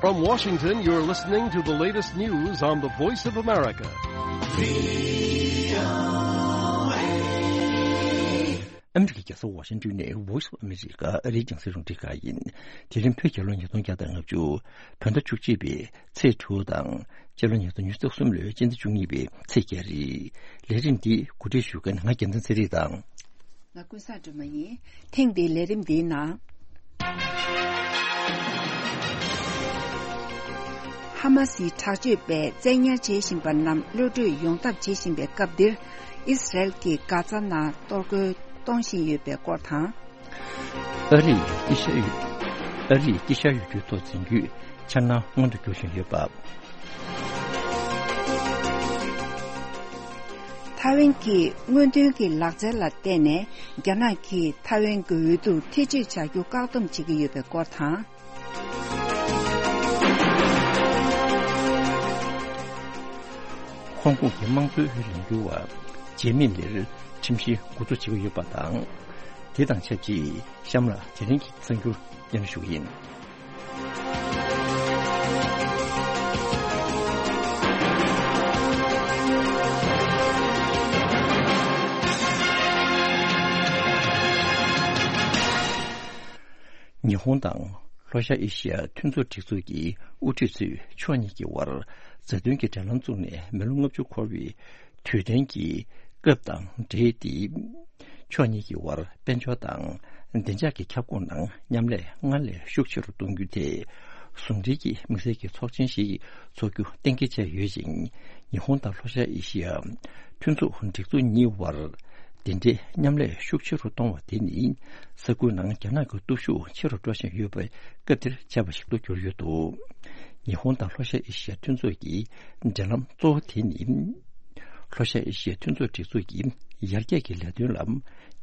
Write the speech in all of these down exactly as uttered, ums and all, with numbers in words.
From Washington, you're listening to the latest news on the Voice of America. ཨ་མི་རི་ཀའི་རྒྱལ་ས་ཝ་ཤིང་ཏོན་ནས་Voice of America ཨ་རིའི་རྒྱང་སྲིང་རླུང་འཕྲིན་ཁང་ཡིན། དེ་རིང་བོད་རྒྱལ་ལོ་ཉིས་སྟོང་བརྒྱ་དང་ལྔ་བཅུ། བོད་ཟླ་བཅུ་གཅིག་པའི་ཚེས་དྲུག་དང་། སྤྱི་ལོ་ཉིས་སྟོང་ཉི་ཤུ་རྩ་གསུམ་ལོའི་སྤྱི་ཟླ་བཅུ་གཉིས་པའི་ཚེས་བརྒྱད་རེད། ལས་རིམ་འདི་གོ་སྒྲིག་ཞུ་མཁན་ང་རྒྱལ་མཚན་ཚེ་རིང་དང་། ང་ཀུན་བཟང་སྒྲོལ་མ་ཡིན། ཐེངས་འདིའི་ལས་རིམ་འདིའི་ནང་། ཧ་མ་སིའི་དྲག་སྤྱོད་པས་བཙན་ཉར་བྱེད་བཞིན་པ་རྣམས་གློད་བཀྲོལ་ཡོང་ཐབས་བྱེད་བཞིན་པའི་སྐབས་འདིར། ཨི་སི་རལ་གྱིས་གྷ་ཛ་ནང་གཏོར་རྒོལ་གཏོང་བཞིན་ཡོད་པའི་སྐོར་དང་། ཨ་རིས་དཀྱིལ་ཤར་ཡུལ། ཨ་རིས་དཀྱིལ་ཤར་ཡུལ་གྱི་ཐོག་འཛིན་རྒྱུའི་འཆར་སྣང་མངོན་དུ་འགྱུར་བཞིན་ཡོད་པ། ཐའེ་ཝན་གྱི་སྔོན་ཐོན་གྱི་ལག་རྩལ་ལ་བརྟེན་ནས། རྒྱ་ནག་གིས་ཐའེ་ཝན་གྱི་འོས་བསྡུར་ཐེ་བྱུས་བྱ་རྒྱུ་བཀག་སྡོམ་བྱེད་ཀྱི་ཡོད་པའི་སྐོར་དང་། ཧོང་ཀོང་གི་དམངས་གཙོའི་ལས་འགུལ་བ་ཇེ་མིན་ལིར་ཁྲིམས་བཤེར་འགོ་འཛུགས་བྱེད་ཀྱི་ཡོད་པ་དང་། དེ་དང་ཆབས་ཅིག་གཤམ་ལ་དེ་རིང་གི་གསར་འགྱུར་སྙན་ཞུ་ཡིན། ཉི་ཧོང་དང་ལྷོ་ཤར་ཨེ་ཤི་ཡ་མཐུན་ཚོགས་སྒྲིག་འཛུགས་ཀྱི་དབུ་ཁྲིད་ཚོས་ཕྱོགས་གཉིས་ཀྱི་དབར་མཛའ་མཐུན་གྱི་འབྲེལ་ལམ་བཙུགས་ནས་མི་ལོ་ལྔ་བཅུ་འཁོར་བའི་དུས་དྲན་གྱི་སྐབས་དང་འབྲེལ་ཏེ། ཕྱོགས་གཉིས་ཀྱི་དབར་དཔལ་འབྱོར་དང་བདེ་འཇགས་ཀྱི་ཁྱབ་ཁོངས་ནང་མཉམ་ལས་སྔར་ལས་ཤུགས་ཆེ་རུ་གཏོང་རྒྱུ་དེ་ཟུང་འབྲེལ་གྱི་དམིགས་བསལ་གྱི་ཚོགས་ཆེན་ཞིག་འཚོགས་རྒྱུ་གཏན་འཁེལ་བྱས་ཡོད་ཅིང་། ཉི་ཧོང་དང་ལྷོ་ཤར་ཨེ་ཤི་ཡ་མཐུན་ཚོགས་སྒྲིག་འཛུགས་གཉིས་དབར་དེ་འདྲའི་མཉམ་ལས་ཤུགས་ཆེ་རུ་གཏོང་བ་དེ་ནི་ས་ཁུལ་ནང་རྒྱ་ནག་གི་སྟོབས་ཤུགས་ཆེ་རུ་འགྲོ་བཞིན་ཡོད་པའི་སྐབས་འདིར་བྱས་པ་ཞིག་ཏུ་གྱུར་ཡོད་འདུག་ཉི་ཧོང་དང་ལྷོ་ཤར་ཨེ་ཤི་ཡ་མཐུན་ཚོགས་ཀྱི་འབྲེལ་ལམ་གཙོ་བོ་དེ་ནི། ལྷོ་ཤར་ཨེ་ཤི་ཡ་མཐུན་ཚོགས་སྒྲིག་འཛུགས་ཀྱི་ཡར་རྒྱས་ཀྱི་ལས་དོན་ལ་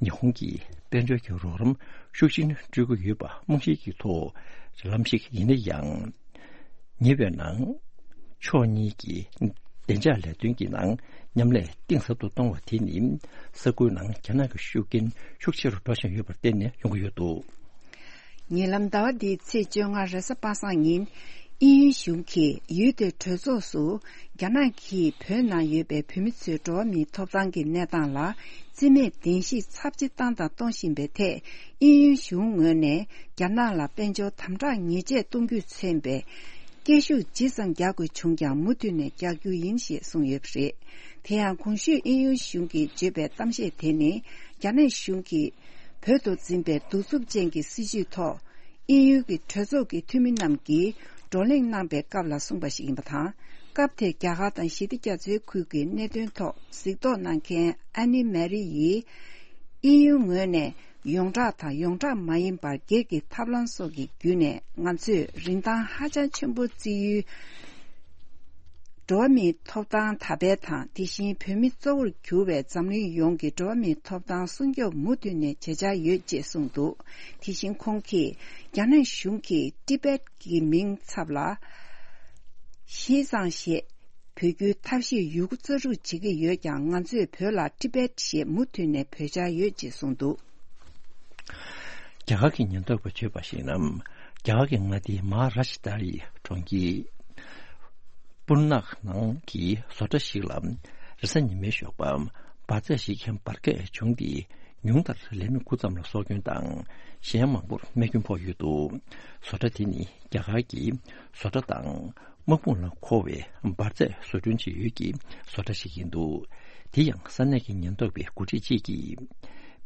ཉི་ཧོང་གིས་དཔལ་འབྱོར་གྱི་རོགས་རམ་ཤུགས་ཆེན་སྤྲོད་ཀྱི་ཡོད་པ་རྨང་གཞིའི་ཐོག་འབྲེལ་ལམ་ཞིག་ཡིན་ན་ཡང་། ཉེ་བའི་ནང་། ཕྱོགས་གཉིས་ཀྱིས་བདེ་འཇགས་ལས་དོན་གྱི་ནང་མཉམ་ལས་གཏིང་ཟབ་ཏུ་གཏོང་བ་དེ་ནི། ས་ཁུལ་ནང་རྒྱ་ནག་གི་ཤུགས་རྐྱེན་ཤུགས་ཆེ་རུ་འགྲོ་བཞིན་ཡོད་པར་བརྟེན་ནས་ཡོང་གི་ཡོད་འདུག་ཉེ་ལམ་ཟླ་བ་འདིའི་ཚེས་བཅོ་ལྔ་རེས་གཟའ་པ་སངས་ཉིན། དབྱིན་ཡུལ་གཞུང་གིས་ཡུལ་དེའི་གྲོས་ཚོགས་སུ། རྒྱ་ནག་གིས་བོད་ནང་ཡོད་པའི་བོད་མི་ཚོའི་འགྲོ་བ་མིའི་ཐོབ་ཐང་གི་གནས་སྟངས་ལ། རྩིས་མེད་བདེན་བཞི་ཚབས་ཆེ་བཏང་དང་གཏོང་བཞིན་པའི་ཐད། དབྱིན་ཡུལ་གཞུང་ངོས་ནས། རྒྱ་ནག་ལ་དཔལ་འབྱོར་དམ་དྲག་ཉེས་ཆད་གཏོང་རྒྱུས་མཚོན་པའི། སྐད་ཤུགས་ཇི་ཙམ་རྒྱག་དགོས་བྱུང་ཀྱང་མུ་མཐུད་ནས་རྒྱག་རྒྱུ་ཡིན་ཞེས་གསུངས་ཡོད་པ་རེད། དེ་ཡང་གོང་ཞུས་དབྱིན་ཡུལ་གཞུང་གིས་བརྗོད་པའི་གཏམ་བཤད་དེ་ནི། རྒྱ་ནག་གཞུང་གིས། བོད་དུ་འཛིན་པའི་གདུག་རྩུབ་ཅན་གྱི་སྲིད་བྱུས་ཐོག་དབྱིན་ཡུལ་གྱི་གྲོས་ཚོགས་ཀྱི་འཐུས་མི་རྣམས་ཀྱིས་བགྲོ་གླེང་གནང་པའི་སྐབས་ལ་གསུངས་པ་ཞིག་ཡིན་པ་དང་། སྐབས་དེར་རྒྱ་གར་དང་ཞི་བདེ་རྒྱ་མཚོའི་ཁུལ་གྱི་གནད་དོན་ཐོག་གཟིགས་རྟོག་གནང་མཁན་ཨ་ནི་མེ་རི་ཡིས། དབྱིན་ཡུལ་ངོས་ནས་ཡོངས་གྲགས་དང་ཡོངས་གྲགས་མ་ཡིན་པར་སྒེར་གྱི་ཐབས་ལམ་སོགས་ཀྱི་བརྒྱུད་ནས་ང་ཚོས་རིན་ཐང་ཧ་ཅང་ཆེན་པོ་བརྩི་ཡུལ། འགྲོ་བ་མིའི་ཐོབ་ཐང་དར་སྤེལ་དང་། དེ་བཞིན་བོད་མི་གཙོ་བོར་གྱུར་བའི་འཛམ་གླིང་ཡོངས་ཀྱི་འགྲོ་བ་མིའི་ཐོབ་ཐང་སྲུང་སྐྱོབ་མུ་མཐུད་ནས་བྱེད་འཆར་ཡོད་ཅེས་གསུངས་འདུག་དེ་བཞིན་ཁོང་གིས་རྒྱ་ནག་གཞུང་གིས་ཏི་པེད་ཀྱི་མིང་ཚབ་ལ་ཞི་ཙང་ཞེས་འབོད་རྒྱུའི་ཐབས་ཤེས་ཡོད་རྒུ་རྩལ་སྤྲུགས་བྱེད་ཀྱི་ཡོད་ཀྱང་། ང་ཚོས་བོད་ལ་ཏི་པེད་ཞེས་མུ་མཐུད་ནས་འབོད་འཆར་ཡོད་ཅེས་གསུངས་འདུག་རྒྱ་གར་གྱི་ཉེན་རྟོག་པས་བརྗོད་པར་གཞིགས་ན། རྒྱ་གར་གྱི་མངའ་སྡེ་མ་ཧཱ་རཱ་ཤི་ཏྲ་ཡི་གྲོང་ཁྱེར་པུར་ནག་ནང་གི་བཟོ་གྲྭ་ཞིག་ལ་རེས་གཟའ་ཉི་མའི་ཞོགས་པ་འབར་རྫས་ཤིག་གི་འབར་གས་བྱུང་སྟེ། ཉུང་མཐར་ལས་མི་དགུ་ཙམ་ལ་སྲོག་སྐྱོན་དང་། གཞན་མང་པོར་རྨས་སྐྱོན་ཕོག་ཡོད་འདུག་བཟོ་གྲྭ་དེ་ནི་རྒྱ་གར་གྱི་བཟོ་གྲྭ་དང་། དམག་དཔུང་ལ་མཁོ་བའི་འབར་རྫས་བཟོ་སྐྲུན་བྱེད་ཡུལ་གྱི་བཟོ་གྲྭ་ཞིག་ཡིན་འདུག་དེ་ཡང་ས་གནས་ཀྱི་ཉེན་རྟོག་པའི་འགོ་ཁྲིད་ཅིག་གིས།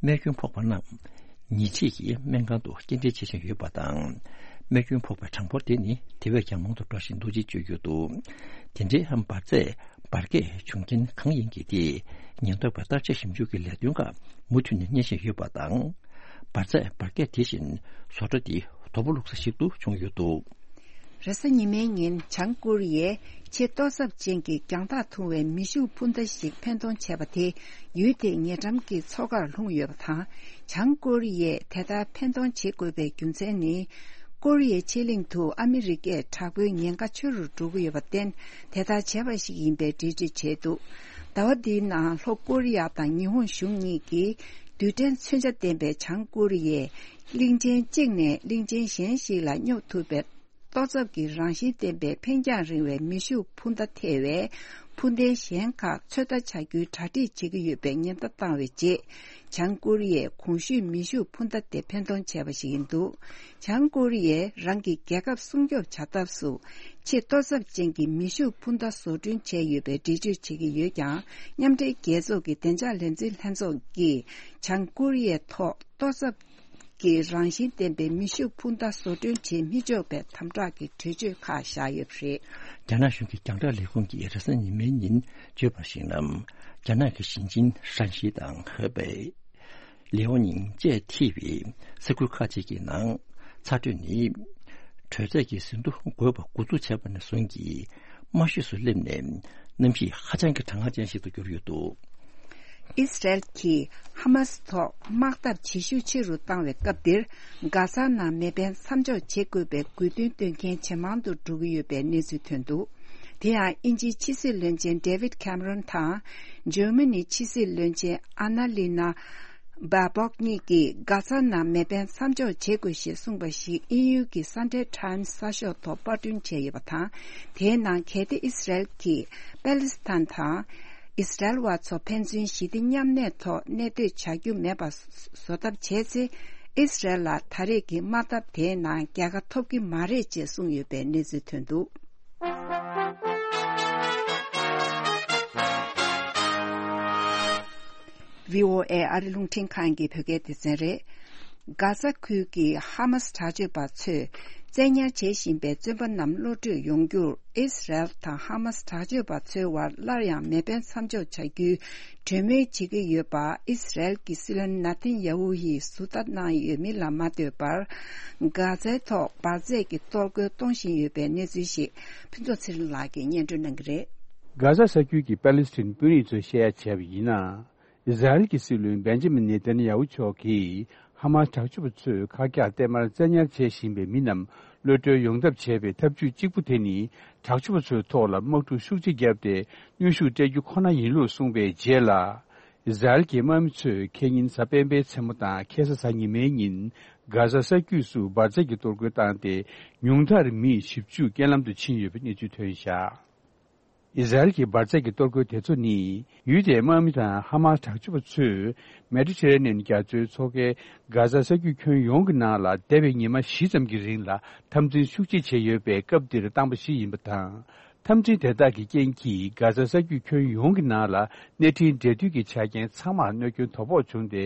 རྨས་སྐྱོན་ཕོག་པ་རྣམས་ཉིན་ཕྱེད་ཀྱི་སྨན་ཁང་དུ་སྐྱེལ་འདྲེན་བྱེད་བཞིན་ཡོད་པ་དང་། རྨས་སྐྱོན་ཕོག་པའི་གྲངས་འབོར་དེ་ནི་དེ་བས་ཀྱང་མང་དུ་འགྲོ་བཞིན་འདུག་ཅེས་བརྗོད་ཡོད་འདུག་དེ་འདྲའི་འབར་རྫས་འབར་གས་བྱུང་རྐྱེན་གང་ཡིན་གྱི་ཐད། ཉེན་རྟོག་པའི་བརྟག་དཔྱད་ཞིབ་འཇུག་གི་ལས་དོན་ཁག་མུ་མཐུད་ནས་གཉེར་བཞིན་ཡོད་པ་དང་། འབར་རྫས་འབར་གས་དེ་བཞིན་བཟོ་གྲྭ་དེ་དོ་པོ་བླུགས་ས་ཞིག་ཏུ་བྱུང་ཡོད་འདུག་རེས་གཟའ་ཉི་མའི་ཉིན་བྱང་ཀོ་རི་ཡས་ཆེས་གཏོར་ཚབས་ཅན་གྱི་རྒྱང་ཐག་ཐུང་བའི་མེ་ཤུགས་འཕུར་མདའ་ཞིག་འཕེན་གཏོང་བྱས་པ་དེ་ཡུལ་དེའི་ཉེ་འགྲམ་གྱི་མཚོ་ཁར་ལྷུང་ཡོད་པ་དང་། བྱང་ཀོ་རི་ཡས་དེ་ལྟར་འཕེན་གཏོང་བྱེད་དགོས་པའི་རྒྱུ་མཚན་ནི། ཀོ་རི་ཡའི་ཕྱེད་གླིང་དུ་ཨ་མི་རི་ཀས་དྲག་པོའི་ཉེན་ཁ་ཆེ་རུ་འགྲོ་གི་ཡོད་པར་བརྟེན། དེ་ལྟར་བྱས་པ་ཞིག་ཡིན་པའི་འགྲེལ་བརྗོད་བྱས་འདུག་ཟླ་བ་འདིའི་ནང་ལྷོ་ཀོ་རི་ཡ་དང་ཉི་ཧོང་གཞུང་གཉིས་ཀྱིས་རྡུལ་ཕྲན་མཚོན་ཆ་ལྡན་པའི་བྱང་ཀོ་རི་ཡའི་གླིང་ཆེན་གཅིག་ནས་གླིང་ཆེན་གཞན་ཞིག་ལ་སྙོབ་ཐུབ་པའི་ ཏོག་ཙམ་གྱི་རང་བཞིན་ལྡན་པའི་འཕེན་རྒྱང་རིང་བའི་མེ་ཤུགས་འཕུར་མདའ་ཐེ་བའི་འཕུར་མདེལ་གཞན་ཁག་ཚོད་ལྟ་བྱ་རྒྱུའི་གྲ་སྒྲིག་བྱེད་ཀྱི་ཡོད་པའི་ཉེན་བརྡ་བཏང་བའི་རྗེས། བྱང་ཀོ་རི་ཡས་གོང་ཞུས་མེ་ཤུགས་འཕུར་མདའ་དེ་འཕེན་གཏོང་བྱས་པ་ཞིག་ཡིན་འདུག་བྱང་ཀོ་རི་ཡས་རང་གི་རྒྱལ་ཁབ་སྲུང་སྐྱོབ་བྱ་ཐབས་སུ། ཆེས་ཏོག་ཙམ་ཅན་གྱི་མེ་ཤུགས་འཕུར་མདའ་བཟོ་སྐྲུན་བྱས་ཡོད་པའི་འགྲེལ་བརྗོད་བྱེད་ཀྱི་ཡོད་ཀྱང་། མཉམ་འབྲེལ་རྒྱལ་ཚོགས་ཀྱི་བདེ་འཇགས་ལས་འཛིན་ལྷན་ཚོགས་ཀྱིས་བྱང་ཀོ་རི་ཡའི་ཐོག་ཏོག་ཙམ་གྱི་རང་བཞིན་ལྡན་པའི་མེ་ཤུགས་འཕུར་མདའ་བཟོ་སྐྲུན་བྱེད་མི་ཆོག་པའི་དམ་དྲག་གི་གྲོས་ཆོད་ཁག་བཞག་ཡོད་པ་རེད། རྒྱ་ནག་གཞུང་གི་རྒྱང་བསྒྲགས་ལས་ཁུངས་ཀྱིས་རེས་གཟའ་ཉི་མའི་ཉིན་བརྗོད་པར་གཞིགས་ན། རྒྱ་ནག་གི་ཞིང་ཆེན་ཧྲན་ཞི་དང་ཧེ་པེ། ལེའོ་ཉིང་བཅས་ཐེ་བའི་ས་ཁུལ་ཁག་ཅིག་གི་ནང་ཚ་དྲོད་ནི་དྲོད་ཚད་ཀྱི་ཟིན་ཐོ་འགོད་པ་འགོ་འཛུགས་བྱས་པ་ནས་བཟུང་གིས་དམའ་ཤོས་སུ་སླེབས་ནས། གནམ་གཤིས་ཧ་ཅང་གི་གྲང་ངར་ཅན་ཞིག་ཏུ་གྱུར་ཡོད་འདུག་ཨི་སི་རལ་གྱིས་ཧ་མ་སི་ཐོག་དམག་འཐབ་བྱེད་ཤུགས་ཆེ་རུ་བཏང་བའི་སྐབས་འདིར། གྷ་ཛ་ནང་མེ་འཕེན་མཚམས་འཇོག་བྱེད་དགོས་པའི་དགོས་འདུན་བཏོན་མཁན་ཇེ་མང་དུ་འགྲོ་གི་ཡོད་པའི་གནས་ཚུལ་ཐོན་འདུག་དེ་ཡང་དབྱིན་ཇིའི་ཕྱི་སྲིད་བློན་ཆེན་ཌེ་ཝིད་ཁེམ་རོན་དང་། འཇར་མ་ནིའི་ཕྱི་སྲིད་བློན་ཆེན་ཨ་ན་ལི་ན། སྦ་བོག་གཉིས་ཀྱིས་གྷ་ཛ་ནང་མེ་འཕེན་མཚམས་འཇོག་བྱེད་དགོས་ཞེས་གསུངས་པ་ཞིག་དབྱིན་ཡུལ་གྱི་སན་ཌེ་ཊའེམ་སི་གསར་ཤོག་ཐོག་པར་སྐྲུན་བྱས་ཡོད་པ་དང་། དེའི་ནང་གལ་ཏེ་ཨི་སི་རལ་གྱིས་པེ་ལི་སི་ཐན་དང་། ཨི་སི་རལ་བ་ཚོ་ཕན་ཚུན་ཞི་བདེ་མཉམ་གནས་ཐོག་གནས་སྡོད་བྱ་རྒྱུ་མེད་པ་བཟོ་ཐབས་བྱས་ཚེ། ཨི་སི་རལ་ལ་ད་རེས་ཀྱི་དམག་འཐབ་དེའི་ནང་རྒྱལ་ཁ་ཐོབ་ཀྱི་མ་རེད་ཅེས་གསུངས་ཡོད་པའི་གནས་ཚུལ་ཐོན་འདུག་བྷི་ཨོ་ཨེ་ཨ་རི་རླུང་འཕྲིན་ཁང་གི་བོད་སྐད་སྡེ་ཚན་རེད། གྷ་ཟ་ཁུལ་གྱི་ཧ་མ་སི་དྲག་སྤྱོད་པ་ཚོས་བཙན་ཉར་བྱེད་བཞིན་པའི་བཙོན་པ་རྣམས་གློད་གྲོལ་ཡོང་རྒྱུར། ཨིས་རལ་དང་ཧ་མ་སི་དྲག་སྤྱོད་པ་ཚོའི་བར་སླར་ཡང་མེ་འཕེན་མཚམས་འཇོག་བྱ་རྒྱུའི་གྲོས་མོལ་བྱེད་ཀྱི་ཡོད་པ། ཨིས་རལ་གྱི་སྲིད་བློན་ན་ཐན་ཡ་ཧུ་ཡིས་ཟུར་ལྟ་གནང་ཡོད་མིན་ལ་མ་ལྟོས་པར། གྷ་ཛའི་ཐོག་འབར་རྫས་ཀྱི་གཏོར་རྒོལ་གཏོང་བཞིན་ཡོད་པའི་གནས་ཚུལ་ཞིག་ཕུན་ཚོགས་ཚེ་རིང་ལགས་ཀྱིས་སྙན་སྒྲོན་གནང་གི་རེད། གྷ་ཟ་ས་རྒྱུད་ཀྱི་པ་ལི་སི་ཐན་དཔོན་རིགས་ཚོས་བཤད་ཡ་བྱས་པ་ཡིན་ན། ཨི་ཟ་རེལ་གྱི་སྲིད་བློན་བེན་ཇ་མིན་ནེ་ཐན་ཡ་ཧུ་མཆོག་གིས་ཧ་མ་སི་དྲག་སྤྱོད་པ་ཚོས་ཁ་གྱག་བསྟན་མར་བཙན་ཉར་བྱེད་བཞིན་པའི་མི་རྣམས་གློད་གྲོལ་ཡོང་ཐབས་བྱས་པའི་ཐབས་ཇུས་གཅིག་པུ་དེ་ནི། དྲག་སྤྱོད་པ་ཚོའི་ཐོག་ལ་དམག་འཁྲུག་ཤུགས་ཆེ་བརྒྱབ་སྟེ། གནོན་ཤུགས་སྤྲད་རྒྱུ་ཁོ་ན་ཡིན་ལུགས་གསུངས་པའི་རྗེས་ལ། ཨི་ཟ་རེལ་གྱི་དམག་མི་ཚོས་ཁེ་ཉིན་གཟའ་སྤེན་པའི་མཚན་མོ་དང་ཁ་སང་གཟའ་ཉི་མའི་ཉིན། གྷ་ཟ་ས་རྒྱུད་སུ་འབར་རྫས་ཀྱི་གཏོར་རྒོལ་བཏང་སྟེ། ཉུང་མཐར་མི་བཞི་བཅུ་རྐྱེན་ལམ་དུ་ཕྱིན་ཡོད་པའི་གནས་ཚུལ་ཐོན་བཞག་ཨི་ཟ་རེལ་གྱི་འབར་རྫས་ཀྱི་གཏོར་རྒོལ་དེ་ཚོ་ནི། ཡུལ་དེའི་དམག་མི་དང་ཧ་མ་སི་དྲག་སྤྱོད་པ་ཚོས། མེ་ཌི་ཊེ་རེ་ནེན་རྒྱ་མཚོའི་མཚོ་ཁའི་གྷ་ཟ་ས་རྒྱུད་ཁྱོན་ཡོངས་ཀྱི་ནང་ལ། འདས་པའི་ཉི་མ་བཞི་ཙམ་གྱི་རིང་ལ། འཐབ་འཛིང་ཤུགས་ཆེ་བྱས་ཡོད་པའི་སྐབས་འདིར་བཏང་པ་ཞིག་ཡིན་པ་དང་། འཐབ་འཛིང་དེ་དག་གི་རྐྱེན་གྱིས། གྷ་ཟ་ས་རྒྱུད་ཁྱོན་ཡོངས་ཀྱི་ནང་ལ། གནས་འཕྲིན་འབྲེལ་མཐུད་ཀྱི་ཆ་རྐྱེན་ཚང་མར་གནོད་སྐྱོན་དོ་ཕོག་བྱུང་སྟེ།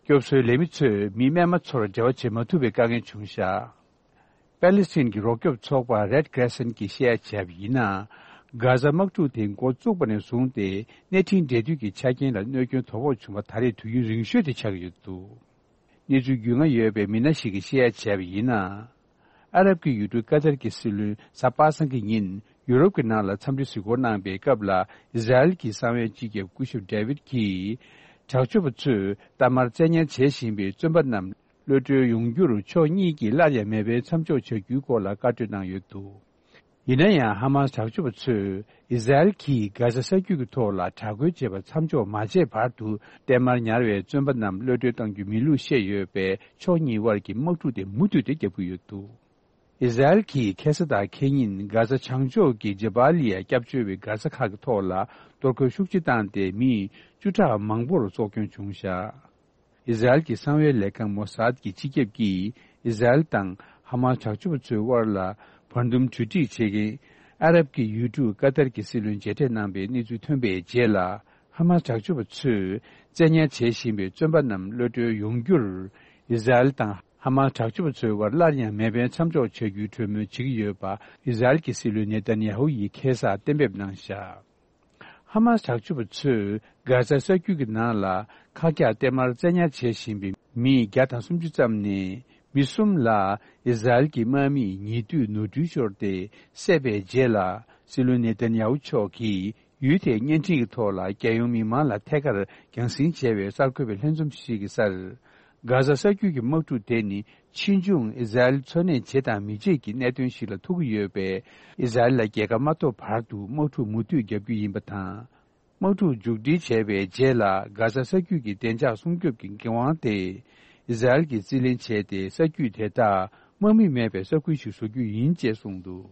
སྐྱོབ་གསོའི་ལས་མི་ཚོས་མི་རྨས་མ་ཚོར་འབྲེལ་བ་བྱེད་མ་ཐུབ་པའི་དཀའ་ངལ་བྱུང་བཞག་པེ་ལི་སི་ཐན་གྱི་རོགས་སྐྱོབ་ཚོགས་པ་Red Crescent་གྱིས་བཤད་ཡ་བྱས་པ་ཡིན་ན། གྷ་ཟ་དམག་འཁྲུག་དེ་འགོ་བཙུགས་པ་ནས་བཟུང་སྟེ། གནས་འཕྲིན་འབྲེལ་མཐུད་ཀྱི་ཆ་རྐྱེན་ལ་གནོད་སྐྱོན་དོ་ཕོག་བྱུང་བ་ད་རེས་དུས་ཡུན་རིང་ཤོས་དེ་ཆགས་ཀྱི་ཡོད་འདུག་གནས་ཚུལ་རྒྱུས་མངའ་ཡོད་པའི་མི་སྣ་ཞིག་གིས་བཤད་ཡ་བྱས་པ་ཡིན་ན། ཨ་རབ་ཀྱི་ཡུལ་གྲུ་ཀ་ཏར་གྱི་སྲིད་བློན་གཟའ་པ་སངས་ཀྱི་ཉིན་ཡུ་རོབ་ཀྱི་ནང་ལ་འཚམས་འདྲི་གཟིགས་སྐོར་གནང་པའི་སྐབས་ལ། ཨི་ཟ་རེལ་གྱི་གསང་བའི་སྤྱི་ཁྱབ་སྐུ་ཞབས་ཌེ་ཝིད་ཀྱིས། དྲག་སྤྱོད་པ་ཚོས་གཏའ་མར་བཙན་ཉར་བྱེད་བཞིན་པའི་བཙོན་པ་རྣམས་གློད་གྲོལ་ཡོང་རྒྱུར་ཕྱོགས་གཉིས་ཀྱིས་སླར་ཡང་མེ་འཕེན་མཚམས་འཇོག་བྱ་རྒྱུའི་སྐོར་ལ་བཀའ་གྲོས་གནང་ཡོད་འདུག་ཡིན་ན་ཡང་། ཧ་མ་སི་དྲག་སྤྱོད་པ་ཚོས་ཨི་ཟ་རེལ་གྱིས་གྷ་ཟ་ས་རྒྱུད་ཀྱི་ཐོག་ལ་དྲག་རྒོལ་བྱེད་པར་མཚམས་འཇོག་མ་བྱས་བར་དུ། གཏའ་མར་ཉར་བའི་བཙོན་པ་རྣམས་གློད་གྲོལ་གཏང་རྒྱུ་མིན་ལུགས་བཤད་ཡོད་པས། ཕྱོགས་གཉིས་དབར་གྱི་དམག་འཁྲུག་དེ་མུ་མཐུད་དེ་རྒྱག་གི་ཡོད་འདུག་ཨི་ཟ་རེལ་གྱིས་ཁ་སང་དང་ཁ་ཉིན་གྷ་ཟ་བྱང་ཕྱོགས་ཀྱི་ཇེ་བྷ་ལི་ཡ་སྐྱབས་བཅོལ་བའི་གྷ་ཟ་ཁག་གི་ཐོག་ལ་གཏོར་རྒོལ་ཤུགས་ཆེ་བཏང་སྟེ། མི་བཅུ་ཕྲག་མང་པོར་སྲོག་སྐྱོན་བྱུང་བཞག་ཨི་ཟ་རེལ་གྱི་གསང་བའི་ལས་ཁང་མོ་སཱད་ཀྱི་སྤྱི་ཁྱབ་ཀྱིས། ཨི་ཟ་རེལ་དང་ཧ་མ་སི་དྲག་སྤྱོད་པ་ཚོའི་དབར་ལ་བར་འདུམ་གྲོས་འགྲིག་བྱེད་མཁན་ཨ་རབ་ཀྱི་ཡུལ་གྲུ་ཀ་ཏར་གྱི་སྲིད་བློན་མཇལ་འཕྲད་གནང་པའི་གནས་ཚུལ་ཐོན་པའི་རྗེས་ལ། ཧ་མ་སི་དྲག་སྤྱོད་པ་ཚོས་བཙན་ཉར་བྱེད་བཞིན་པའི་བཙོན་པ་རྣམས་གློད་གྲོལ་ཡོང་རྒྱུར། ཨི་ཟ་རེལ་དང་ཧ་མ་སི་དྲག་སྤྱོད་པ་ཚོའི་དབར་སླར་ཡང་མེ་འཕེན་མཚམས་འཇོག་བྱ་རྒྱུའི་གྲོས་མོལ་བྱེད་ཀྱི་ཡོད་པ། ཨི་ཟ་རེལ་གྱི་སྲིད་བློན་ནེ་ཐན་ཡ་ཧུ་ཡིས་ཁ་སང་གཏན་འབེབས་གནང་བཞག་ཧ་མ་སི་དྲག་སྤྱོད་པ་ཚོས་གྷ་ཟ་ས་རྒྱུད་ཀྱི་ནང་ལ་ཁག་རྒྱག་གཏའ་མར་བཙན་ཉར་བྱེད་བཞིན་པའི་མི་བརྒྱ་དང་སུམ་ཅུ་ཙམ་ནས། མི་གསུམ་ལ་ཨི་ཟ་རེལ་གྱི་དམག་མིས་ཉེ་དུས་ནོར་འཁྲུལ་ཤོར་ཏེ་བསད་པའི་རྗེས་ལ། སྲིད་བློན་ནེ་ཐན་ཡ་ཧུ་མཆོག་གིས་ཡུལ་དེའི་བརྙན་འཕྲིན་གྱི་ཐོག་ལ། རྒྱལ་ཡོངས་མི་མང་ལ་ཐད་ཀར་རྒྱང་སྲིང་བྱས་པའི་གསར་འགོད་པའི་ལྷན་འཛོམས་ཤིག་གི་སར། གྷ་ཟ་ས་རྒྱུད་ཀྱི་དམག་འཁྲུག་དེ་ནི། ཕྱིས་འབྱུང་ཨི་ཟ་རེལ་འཚོ་གནས་བྱེད་དང་མི་བྱེད་ཀྱི་གནད་དོན་ཞིག་ལ་ཐུག་གི་ཡོད་པས། ཨི་ཟ་རེལ་ལ་རྒྱལ་ཁ་མ་ཐོབ་བར་དུ་དམག་འཁྲུག་མུ་མཐུད་རྒྱག་རྒྱུ་ཡིན་པ་དང་། དམག་འཁྲུག་མཇུག་སྒྲིལ་བྱས་པའི་རྗེས་ལ། གྷ་ཟ་ས་རྒྱུད་ཀྱི་བདེ་འཇགས་སྲུང་སྐྱོབ་ཀྱི་འགན་དབང་དེ་ཨི་ཟ་རེལ་གྱིས་རྩིས་ལེན་བྱས་ཏེ། ས་རྒྱུད་དེ་དག་ དམག་མི་མེད་པའི་ས་ཁུལ་ཞིག་བཟོ་རྒྱུ་ཡིན་ཅེས་གསུངས་འདུག།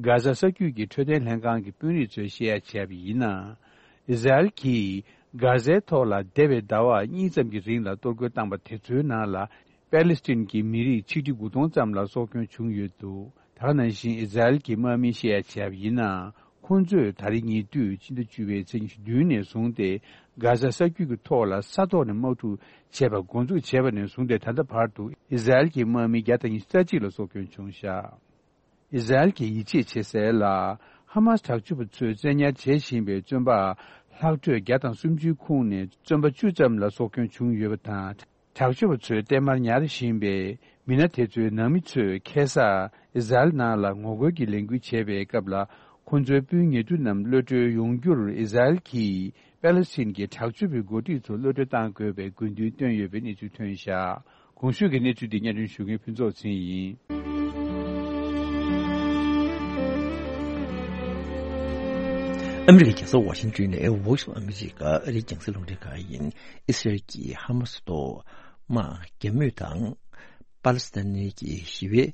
གྷ་ཟ་ས་རྒྱུད་ཀྱི་འཕྲོད་བསྟེན་ལྷན་ཁང་གི་དཔོན་རིགས་ཚོས་བཤད་ཡ་བྱས་པ་ཡིན་ན། ཨི་ཟ་རེལ་གྱིས་གྷ་ཟའི་ཐོག་ལ་འདས་པའི་ཟླ་བ་གཉིས་ཙམ་གྱི་རིང་ལ་གཏོར་རྒོལ་བཏང་པ་དེ་ཚོའི་ནང་ལ་པེ་ལི་སི་ཐན་གྱི་མི་རིགས་ཆིག་ཁྲི་དགུ་སྟོང་ཙམ་ལ་སྲོག་སྐྱོན་བྱུང་ཡོད་འདུག། ད་ག་ནང་བཞིན་ཨི་ཟ་རེལ་གྱི་དམག་མིས་བཤད་ཡ་བྱས་པ་ཡིན་ན། ཁོང་ཚོས་ད་རེས་ཉེ་དུས་ཕྱི་ཟླ་བཅུ་པའི་ཚེས་ཉི་ཤུ་བདུན་ནས་བཟུང་སྟེ་གྷ་ཟ་ས་རྒྱུད་ཀྱི་ཐོག་ལ་ས་ཐོག་ནས་དམག་འཁྲུག་བྱས་པ་འགོ་འཛུགས་བྱས་པ་ནས་བཟུང་སྟེ་ད་ལྟ་བར་དུ་ཨི་ཟ་རེལ་གྱི་དམག་མི་བརྒྱ་དང་ཉི་ཤུ་རྩ་གཅིག་ལ་སྲོག་སྐྱོན་བྱུང་བཞག། ཨི་ཟ་རེལ་གྱིས་ཡིད་ཆེས་བྱེད་སའི་ལ་ཧ་མ་སི་དྲག་སྤྱོད་པ་ཚོས་བཙན་ཉར་བྱེད་བཞིན་པའི་བཙོན་པ་ལྷག་འཕྲོས་བརྒྱ་དང་སུམ་ཅུའི་ཁོངས་ནས་བཙོན་པ་བཅུ་ཙམ་ལ་སྲོག་སྐྱོན་བྱུང་ཡོད་པ་དང་། དྲག་སྤྱོད་པ་ཚོས་བརྟན་མར་ཉར་བཞིན་པའི་མི་སྣ་དེ་ཚོའི་ནང་མི་ཚོས་ཁ་སང་ཨི་ཟ་རེལ་ནང་ལ་ངོ་རྒོལ་གྱི་ལས་འགུལ་བྱས་པའི་སྐབས་ལ་ཁོ་ཚོའི་སྤུན་ཉེ་དུ་རྣམས་གློད་གྲོལ་ཡོང་རྒྱུར་ཨི་ཟ་རེལ་གྱིས་པེ་ལི་སི་ཐན་གྱི་དྲག་སྤྱོད་པའི་འགོ་ཁྲིད་ཚོ་གློད་གྲོལ་གཏང་དགོས་པའི་དགོས་འདུན་བཏོན་ཡོད་པའི་གནས་ཚུལ་ཐོན་བཞག། གོང་ཞུས་ཀྱི་གནས་ཚུལ་འདི་སྙན་སྒྲོན་ཞུ་མཁན་ཕུན་ཚོགས་ཚེ་རིང་ཡིན། ཨ་མི་རི་ཀའི་རྒྱལ་ས་ཝ་ཤིང་ཏོན་ནས་Voice of America ཨ་རིའི་རྒྱང་སྲིང་རླུང་འཕྲིན་ཁང་ཡིན། ཨི་སི་རལ་གྱིས་ཧ་མ་སི་ཐོག་དམག་རྒྱག་མུས་དང་། པ་ལི་སི་ཐན་གྱི་ཞི་བའི་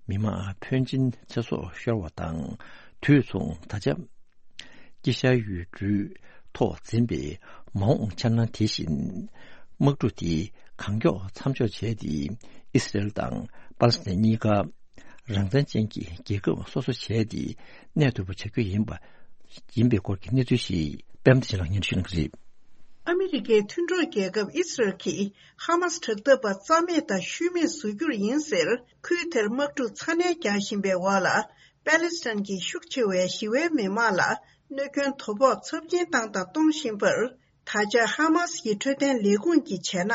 མི་མང་ཕོན་ཆེན་ཚེ་སྲོག་ཤོར་བ་དང་། དུས་མཚུངས་ད་ཆ་དཀྱིལ་ཤར་ཡུལ་གྲུའི་ཐོག་འཛིན་པའི་མ་འོངས་འཆར་སྣང་དེ་བཞིན། དམག་འཁྲུག་དེ་གང་མགྱོགས་མཚམས་འཇོག་བྱས་ཏེ། ཨི་སི་རལ་དང་པ་ལི་སི་ཐན་གཉིས་ཀ་རང་བཙན་ཅན་གྱི་རྒྱལ་ཁབ་སོ་སོ་བྱས་ཏེ་གནས་ཐུབ་པ་བྱ་རྒྱུ་ཡིན་པ། ཡིན་པའི་སྐོར་གྱི་གནས་ཚུལ་ཞིག་པད་མ་བདེ་ཆེན་ལགས་སྙན་ཞུ་གནང་གི་རེད། ཨ་མི་རི་ཀའི་མཐུན་གྲོགས་རྒྱལ་ཁབ་ཨི་སི་རལ་གྱིས་ཧ་མ་སི་དྲག་འཐབ་པ་རྩ་མེད་དང་ཤུལ་མེད་བཟོ་རྒྱུར་ཡིན་ཟེར། ཁུལ་དེར་དམག་འཁྲུག་ཚ་ནན་རྒྱག་བཞིན་པའི་འོག་ལ། པེ་ལི་སི་ཐན་གྱི་ཤུགས་ཆེ་བའི་ཞི་བའི་མི་མང་ལ་གནོད་སྐྱོན་དོ་ཕོག་ཚབས་ཆེན་བཏང་དང་གཏོང་བཞིན་པར། ད་ཆ་ཧ་མ་སི་ཡི་འཕྲོད་བསྟེན་ལས་ཁུངས་ཀྱིས་བྱས་ན།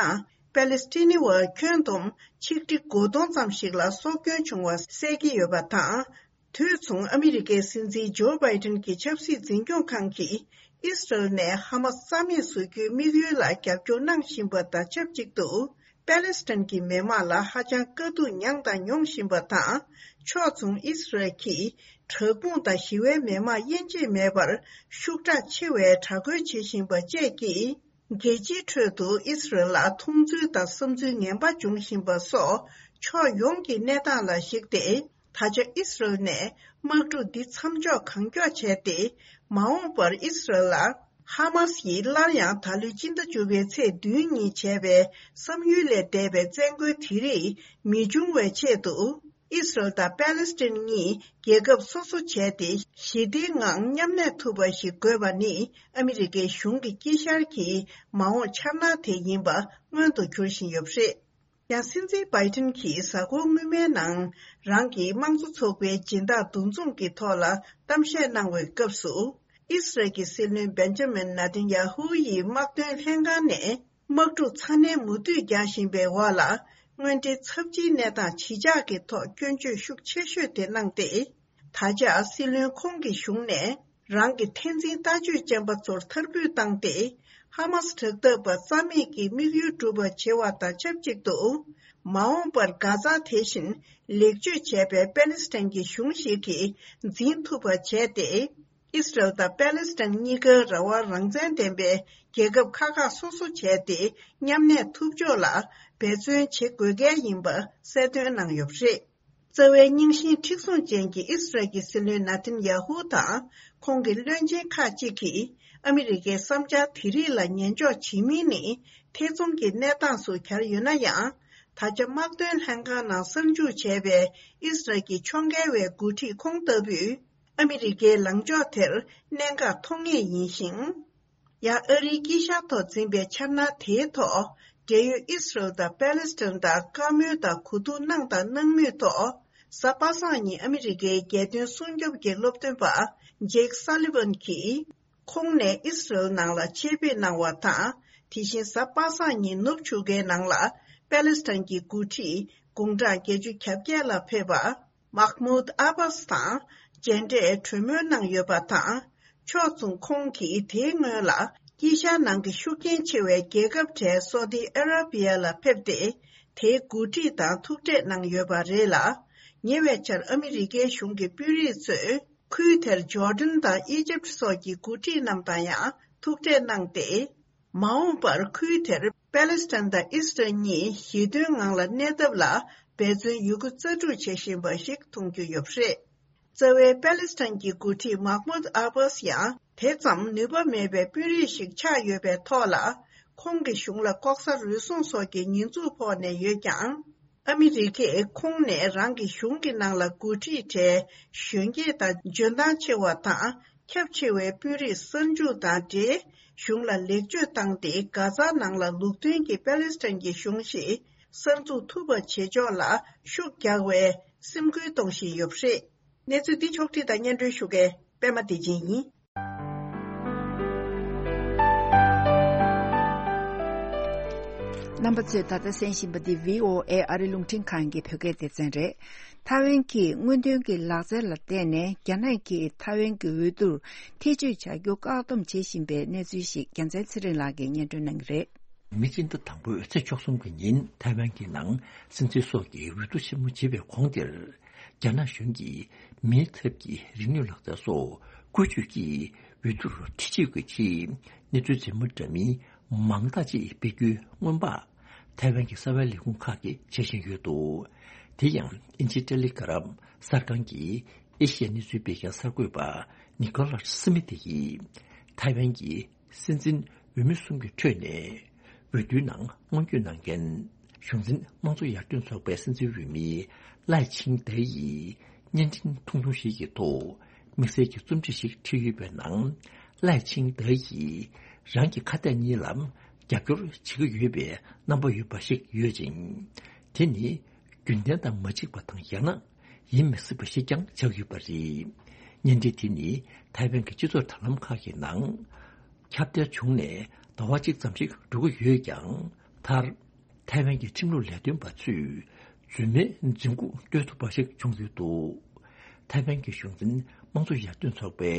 པེ་ལི་སི་ཐི་ནི་བ་ཁྱོན་བསྡོམས་ཆིག་ཁྲི་དགུ་སྟོང་ཙམ་ཞིག་ལ་སྲོག་སྐྱོན་བྱུང་བ་གསལ་གྱི་ཡོད་པ་དང་། དུས་མཚུངས་ཨ་མི་རི་ཀའི་སྲིད་འཛིན་ཇོ་བྷའི་ཏིན་གྱི་ཆབ་སྲིད་འཛིན་སྐྱོང་ཁང་གིས་ཨི་སི་རལ་ནས་ཧ་མ་སི་རྩ་མེད་བཟོ་རྒྱུའི་དམིགས་ཡུལ་ལ་རྒྱབ་སྐྱོར་གནང་བཞིན་པ་དང་ཆབས་ཅིག་ཏུ། པེ་ལི་སི་ཐན་གྱི་མི་མང་ལ་ཧ་ཅང་དཀའ་སྡུག་མྱངས་དང་མྱོང་བཞིན་པ་དང་། ཕྱོགས་མཚུངས་ཨི་སི་རལ་གྱིས་དྲག་དཔུང་དང་ཞི་བའི་མི་མང་དབྱེ་འབྱེད་མེད་པར་ཤུགས་དྲག་ཆེ་བའི་དྲག་རྒོལ་བྱེད་བཞིན་པ་བཅས་ཀྱིས། རྒྱལ་སྤྱིའི་ཁྲོད་དུ་ཨི་སི་རལ་ལ་མཐོང་ཚུལ་དང་བསམ་ཚུལ་ངན་པ་འབྱུང་བཞིན་པ་སོགས་ཕྱོགས་ཡོངས་ཀྱི་གནས་སྟངས་ལ་གཞིགས་ཏེ། ད་ཆ་ཨི་སི་རལ་ནས་དམག་འཁྲུག་འདི་མཚམས་འཇོག་གང་མགྱོགས་བྱས་ཏེ། མ་འོངས་པར་ཨི་སི་རལ་ལ་ཧ་མ་སི་ཡིས་སླར་ཡང་ད་ལོའི་སྤྱི་ཟླ་བཅུ་པའི་ཚེས་བདུན་ཉིན་བྱས་པའི་བསམ་ཡུལ་ལས་འདས་པའི་བཙན་རྒོལ་དེ་རིགས་མི་འབྱུང་བའི་ཆེད་དུ། ཨི་སི་རལ་དང་པེ་ལི་སི་ཐན་གཉིས་རྒྱལ་ཁབ་སོ་སོ་བྱས་ཏེ་ཞི་བདེའི་ངང་མཉམ་གནས་ཐུབ་པ་ཞིག་དགོས་པ་ནི་ཨ་མི་རི་ཀའི་གཞུང་གི་དཀྱིལ་ཤར་གྱི་མ་འོངས་འཆར་སྣང་དེ་ཡིན་པ་མངོན་དུ་གྱུར་བཞིན་ཡོད་པ་རེད། ཡང་སྲིད་འཛིན་བྷའི་ཏིན་གྱིས་གཟའ་འཁོར་སྔོན་མའི་ནང་རང་གི་དམངས་གཙོ་ཚོགས་པའི་སྦྱིན་བདག་འདུ་འཛོམས་ཀྱི་ཐོག་ལ་གཏམ་བཤད་གནང་བའི་སྐབས་སུ། ཨི་སི་རལ་གྱི་སྲིད་བློན་བེན་ཇ་མིན་ནེ་ཐན་ཡ་ཧུ་ཡིས་དམག་དོན་ལྷན་ཁང་ནས། དམག་འཁྲུག་ཚ་ནན་མུ་མཐུད་རྒྱག་བཞིན་པའི་འོག་ལ། དངོས་འབྲེལ་ཚབས་ཆེའི་གནས་སྟངས་ཇི་ཆགས་ཀྱི་ཐོག་སྐྱོན་བརྗོད་ཤུགས་ཆེ་ཤོས་དེ་གནང་སྟེ། ད་ཆ་སྲིད་བློན་ཁོང་གི་གཞུང་ནས་རང་གི་འཐབ་འཛིང་ལྟ་སྤྱོད་ཅན་པ་ཚོར་མཐར་འབུད་བཏང་སྟེ། ཧ་མ་སི་དྲག་འཐབ་པ་རྩ་མེད་ཀྱི་དམིགས་ཡུལ་འགྲུབ་པ་བྱེད་པ་དང་ཆབས་ཅིག་ཏུ། མ་འོངས་པར་གྷ་ཛ་དེ་བཞིན་ལེགས་བཅོས་བྱས་པའི་པེ་ལི་སི་ཐན་གྱི་གཞུང་ཞིག་གིས་འཛིན་ཐུབ་པ་བྱས་ཏེ། ཨི་སི་རལ་དང་པེ་ལི་སི་ཐན་གཉིས་ཀ་རང་དབང་རང་བཙན་ལྡན་པའི་རྒྱལ་ཁབ་ཁག་ཁག་སོ་སོ་བྱས་ཏེ་མཉམ་གནས་ཐུབ་ཕྱོགས་ལ་འབད་བརྩོན་བྱེད་དགོས་གལ་ཡིན་པ་གསལ་སྟོན་གནང་ཡོད་པ་རེད། རྩ་བའི་རྙིང་ཞེན་མཁྲེགས་བཟུང་ཅན་གྱི་ཨི་སི་རལ་གྱི་སྲིད་བློན་ནེ་ཐན་ཡ་ཧུ་དང་ཁོང་གི་བློན་ཆེན་ཁག་ཅིག་གིས་ཨ་མི་རི་ཀའི་བསམ་འཆར་དེ་རིགས་ལ་ཉན་འཇོག་བྱེད་མིན་ནི་ཐེ་ཚོམ་གྱི་གནས་སྟངས་སུ་གྱར་ཡོད་ན་ཡང་། ད་ཆ་དམག་དོན་ལྷན་ཁང་ནང་གསར་འཇུག་བྱས་པའི་ཨི་སི་རལ་གྱི་ཕྱོགས་འགལ་བའི་འགོ་ཁྲིད་ཁོང་ལྟ་བུས། ཨ་མི་རི་ཀའི་ལངས་ཕྱོགས་དེར་གནད་འགག་མཐོང་ངེས་ཡིན་ཞིང་། ཡང་ཨ་རིའི་དཀྱིལ་ཤར་ཐོག་འཛིན་པའི་འཆར་སྣང་དེའི་ཐོག་འབྲེལ་ཡོད་ཨི་སི་རལ་དང་པེ་ལི་སི་ཐན་དང་བཀའ་མོལ་དང་གོ་བསྡུར་གནང་དང་གནང་མུས་ཐོག་གཟའ་པ་སངས་ཉིན་ཨ་མི་རི་ཀའི་རྒྱལ་དོན་སྲུང་སྐྱོབ་ཀྱི་སློབ་སྟོན་པ་ཇེག་སཱ་ལི་ཝན་གྱིས། ཁོང་ནས་ཨི་སི་རལ་ནང་ལ་ཆེད་ཕེབས་གནང་བ་དང་། དེ་བཞིན་གཟའ་པ་སངས་ཉིན་ནུབ་ཆུ་ཁའི་ནང་ལ་པེ་ལི་སི་ཐན་གྱི་འགོ་ཁྲིད་དགུང་གྲངས་བརྒྱད་ཅུ་གྱ་བརྒྱད་ལ་ཕེབས་པ། མཱ་ཧ་མུད་ཨ་བྷ་སི་དང་མཇལ་འཕྲད་གྲོས་མོལ་གནང་ཡོད་པ་དང་། ཕྱོགས་མཚུངས་ཁོང་གིས་དེའི་སྔོན་ལ་དཀྱིལ་ཤར་ནང་གི་ཤུགས་རྐྱེན་ཆེ་བའི་རྒྱལ་ཁབ་གྲས་སོ་ཏི་ཨ་ར་བི་ཡ་ལ་ཕེབས་ཏེ། དེའི་འགོ་ཁྲིད་དང་ཐུག་འཕྲད་གནང་ཡོད་པ་རེད་ལ། ཉེ་བའི་ཆར་ཨ་མི་རི་ཀའི་གཞུང་གི་དཔོན་རིགས་ཚོས། ཁུལ་དེར་ཇོར་ཌན་དང་ཨི་ཇིབ་སོགས་ཀྱི་འགོ་ཁྲིད་རྣམས་དང་ཡང་ཐུག་འཕྲད་གནང་སྟེ། མ་འོངས་པར་ཁུལ་དེར་པེ་ལི་སི་ཐན་དང་ཨི་སི་རལ་གཉིས་ཞི་མཐུན་ངང་ལ་གནས་ཐབས་ལ་ འབད་བརྩོན་ཡོད་རྒུ་རྩལ་སྤྲུགས་བྱེད་བཞིན་པ་ཞིག་མཐོང་རྒྱུ་ཡོད་པ་རེད། རྩ་བའི་པེ་ལི་སི་ཐན་གྱི་འགོ་ཁྲིད་མཱ་ཧྨུད་ཨ་བྷཱས་ཡང་དེ་ཙམ་ནུས་པ་མེད་པའི་དཔོན་རིགས་ཤིག་ཆགས་ཡོད་པའི་ཐོག་ལ། ཁོང་གི་གཞུང་ལ་ལྐོག་ཟ་རུལ་སུངས་སོགས་ཀྱི་ཉེས་འཛུགས་ཕོག་ནས་ཡོད་ཀྱང་། ཨ་མི་རི་ཀས་ཁོང་ནས་རང་གི་གཞུང་གི་ནང་ལ་འགོ་ཁྲིད་གྲས་གཞོན་སྐྱེས་དང་འཇོན་ཐང་ཆེ་བ་དང་ཁྱབ་ཆེ་བའི་དཔོན་རིགས་གསར་འཇུག་དང་འབྲེལ། གཞུང་ལ་ལེགས་བཅོས་བཏང་སྟེ། གྷ་ཛ་ནང་ལ་ལུགས་མཐུན་གྱི་པེ་ལི་སི་ཐན་གྱི་གཞུང་ཞིག་གསར་འཛུགས་ཐུབ་པ་བྱེད་ཕྱོགས་ལ་ཤུགས་རྒྱག་པའི་སེམས་ཁུར་གཏོང་བཞིན་ཡོད་པ་རེད། གནས་ཚུལ་འདི་ཕྱོགས་བསྒྲིགས་དང་སྙན་སྒྲོན་ཞུ་མཁན་པད་མ་བདེ་ཆེན་ཡིན། རྣམ་པ་ཚོས་ད་ལྟ་གསན་བཞིན་པ་འདི་བྷི་ཨོ་ཨེ་ཨ་རི་རླུང་འཕྲིན་ཁང་གི་བོད་སྐད་སྡེ་ཚན་རེད། ཐའེ་ཝན་གྱིས་སྔོན་ཐོན་གྱི་ལག་རྩལ་ལ་བརྟེན་ནས་རྒྱ་ནག་གིས་ཐའེ་ཝན་གྱི་འོས་བསྡུར་ཐེ་བྱུས་བྱ་རྒྱུ་བཀག་སྡོམ་བྱེད་བཞིན་པའི་གནས་ཚུལ་ཞིག་རྒྱལ་མཚན་ཚེ་རིང་ལགས་ཀྱིས་སྙན་སྒྲོན་གནང་གི་རེད། མི་སྤྱི་ཟླ་དང་པོའི་ཚེས་བཅུ་གསུམ་གྱི་ཉིན་ཐའེ་ཝན་གྱི་ནང་སྲིད་འཛིན་སོགས་ཀྱི་འོས་བསྡུ་ཆེན་མོ་བྱེད་པའི་གོང་དེར། རྒྱ་ནག་གཞུང་གིས་མིའི་ཐབས་ཀྱི་རིག་ནུས་ལག་རྩལ་སོགས་བཀོལ་སྤྱོད་ཀྱིས་འོས་བསྡུར་ཐེ་བྱུས་ཀྱི་ཆེད་གནས་ཚུལ་རྫུན་མ་འདྲ་མིན་མང་དག་ཅིག་སྤེལ་རྒྱུའི་སྔོན་དཔག་ཐའེ་ཝན་གྱི་གསར་པའི་ལས་ཁུངས་ཁག་གིས་བྱེད་བཞིན་ཡོད་འདུག་དེ་ཡང་དབྱིན་ཇིའི་ཏེ་ལི་གྷ་རམ་གསར་ཁང་གིས་ཨེ་ཤི་ཡའི་གནས་ཚུལ་སྤེལ་མཁན་གསར་འགོད་པ་ནི་ཀོ་ལ་སི་མི་ཐི་ཡིས་ཐའེ་ཝན་གྱི་སྲིད་འཛིན་འོས་མི་གསུམ་གྱི་ཁྲོད་ནས་འོས་བསྡུའི་ནང་སྔོན་སྐྱོད་གནང་མཁན་གཞུང་འཛིན་དམངས་གཙོ་ཡར་ཐོན་ཚོགས་པའི་སྲིད་འཛིན་འོས་མི་ལའེ་ཆིང་ཏེ་ཡིས་བརྙན་འཕྲིན་ཐུང་ཐུང་ཞིག་གི་ཐོག་དམིགས་བསལ་གྱི་རྩོམ་བྲིས་ཤིག་བྲིས་ཡོད་པའི་ནང་། ལའེ་ཆིང་ཏེ་ཡིས་རང་གི་ཁ་གཏད་གཉིས་ལ་རྒྱབ་སྐྱོར་བྱེད་ཀྱི་ཡོད་པའི་རྣམ་པ་ཡོད་པ་ཞིག་ཡོད་ཅིང་། དེ་ནི་རྒྱུན་ལྡན་དང་མ་གཅིག་པ་དང་ཡང་ན་ཡིན་མི་སྲིད་པ་ཞིག་ཀྱང་ཆགས་ཡོད་པ་རེད། བརྙན་འཕྲིན་དེ་ནི་ཐའེ་ཝན་གྱི་སྤྱི་ཚོགས་དྲ་ལམ་ཁག་གི་ནང་ཁྱབ་གདལ་བྱུང་ནས་ཟླ་བ་གཅིག་ཙམ་ཞིག་འགྲོ་གི་ཡོད་ཀྱང་། མཐར་ཐའེ་ཝན་གྱི་ཁྲིམས་ལུགས་ལས་དོན་པ་ཚོས་རྫུན་མའི་རྫུན་རྐུབ་བརྟོལ་ཐུབ་པ་ཞིག་བྱུང་ཡོད་འདུག་ཐའེ་ཝན་གྱི་གཞུང་འཛིན་དམངས་གཙོ་ཡར་ཐོན་ཚོགས་པའི་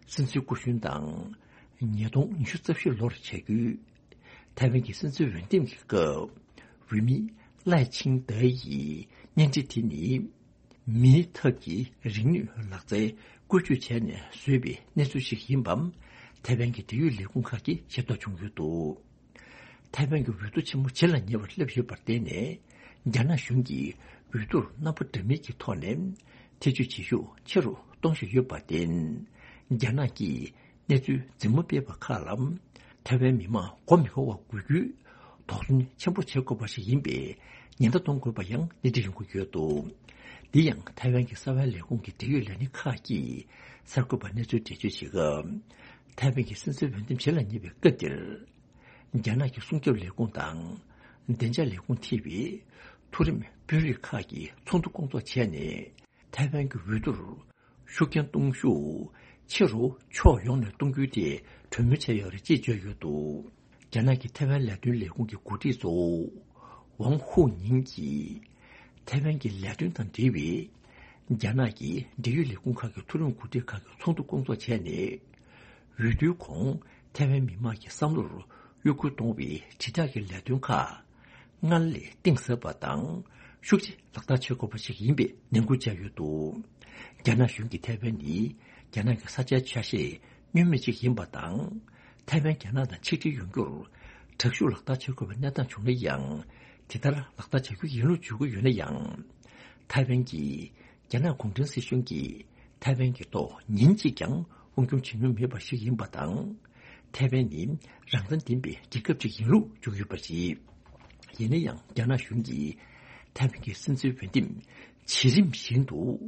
སྲིད་འཛིན་སྐུ་གཞོན་དང་། ཉིས་སྟོང་ཉི་ཤུ་རྩ་བཞི་ལོར་བྱས་རྒྱུའི་ཐའེ་ཝན་གྱི་སྲིད་འཛིན་འོས་འདེམས་ཀྱི་སྐབས། འོས་མི་ལའེ་ཆིང་ཏེ་ཡིས་བརྙན་འཕྲིན་དེ་ནི། མིའི་ཐབས་ཀྱི་རིག་ནུས་ལག་རྩལ་བཀོལ་སྤྱོད་བྱས་ནས་བཟོས་པའི་གནས་ཚུལ་ཞིག་ཡིན་པའང་ཐའེ་ཝན་གྱི་འབྲེལ་ཡོད་ལས་ཁུངས་ཁག་གིས་ཤེས་རྟོགས་བྱུང་ཡོད་འདུག་ཐའེ་ཝན་གྱི་འོས་བསྡུ་ཆེན་མོ་བྱེད་ལ་ཉེ་བར་སླེབས་ཡོད་པར་བརྟེན་ནས། རྒྱ་ནག་གཞུང་གིས་འོས་བསྡུར་རྣམ་པ་འདྲ་མིན་གྱི་ཐོག་ནས་ཐེ་བྱུས་བྱེད་ཤུགས་ཆེ་རུ་གཏོང་བཞིན་ཡོད་པར་བརྟེན། རྒྱ་ནག་གིས་གནས་ཚུལ་རྫུན་མ་སྤེལ་བ་ཁག་ལ་ཐའེ་ཝན་མི་མང་མགོ་མི་འཁོར་བར་འགུལ་རྒྱུའི་དོགས་ཟོན་ཆེན་པོ་བྱེད་དགོས་པ་ཞིག་ཡིན་པའི་ཉེན་བརྡ་གཏོང་དགོས་པ་ཡང་སྣེ་ཁྲིད་ཡོང་གི་ཡོད་འདུག་འདི་ཡང་ཐའེ་ཝན་གྱི་གསར་པའི་ལས་ཁུངས་ཀྱི་འབྲེལ་ཡོད་ལས་སྣེ་ཁག་གིས་གསར་འགོད་པར་གནས་ཚུལ་འགྲེལ་བརྗོད་བྱེད་སྐབས། ཐའེ་ཝན་གྱི་སྲིད་འཛིན་འོས་འདེམས་བྱེད་ལ་ཉེ་བའི་སྐབས་འདིར། རྒྱ་ནག་གི་སྲུང་སྐྱོབ་ལས་ཁུངས་དང་། བདེ་འཇགས་ལས་ཁུངས་ཐེ་བའི་མཐོ་རིམ་དཔོན་རིགས་ཁག་གིས་ཚོགས་འདུ་སྐོང་ཚོགས་བྱས་ནས། ཐའེ་ཝན་གྱི་འོས་བསྡུར་ཤུགས་རྐྱེན་གཏོང་ཤུགས་ཆེ་རུ་ཕྱོགས་ཡོངས་ནས་གཏོང་རྒྱུའི་ཐད་གྲོས་མོལ་བྱས་ཡོད་རེད་ཅེས་བརྗོད་ཡོད་འདུག་རྒྱ་ནག་གི་ཐའེ་ཝན་ལས་དོན་ལས་ཁུངས་ཀྱི་འགོ་ཁྲིད་གཙོ་བོ་ཝང་ཧུའུ་ཉིང་གིས། ཐའེ་ཝན་གྱི་ལས་དོན་དང་འབྲེལ་བའི་རྒྱ་ནག་གི་འབྲེལ་ཡོད་ལས་ཁུངས་ཁག་གི་མཐོ་རིམ་འགོ་ཁྲིད་ཁག་གི་ཚོགས་འདུ་སྐོང་ཚོགས་བྱས་ནས། འོས་བསྡུའི་གོང་ཐའེ་ཝན་མི་མང་གི་བསམ་བློར་གཡོ་འགུལ་གཏོང་བའི་དྲིལ་བསྒྲགས་ཀྱི་ལས་དོན་ཁག་སྔར་ལས་གཏིང་ཟབ་པ་དང་ཤུགས་ཆེ་ལག་བསྟར་བྱེད་དགོས་པ་ཞིག་ཡིན་པའི་ནན་སྐུལ་བྱས་ཡོད་འདུག་རྒྱ་ནག་གཞུང་གིས་ཐའེ་ཝན་ནི་རྒྱ་ནག་གི་ས་ཆའི་ཆ་ཤས་བསྙོན་མེད་ཅིག་ཡིན་པ་དང་། ཐའེ་ཝན་རྒྱ་ནག་དང་ཆིག་སྒྲིལ་ཡོང་རྒྱུར་དྲག་ཤུགས་ལག་བསྟར་བྱེད་དགོས་པའི་གནས་སྟངས་བྱུང་ན་ཡང་། དེ་ལྟར་ལག་བསྟར་བྱ་རྒྱུ་ཡིན་ལུགས་བརྗོད་ཀྱི་ཡོད་ན་ཡང་། ཐའེ་ཝན་གྱིས་རྒྱ་ནག་གུང་ཁྲན་སྲིད་གཞུང་གིས་ཐའེ་ཝན་གྱི་ཐོག་ཉིན་གཅིག་ཀྱང་དབང་སྒྱུར་བྱེད་མྱོང་མེད་པ་ཞིག་ཡིན་པ་དང་། ཐའེ་ཝན་ནི་རང་བཙན་ལྡན་པའི་རྒྱལ་ཁབ་ཅིག་ཡིན་ལུགས་བརྗོད་ཡོད་པ་རེད། ཡིན་ན་ཡང་རྒྱ་ནག་གཞུང་གིས་ཐའེ་ཝན་གྱི་སྲིད་འཛིན་འོས་འདེམས་བྱེད་རིམ་བཞིན་དུ་འོས་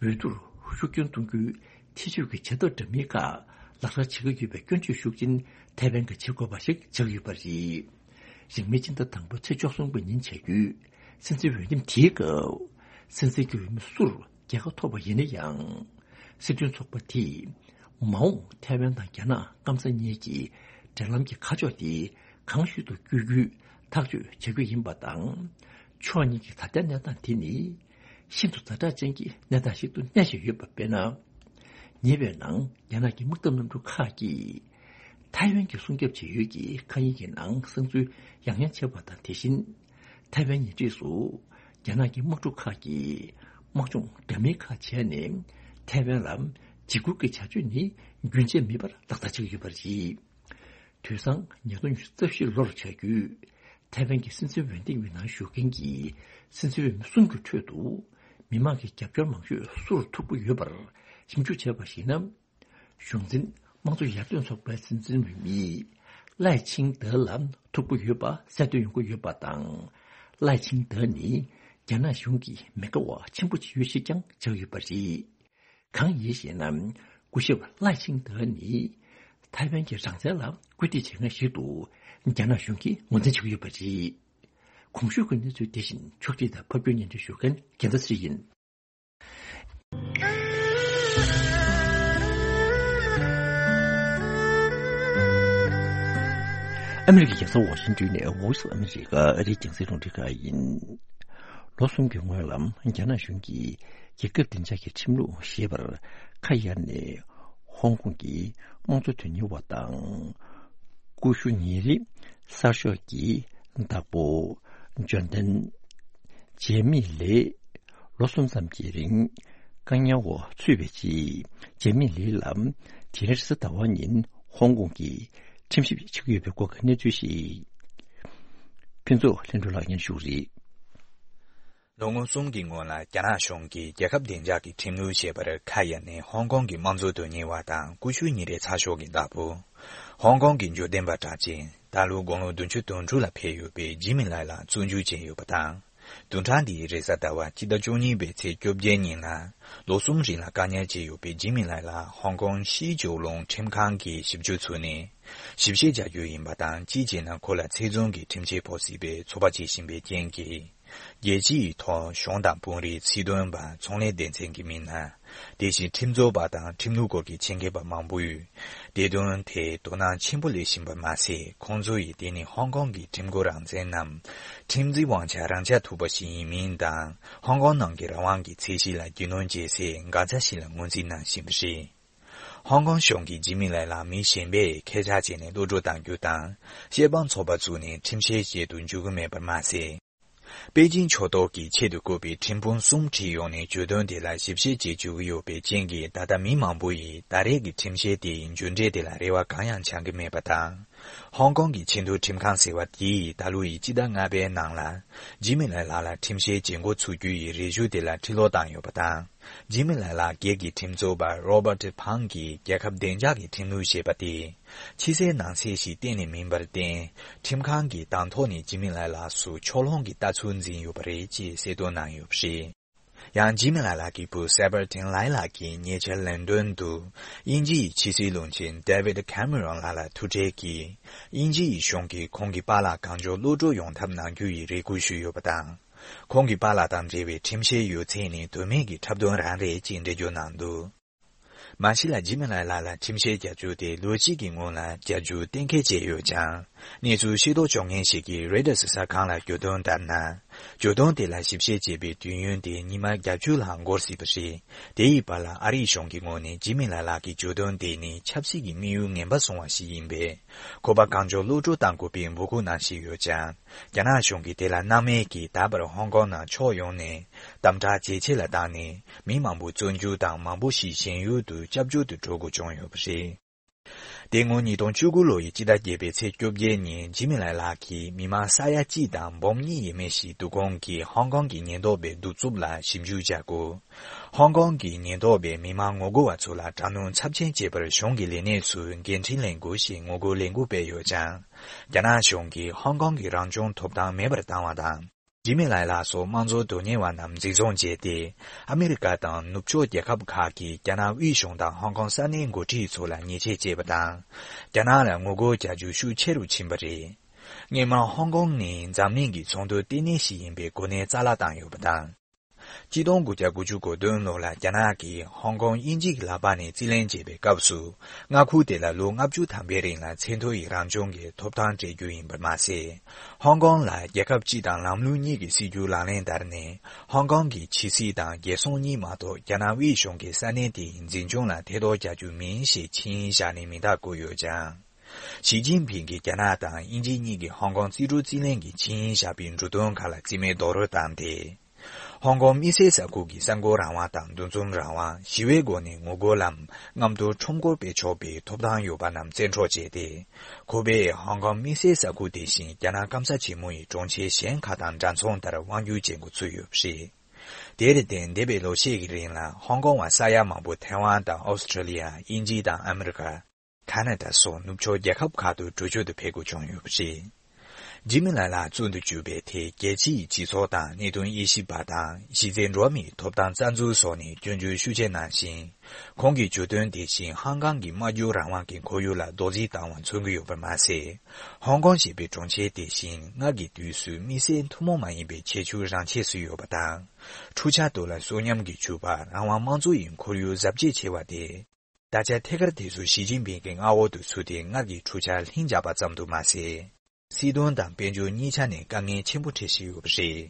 བསྡུར་ཤུགས་སྐྱོན་གཏོང་རྒྱུའི་ཐེ་བྱུས་ཀྱི་བྱ་ཐབས་འདྲ་མིན་ཁག་ལག་བསྟར་བྱེད་ཀྱི་ཡོད་པའི་སྐྱོན་བརྗོད་ཤུགས་ཆེན་ཐའེ་ཝན་གྱིས་བྱེད་དགོས་པ་ཞིག་ཆགས་ཡོད་པ་རེད། རིང་མིན་སྤྱི་ཟླ་དང་པོའི་ཚེས་བཅུ་གསུམ་པའི་ཉིན་བྱ་རྒྱུའི་སྲིད་འཛིན་འོས་འདེམས་དེའི་སྐབས། སྲིད་འཛིན་གྱི་འོས་མི་སུར་རྒྱལ་ཁ་ཐོབ་པ་ཡིན་ན་ཡང་། སྲིད་དོན་ཚོགས་པ་དེས་མ་འོངས་ཐའེ་ཝན་དང་རྒྱ་ནག་སྐམ་ས་གཉིས་ཀྱི་འབྲེལ་ལམ་གྱི་ཁ་ཕྱོགས་དེ་གང་ཤུལ་དུ་བསྐྱོད་རྒྱུའི་ཐག་གཅོད་བྱ་རྒྱུ་ཡིན་པ་དང་། ཕྱོགས་གཉིས་ཀྱི་ད་ལྟའི་གནས་སྟངས་དེ་ནི་ཤིན་ཏུ་ཛ་དྲག་ཅན་གྱི་གནས་སྟངས་ཤིག་ཏུ་གནས་བཞིན་ཡོད་པ་དཔེར་ན། ཉེ་བའི་ནང་རྒྱ་ནག་གི་དམག་འཐབ་གནམ་གྲུ་ཁག་གིས་ཐའེ་ཝན་གྱི་སྲུང་སྐྱོབ་བྱེད་ཡུལ་གྱི་མཁའ་དབྱིངས་ཀྱི་ནང་གསང་འཛུལ་ཡང་ཡང་བྱས་པ་དང་། དེ་བཞིན་ཐའེ་ཝན་ཉེ་འཁྲིས་སུ་རྒྱ་ནག་གི་དམག་འཁྲུག་ཁག་གིས་དམག་སྦྱོང་འདྲ་མིན་ཁག་བྱས་ནས་ཐའེ་ཝན་ལ་འཇིགས་སྐུལ་གྱི་བྱ་སྤྱོད་ནི་རྒྱུན་ཆད་མེད་པར་ལག་བསྟར་བྱེད་ཀྱི་ཡོད་པ་རེད། དུས་སང་ཉིས་སྟོང་ཉི་ཤུ་རྩ་བཞི་ལོར་བྱ་རྒྱུའི་ ཐའེ་ཝན་གྱི་སྲིད་འཛིན་འོས་འདེམས་ཀྱི་ནང་ཞུགས་མཁན་གྱི་སྲིད་འཛིན་འོས་མི་གསུམ་གྱི་ཁྲོད་དུ་མི་མང་གི་རྒྱབ་སྐྱོར་མང་ཤོས་སུར་ཐུག་པ་ཡོད་པར་ཞིབ་འཇུག་བྱས་པར་གཞིགས་ན། གཞུང་འཛིན་དམངས་གཙོ་ཡར་ཐོན་ཚོགས་པའི་སྲིད་འཛིན་འོས་མི་ལའེ་ཆིང་ཏེ་ལ་ཐུག་པ་ཡོད་པ་གསལ་སྟོན་ཡོང་གི་ཡོད་པ་དང་། ལའེ་ཆིང་ཏེ་ནི་རྒྱ་ནག་གཞུང་གི་མི་དགའ་བ་ཆེན་པོ་ཅིག་ཡོད་ཞེས་ཀྱང་བྱ་ཡོད་པ་རེད། གང་ཡིན་ཞེ་ན། སྐུ་ཞབས་ལའེ་ཆིང་ཏེ་ནི་ཐའེ་ཝན་གྱི་རང་བཙན་ལ་བཀོད་སྒྲིག་བྱེད་མཁན་ཞིག་ཏུ་རྒྱ་ནག་གཞུང་གིས་ངོས་འཛིན་བྱེད་ཀྱི་ཡོད་པ་རེད། གོང་ཞུས་ཀྱི་གནས་ཚུལ་དེ་བཞིན་ཕྱོགས་སྒྲིག་དང་ཕབ་སྒྱུར་སྙན་སྒྲོན་ཞུ་མཁན་རྒྱལ་མཚན་ཚེ་རིང་ཡིན། ཨ་མི་རི་ཀའི་རྒྱལ་ས་ཝ་ཤིང་ཏོན་ནས་Voice of America ཨ་རིའི་རྒྱང་སྲིང་རླུང་འཕྲིན་ཁང་ཡིན། ལོ་གསུམ་གྱི་སྔོན་ལ་རྒྱ་ནག་གཞུང་གིས་རྒྱལ་ཁབ་བདེ་འཇགས་ཀྱི་ཁྲིམས་ལུགས་ཞེས་པར་ཁ་གཡར་ནས་ཧོང་ཀོང་གི་དམངས་གཙོ་དོན་གཉེར་བ་དང་། ཀུ་ཤུ་ཉིན་རེའི་གསར་ཤོག་གི་བདག་པོ་ཇོན་ཐན་ཇེ་མི་ལེ་ལོ་གསུམ་ཙམ་གྱི་རིང་བཀག་ཉར་འོག་ཚུད་པའི་རྗེས། ཇེ་མི་ལེ་ལ་དེ་རིང་རེས་གཟའ་ཟླ་བ་ཉིན་ཧོང་ཀོང་གི་ཁྲིམས་ཞིབ་བྱེད་ཀྱི་ཡོད་པའི་སྐོར་གྱི་གནས་ཚུལ་ཞིག་ཕུན་ཚོགས་ལྷུན་གྲུབ་ལགས་སྙན་ཞུ་རེད། ལོ་ངོ་གསུམ་གྱི་སྔོན་ལ་རྒྱ་ནག་གཞུང་གིས་རྒྱལ་ཁབ་བདེ་འཇགས་ཀྱི་ཁྲིམས་ལུགས་ཞེས་པར་ཁ་གཡར་ནས་ཧོང་ཀོང་གི་དམངས་གཙོ་དོན་གཉེར་བ་དང་ཀུ་ཤུ་ཉིན་རེའི་གསར་ཤོག་གི་བདག་པོ། ཧོང་ཀོང་གི་འབྱོར་ལྡན་པ་གྲགས་ཅན་ད་ལོ་དགུང་ལོ་བདུན་ཅུ་དོན་དྲུག་ལ་ཕེབས་ཡོད་པའི་ཇི་མི་ལའེ་ལགས་བཙོན་འཇུག་བྱས་ཡོད་པ་དང་། བདུན་ཕྲག་འདིའི་རེས་གཟའ་ཟླ་བ་སྤྱི་ཟླ་བཅུ་གཉིས་པའི་ཚེས་བཅོ་བརྒྱད་ཉིན་ལ་ལོ་གསུམ་རིང་ལ་བཀག་ཉར་བྱས་ཡོད་པའི་ཇི་མི་ལའེ་ལགས་ཧོང་ཀོང་ཕྱིའི་ཇོ་ལུང་ཁྲིམས་ཁང་གིས་ཞིབ་འཇུག་ཚུགས་ནས་ཞིབ་བཤེར་བྱ་རྒྱུ་ཡིན་པ་དང་། གཅིག་བྱས་ན་ཁོ་ལ་ཚེ་བཙོན་གྱི་ཁྲིམས་ཆད་ཕོག་སྲིད་པའི་ཚོད་དཔག་བྱེད་བཞིན་པའི་རྐྱེན་གྱིས། རྒྱལ་སྤྱིའི་ཐོག་གཞུང་དང་དཔོན་རིགས་སྲིད་དོན་པ་ཚོང་ལས་སྡེ་ཚན་གྱི་མི་སྣ། དེ་བཞིན་ཁྲིམས་རྩོད་པ་དང་ཁྲིམས་ལུགས་སྐོར་གྱི་ཆེད་མཁས་པ་མང་པོས་བདེ་དོན་ཐད་དོ་སྣང་ཆེན་པོ་སླེབས་བཞིན་པ་མ་ཟད། ཁོང་ཚོ་ཡིས་དེ་ནི་ཧོང་ཀོང་གི་ཁྲིམས་མགོ་རང་བཙན་ནམ་ཁྲིམས་འཛིན་དབང་ཆ་རང་འཇགས་ཐུབ་པ་ཞིག་ཡིན་མིན་དང་། ཧོང་ཀོང་ནང་གི་རང་དབང་གི་ཚད་གཞི་ལ་རྒྱུས་ལོན་བྱེད་སའི་འགག་རྩ་ཞིག་ལ་ངོས་འཛིན་གནང་བཞིན་པ་རེད། ཧོང་ཀོང་གཞུང་གིས་ཇི་མི་ལའེ་ལགས་མི་གཞན་པས་ཁྱད་ཆར་བྱས་ནས་གློད་བཀྲོལ་གཏང་རྒྱུ་དང་། བཤེར་དཔང་ཚོགས་པ་བཙུགས་ནས་ཁྲིམས་བཤེར་བྱེད་དུ་འཇུག་གི་མེད་པར་མ་ཟད། པེ་ཅིང་ཕྱོགས་གཏོགས་ཀྱི་ཆེད་དུ་བསྐོས་པའི་ཁྲིམས་དཔོན་གསུམ་ཁྲིད་ཡོང་ནས་གྱོད་དོན་དེ་ལ་ཞིབ་བཤེར་བྱེད་བཅུག་གི་ཡོད་པའི་རྐྱེན་གྱིས། ད་ལྟ་མི་མང་པོ་ཡིས་ད་རེས་ཀྱི་ཁྲིམས་བཤེར་དེའི་མཇུག་འབྲས་དེ་ལ་རེ་བ་གང་ཡང་བྱང་གི་མེད་པ་དང་། ཧོང་ཀོང་གི་ཆེས་མཐོའི་ཁྲིམས་ཁང་ཟེར་བ་དེས་ད་ལོ་ཡི་སྤྱི་ཟླ་ལྔ་པའི་ནང་ལ་ཇི་མི་ལའེ་ལགས་ལ་ཁྲིམས་བཤེར་བྱེད་འགོ་ཚུགས་རྒྱུ་ཡི་རེ་ཞུ་དེ་ལ་ཁྲི་ལོག་བཏང་ཡོད་པ་དང་། ཇི་མི་ལའེ་ལགས་སྒེར་གྱི་ཁྲིམས་རྩོད་པ་རོ་བར་ཏི་ཕང་གིས་རྒྱལ་ཁབ་བདེ་འཇགས་ཀྱི་ཁྲིམས་ལུགས་ཞེས་པ་དེ་ཕྱི་གསལ་ནང་གསལ་ཞིག་གཏན་ནས་མིན་པར་བརྟེན། ཁྲིམས་ཁང་གིས་དང་ཐོག་ནས་ཇི་མི་ལའེ་ལགས་སུ་ཕྱོགས་ལྷུང་གི་ལྟ་ཚུལ་འཛིན་ཡོད་པ་རེད་ཅེས་གསལ་སྟོན་གནང་ཡོད་པ་རེད། ཡང་ཇི་མི་ལའེ་ལགས་ཀྱི་བུ་སེ་བར་ཏིན་ལའེ་ལགས་ཀྱིས་ཉེ་ཆར་ལན་ཌོན་དུ་དབྱིན་ཇི་ཡི་ཕྱི་སྲིད་བློན་ཆེན་ཌེ་བིད་ཁེ་མེ་རོན་ལགས་ལ་ཐུག་འཕྲད་ཀྱིས། དབྱིན་ཇི་ཡི་གཞུང་གིས་ཁོང་གི་པཱ་ལགས་གང་མགྱོགས་གློད་བཀྲོལ་ཡོང་ཐབས་གནང་རྒྱུ་ཡི་རེ་སྐུལ་ཞུས་ཡོད་པ་དང་། ཁོང་གི་པཱ་ལགས་དང་འབྲེལ་བའི་ཁྲིམས་བཤེར་ཡོད་ཚད་ནི་དོན་མེད་ཀྱི་འཁྲབ་སྟོན་རང་རེད་ཅེས་འགྲེལ་བརྗོད་གནང་འདུག། མ་གཞི་ལ་ཇི་མི་ལའེ་ལགས་ལ་ཁྲིམས་བཤེར་བྱ་རྒྱུ་དེ་ལོ་གཅིག་གི་སྔོན་ལ་བྱ་རྒྱུ་གཏན་འཁེལ་བྱས་ཡོད་ཀྱང་། གནས་ཚུལ་ཤེས་རྟོགས་བྱུང་མཁན་ཞིག་གིས་རོའི་ཊར་གསར་ཁང་ལ་གྱོད་དོན་ལྟར་ན། གྱོད་དོན་དེ་ལ་ཞིབ་བཤེར་བྱེད་པའི་དུས་ཡུན་དེ་ཉི་མ་བརྒྱད་ཅུ་ལྷག་འགོར་སྲིད་པ་རེད། དེ་ཡི་བར་ལ་ཨ་རིའི་གཞུང་གི་ངོས་ནས་ཇི་མི་ལའེ་ལགས་ཀྱི་གྱོད་དོན་དེ་ནི་ཆབ་སྲིད་ཀྱི་དམིགས་ཡུལ་ངན་པ་བཟུང་བ་ཞིག་ཡིན་པས། ཁོ་པ་གང་མགྱོགས་གློད་བཀྲོལ་གཏང་དགོས་པའི་འབོད་སྐུལ་གནང་བཞིན་ཡོད་ཀྱང་། རྒྱ་ནག་གཞུང་གིས་དེ་ལ་སྣང་མེད་ཀྱིས་ད་བར་ཧོང་ཀོང་ནང་ཕྱོགས་ཡོངས་ནས་དམ་དྲག་ཇེ་ཆེ་ལ་བཏང་ནས། མི་མང་པོ་བཙོན་འཇུག་དང་མང་པོ་ཞིག་ཞེན་ཡུལ་དུ་སྐྱབས་བཅོལ་དུ་འགྲོ་དགོས་བྱུང་ཡོད་པ་རེད། དེ་སྔོན་ཉིས་སྟོང་བཅུ་དགུ་ལོ་ཡི་སྤྱི་ཟླ་བརྒྱད་པའི་ཚེས་བཅོ་བརྒྱད་ཉིན་ཇི་མི་ལའེ་ལགས་ཀྱིས་མི་མང་ས་ཡ་གཅིག་དང་འབུམ་གཉིས་ཡས་མས་ཤིག་བསྡུ་སྐོང་གིས་ཧོང་ཀོང་གི་ཉེན་རྟོག་པའི་གདུག་རྩུབ་ལ་ཞིབ་འཇུག་བྱ་དགོས། ཧོང་ཀོང་གི་ཉེན་རྟོག་པས་མི་མང་ངོ་རྒོལ་བ་ཚོ་ལ་དྲག་གནོན་ཚབས་ཆེན་བྱེད་པར་གཞུང་གི་ལས་སྣེ་ཚོས་འགན་འཁྲི་ལེན་དགོས་ཞེས་ངོ་རྒོལ་ལས་འགུལ་སྤེལ་ཡོད་ཀྱང་། རྒྱ་ནག་གཞུང་གིས་ཧོང་ཀོང་གི་རང་སྐྱོང་ཐོབ་ཐང་མེད་པར་བཏང་བ་དང་། ཇི་མི་ལའེ་ལགས་སོགས་དམངས་གཙོ་དོན་གཉེར་བ་རྣམས་འཛིན་བཟུང་བྱས་ཏེ། ཨ་མི་རི་ཀ་དང་ནུབ་ཕྱོགས་རྒྱལ་ཁབ་ཁག་གིས་རྒྱ་ནག་དབུས་གཞུང་དང་ཧོང་ཀོང་ས་གནས་འགོ་ཁྲིད་ཚོ་ལ་ཉེས་ཆད་བཅད་པ་དང་། རྒྱ་ནག་ལ་ངོ་རྒོལ་བྱ་རྒྱུ་ཤུགས་ཆེ་རུ་ཕྱིན་པ་རེད། སྔོན་མ་ཧོང་ཀོང་ནི་འཛམ་གླིང་གི་ཚོང་དོན་ལྟེ་གནས་ཤིག་ཡིན་པའི་གོ་གནས་རྩ་བརླག་བཏང་ཡོད་པ་དང་། ཆིག་སྟོང་དགུ་བརྒྱ་དགུ་བཅུ་གོ་བདུན་ལོ་ལ་རྒྱ་ནག་གིས་ཧོང་ཀོང་དབྱིན་ཇི་གི་ལག་པ་ནས་རྩིས་ལེན་བྱས་པའི་སྐབས་སུ། མངའ་ཁུལ་དེ་ལ་ལོ་ལྔ་བཅུ་ཐམ་པའི་རིང་ལ་ཚད་མཐོ་ཡི་རང་སྐྱོང་གི་ཐོབ་ཐང་སྤྲད་རྒྱུ་ཡིན་པར་མ་ཟད། ཧོང་ཀོང་ལ་རྒྱལ་ཁབ་གཅིག་དང་ལམ་ལུགས་གཉིས་ཀྱི་སྲིད་ཇུས་ལག་ལེན་བསྟར་ནས། ཧོང་ཀོང་གི་ཕྱི་སྲིད་དང་རྒྱལ་སྲུང་གཉིས་མ་གཏོགས་རྒྱ་ནག་དབུས་གཞུང་གི་ས་གནས་དེའི་འཛིན་སྐྱོང་ལ་ཐེ་གཏོགས་རྒྱག་རྒྱུ་མིན་ཞེས་ཆིངས་ཡིག་བཞག་ནས་མིང་རྟགས་བཀོད་ཡོད་ཀྱང་། ཞི་ཅིན་ཕིང་གིས་རྒྱ་ནག་དང་དབྱིན་ཇི་གཉིས་ཀྱིས་ཧོང་ཀོང་རྩིས་སྤྲོད་རྩིས་ལེན་གྱི་ཆིངས་ཡིག་བཞག་པའི་འབྲུ་དོན་ཁག་ལ་རྩིས་མེད་རྡོག་རོལ་བཏང་སྟེ། ཧོང་ཀོང་དམིགས་བསལ་ས་ཁུལ་གྱི་གསར་འགོད་རང་དབང་དང་འདུ་འཛོམས་རང་དབང་། ཞི་བའི་སྒོ་ནས་ངོ་རྒོལ་ལམ་རྣམས་ཐོག་ཁྲོམ་སྐོར་སྤེལ་ཆོག་པའི་ཐོབ་ཐང་ཡོད་པ་རྣམས་བཙན་འཕྲོག་བྱས་ཏེ། ཁོ་པས་ཧོང་ཀོང་དམིགས་བསལ་ས་ཁུལ་དེ་བཞིན་རྒྱ་ནག་སྐམ་ས་ཆེན་མོ་ཡི་གྲོང་ཁྱེར་གཞན་ཁག་དང་འདྲ་མཚུངས་ལྟར་དབང་སྒྱུར་བྱེད་འགོ་ཚུགས་ཡོད་པ་རེད། དེར་བརྟེན་འདས་པའི་ལོ་ཤས་ཀྱི་རིང་ལ་ཧོང་ཀོང་བ་ས་ཡ་མང་པོ་ཐའེ་ཝན་དང་ཨོ་སི་ཁྲེ་ལི་ཡ། དབྱིན་ཇི་དང་ཨ་མི་རི་ཀ། ཁ་ན་ཌ་སོགས་ནུབ་ཕྱོགས་རྒྱལ་ཁབ་ཁག་ཏུ་འགྲོ་སྐྱོད་དུ་ཕེབས་དགོས་བྱུང་ཡོད་པ་རེད། ཇི་མི་ལ་ལགས་གཙོ་འདུ་བྱས་པའི་ཐད་རྒྱལ་སྤྱིའི་སྤྱི་ཚོགས་དང་གནད་དོན་དབྱེ་ཞིབ་པ་དང་གཞི་རྩའི་འགྲོ་བ་མིའི་ཐོབ་ཐང་རྩ་འཛུགས་སོགས་ནས་སྐྱོན་བརྗོད་ཤུགས་ཆེ་གནང་ཞིང་། ཁོང་གིས་བརྗོད་དོན་དེ་བཞིན་ཧང་ཀང་གི་སྨྲ་བརྗོད་རང་དབང་གི་ཁོར་ཡུག་ལ་རྡོག་རྫིས་བཏང་བ་མཚོན་གྱི་ཡོད་པ་མ་ཟད། ཧོང་ཀོང་ཞེས་པའི་གྲོང་ཁྱེར་དེ་བཞིན་སྔར་གྱི་དུས་སུ་དམིགས་བསལ་ཐུན་མོང་མ་ཡིན་པའི་ཁྱད་ཆོས་རང་ཆས་སུ་ཡོད་པ་དང་། འཕྲུལ་ཆ་ཐོག་ལ་གསོན་ཉམས་ཀྱིས་གྲུབ་པ་རང་དབང་དམངས་གཙོ་ཡི་ཁོར་ཡུག་གཟབ་རྒྱས་ཆེ་བ་དེ། ད་ཆ་ཐད་ཀར་དེ་ཚོ་ཞི་ཅིན་ཕིང་གི་མངའ་འོག་ཏུ་ཚུད་དེ་སྔར་གྱི་འཕྲུལ་ཆ་ལྷིང་འཇགས་པ་ཙམ་དུ་མ་ཟད། སྲིད་དོན་དང་དཔལ་འབྱོར་གཉིས་ཆ་ནས་དཀའ་ངལ་ཆེན་པོ་འཕྲད་བཞིན་ཡོད་པ་རེད།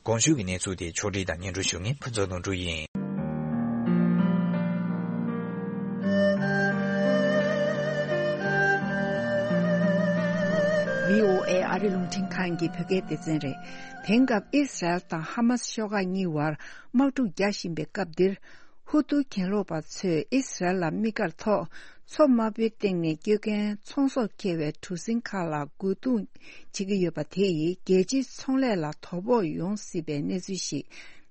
གོང་ཞུས་ཀྱི་གནས་ཚུལ་དེ་ཕྱོགས་སྒྲིག་དང་སྙན་སྒྲོན་ཞུ་མཁན་ཕུན་ཚོགས་ལྷུན་གྲུབ་ཡིན། བྷི་ཨོ་ཨེ་ཨ་རི་རླུང་འཕྲིན་ཁང་གི་བོད་སྐད་སྡེ་ཚན་རེད། དེང་སྐབས་ཨི་སི་རལ་དང་ཧ་མ་སི་ཤོག་ཁག་གཉིས་བར་དམག་འཁྲུག་རྒྱག་བཞིན་པའི་སྐབས་འདིར། ཧུ་ཏུ་གྱེན་ལོག་པ་ཚོས་ཨི་སི་རལ་ལ་དམིགས་བཀར་ཐོག་མཚོ་དམར་པོའི་སྟེང་ནས་སྐྱོད་མཁན་ཚོང་ཟོག་འཁྱེར་བའི་གྲུ་གཟིངས་ཁག་ལ་རྒོལ་རྡུང་བྱེད་ཀྱི་ཡོད་པ་དེ་ཡིས་རྒྱལ་སྤྱིའི་ཚོང་ལས་ལ་དོ་ཕོག་ཡོང་སྲིད་པའི་གནས་ཚུལ་ཞིག་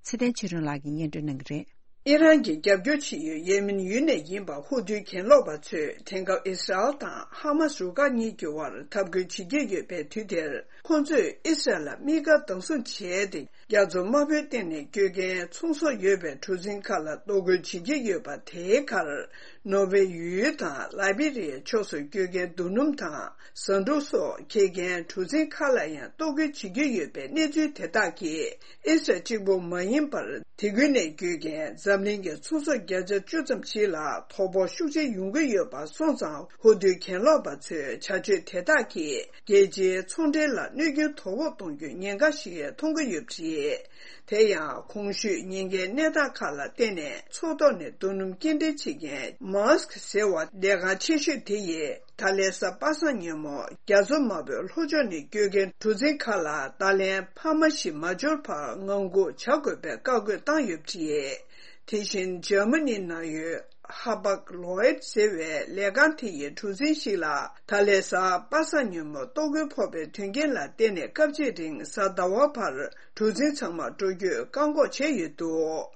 ཚེ་བརྟན་ཆོས་སྒྲོན་ལགས་ཀྱིས་སྙན་སྒྲོན་གནང་གི་རེད། ཨི་རན་གྱིས་རྒྱབ་སྐྱོར་བྱེད་ཡུལ་ཡེ་མེན་ཡུལ་ནས་ཡིན་པ་ཧུ་ཏུའི་གྱེན་ལོག་པ་ཚོས་དེང་སྐབས་ཨི་སི་རལ་དང་ཧ་མ་སི་རུ་ཁག་གཉིས་ཀྱི་བར་འཐབ་རྒོལ་བྱེད་ཀྱི་ཡོད་པའི་དུས་དེར། ཁོང་ཚོས་ཨི་སི་རལ་ལ་དམིགས་བཀར་བདག་བཟུང་བྱས་ཏེ། རྒྱ་མཚོ་དམར་པོའི་སྟེང་ནས་སྐྱོད་མཁན་ཚོང་ཟོག་ཡོད་པའི་གྲུ་གཟིངས་ཁག་ལ་གཏོར་རྒོལ་བྱེད་ཀྱི་ཡོད་པ་དེའི་ཁར། ནོར་ཝེ་ཡུལ་དང་ལའི་བི་རི་ཡའི་ཕྱོགས་སུ་སྐྱོད་མཁན་རྡོ་སྣུམ་དང་ཟ་འབྲུ་སོགས་འཁྱེར་མཁན་གྲུ་གཟིངས་ཁག་ལ་ཡང་གཏོར་རྒོལ་བྱེད་ཀྱི་ཡོད་པའི་གནས་ཚུལ་དེ་དག་གིས། ཨི་སི་རལ་གཅིག་པུ་མ་ཡིན་པར། དེ་ཁུལ་ནས་སྐྱོད་མཁན་འཛམ་གླིང་གི་ཚོང་ཟོག་བརྒྱ་ཆ་བཅུ་ཙམ་ཞིག་ལ་དོ་ཕོག་ཤུགས་ཆེ་ཡོང་གི་ཡོད་པ་སོང་ཙང་། ཧུ་ཏུའི་གྱེན་ལོག་པ་ཚོའི་བྱ་སྤྱོད་དེ་དག་གིས་རྒྱལ་སྤྱིའི་ཚོང་འབྲེལ་ལ་གནོད་སྐྱོན་དོ་ཕོག་གཏོང་རྒྱུའི་ཉེན་ཁ་ཞིག་མཐོང་གི་ཡོད་པ་རེད། དེ་ཡང་གོང་ཞུས་ཉེན་ཁའི་གནས་སྟངས་ཁག་ལ་བརྟེན་ནས་མཚོ་ཐོག་ནས་རྡོ་སྣུམ་སྐྱེལ་འདྲེན་བྱེད་མཁན་མཱ་སི་ཀི་ཟེར་བ་ལས་ཁང་ཆེ་ཤོས་དེ་ཡིས། ད་ལན་གཟའ་པ་སངས་ཉིན་མོ་རྒྱ་མཚོ་དམར་པོའི་ལྷོ་ཕྱོགས་ནས་སྐྱོད་མཁན་གྲུ་གཟིངས་ཁག་ལ་ད་ལན་འཕར་མ་ཞིག་མ་འབྱོར་བར་ངང་སྒུག་བྱ་དགོས་པའི་བཀའ་བཀོད་བཏང་ཡོད་པ་རེད། དེ་བཞིན་འཇར་མ་ནི་ནང་ཡོད་ཧ་པག་ལོའེད་ཟེར་བའི་ལས་ཁང་དེ་ཡི་གྲུ་གཟིངས་ཤིག་ལ་ད་ལན་གཟའ་པ་སངས་ཉིན་མོ་གཏོར་རྒོལ་ཕོག་པའི་དོན་རྐྱེན་ལ་བརྟེན་ནས་སྐབས་གཅིག་རིང་གཟའ་ཟླ་བ་བར་གྲུ་གཟིངས་ཚང་མ་འགྲོ་སྐྱོད་བཀག་འགོག་བྱས་ཡོད་འདུག་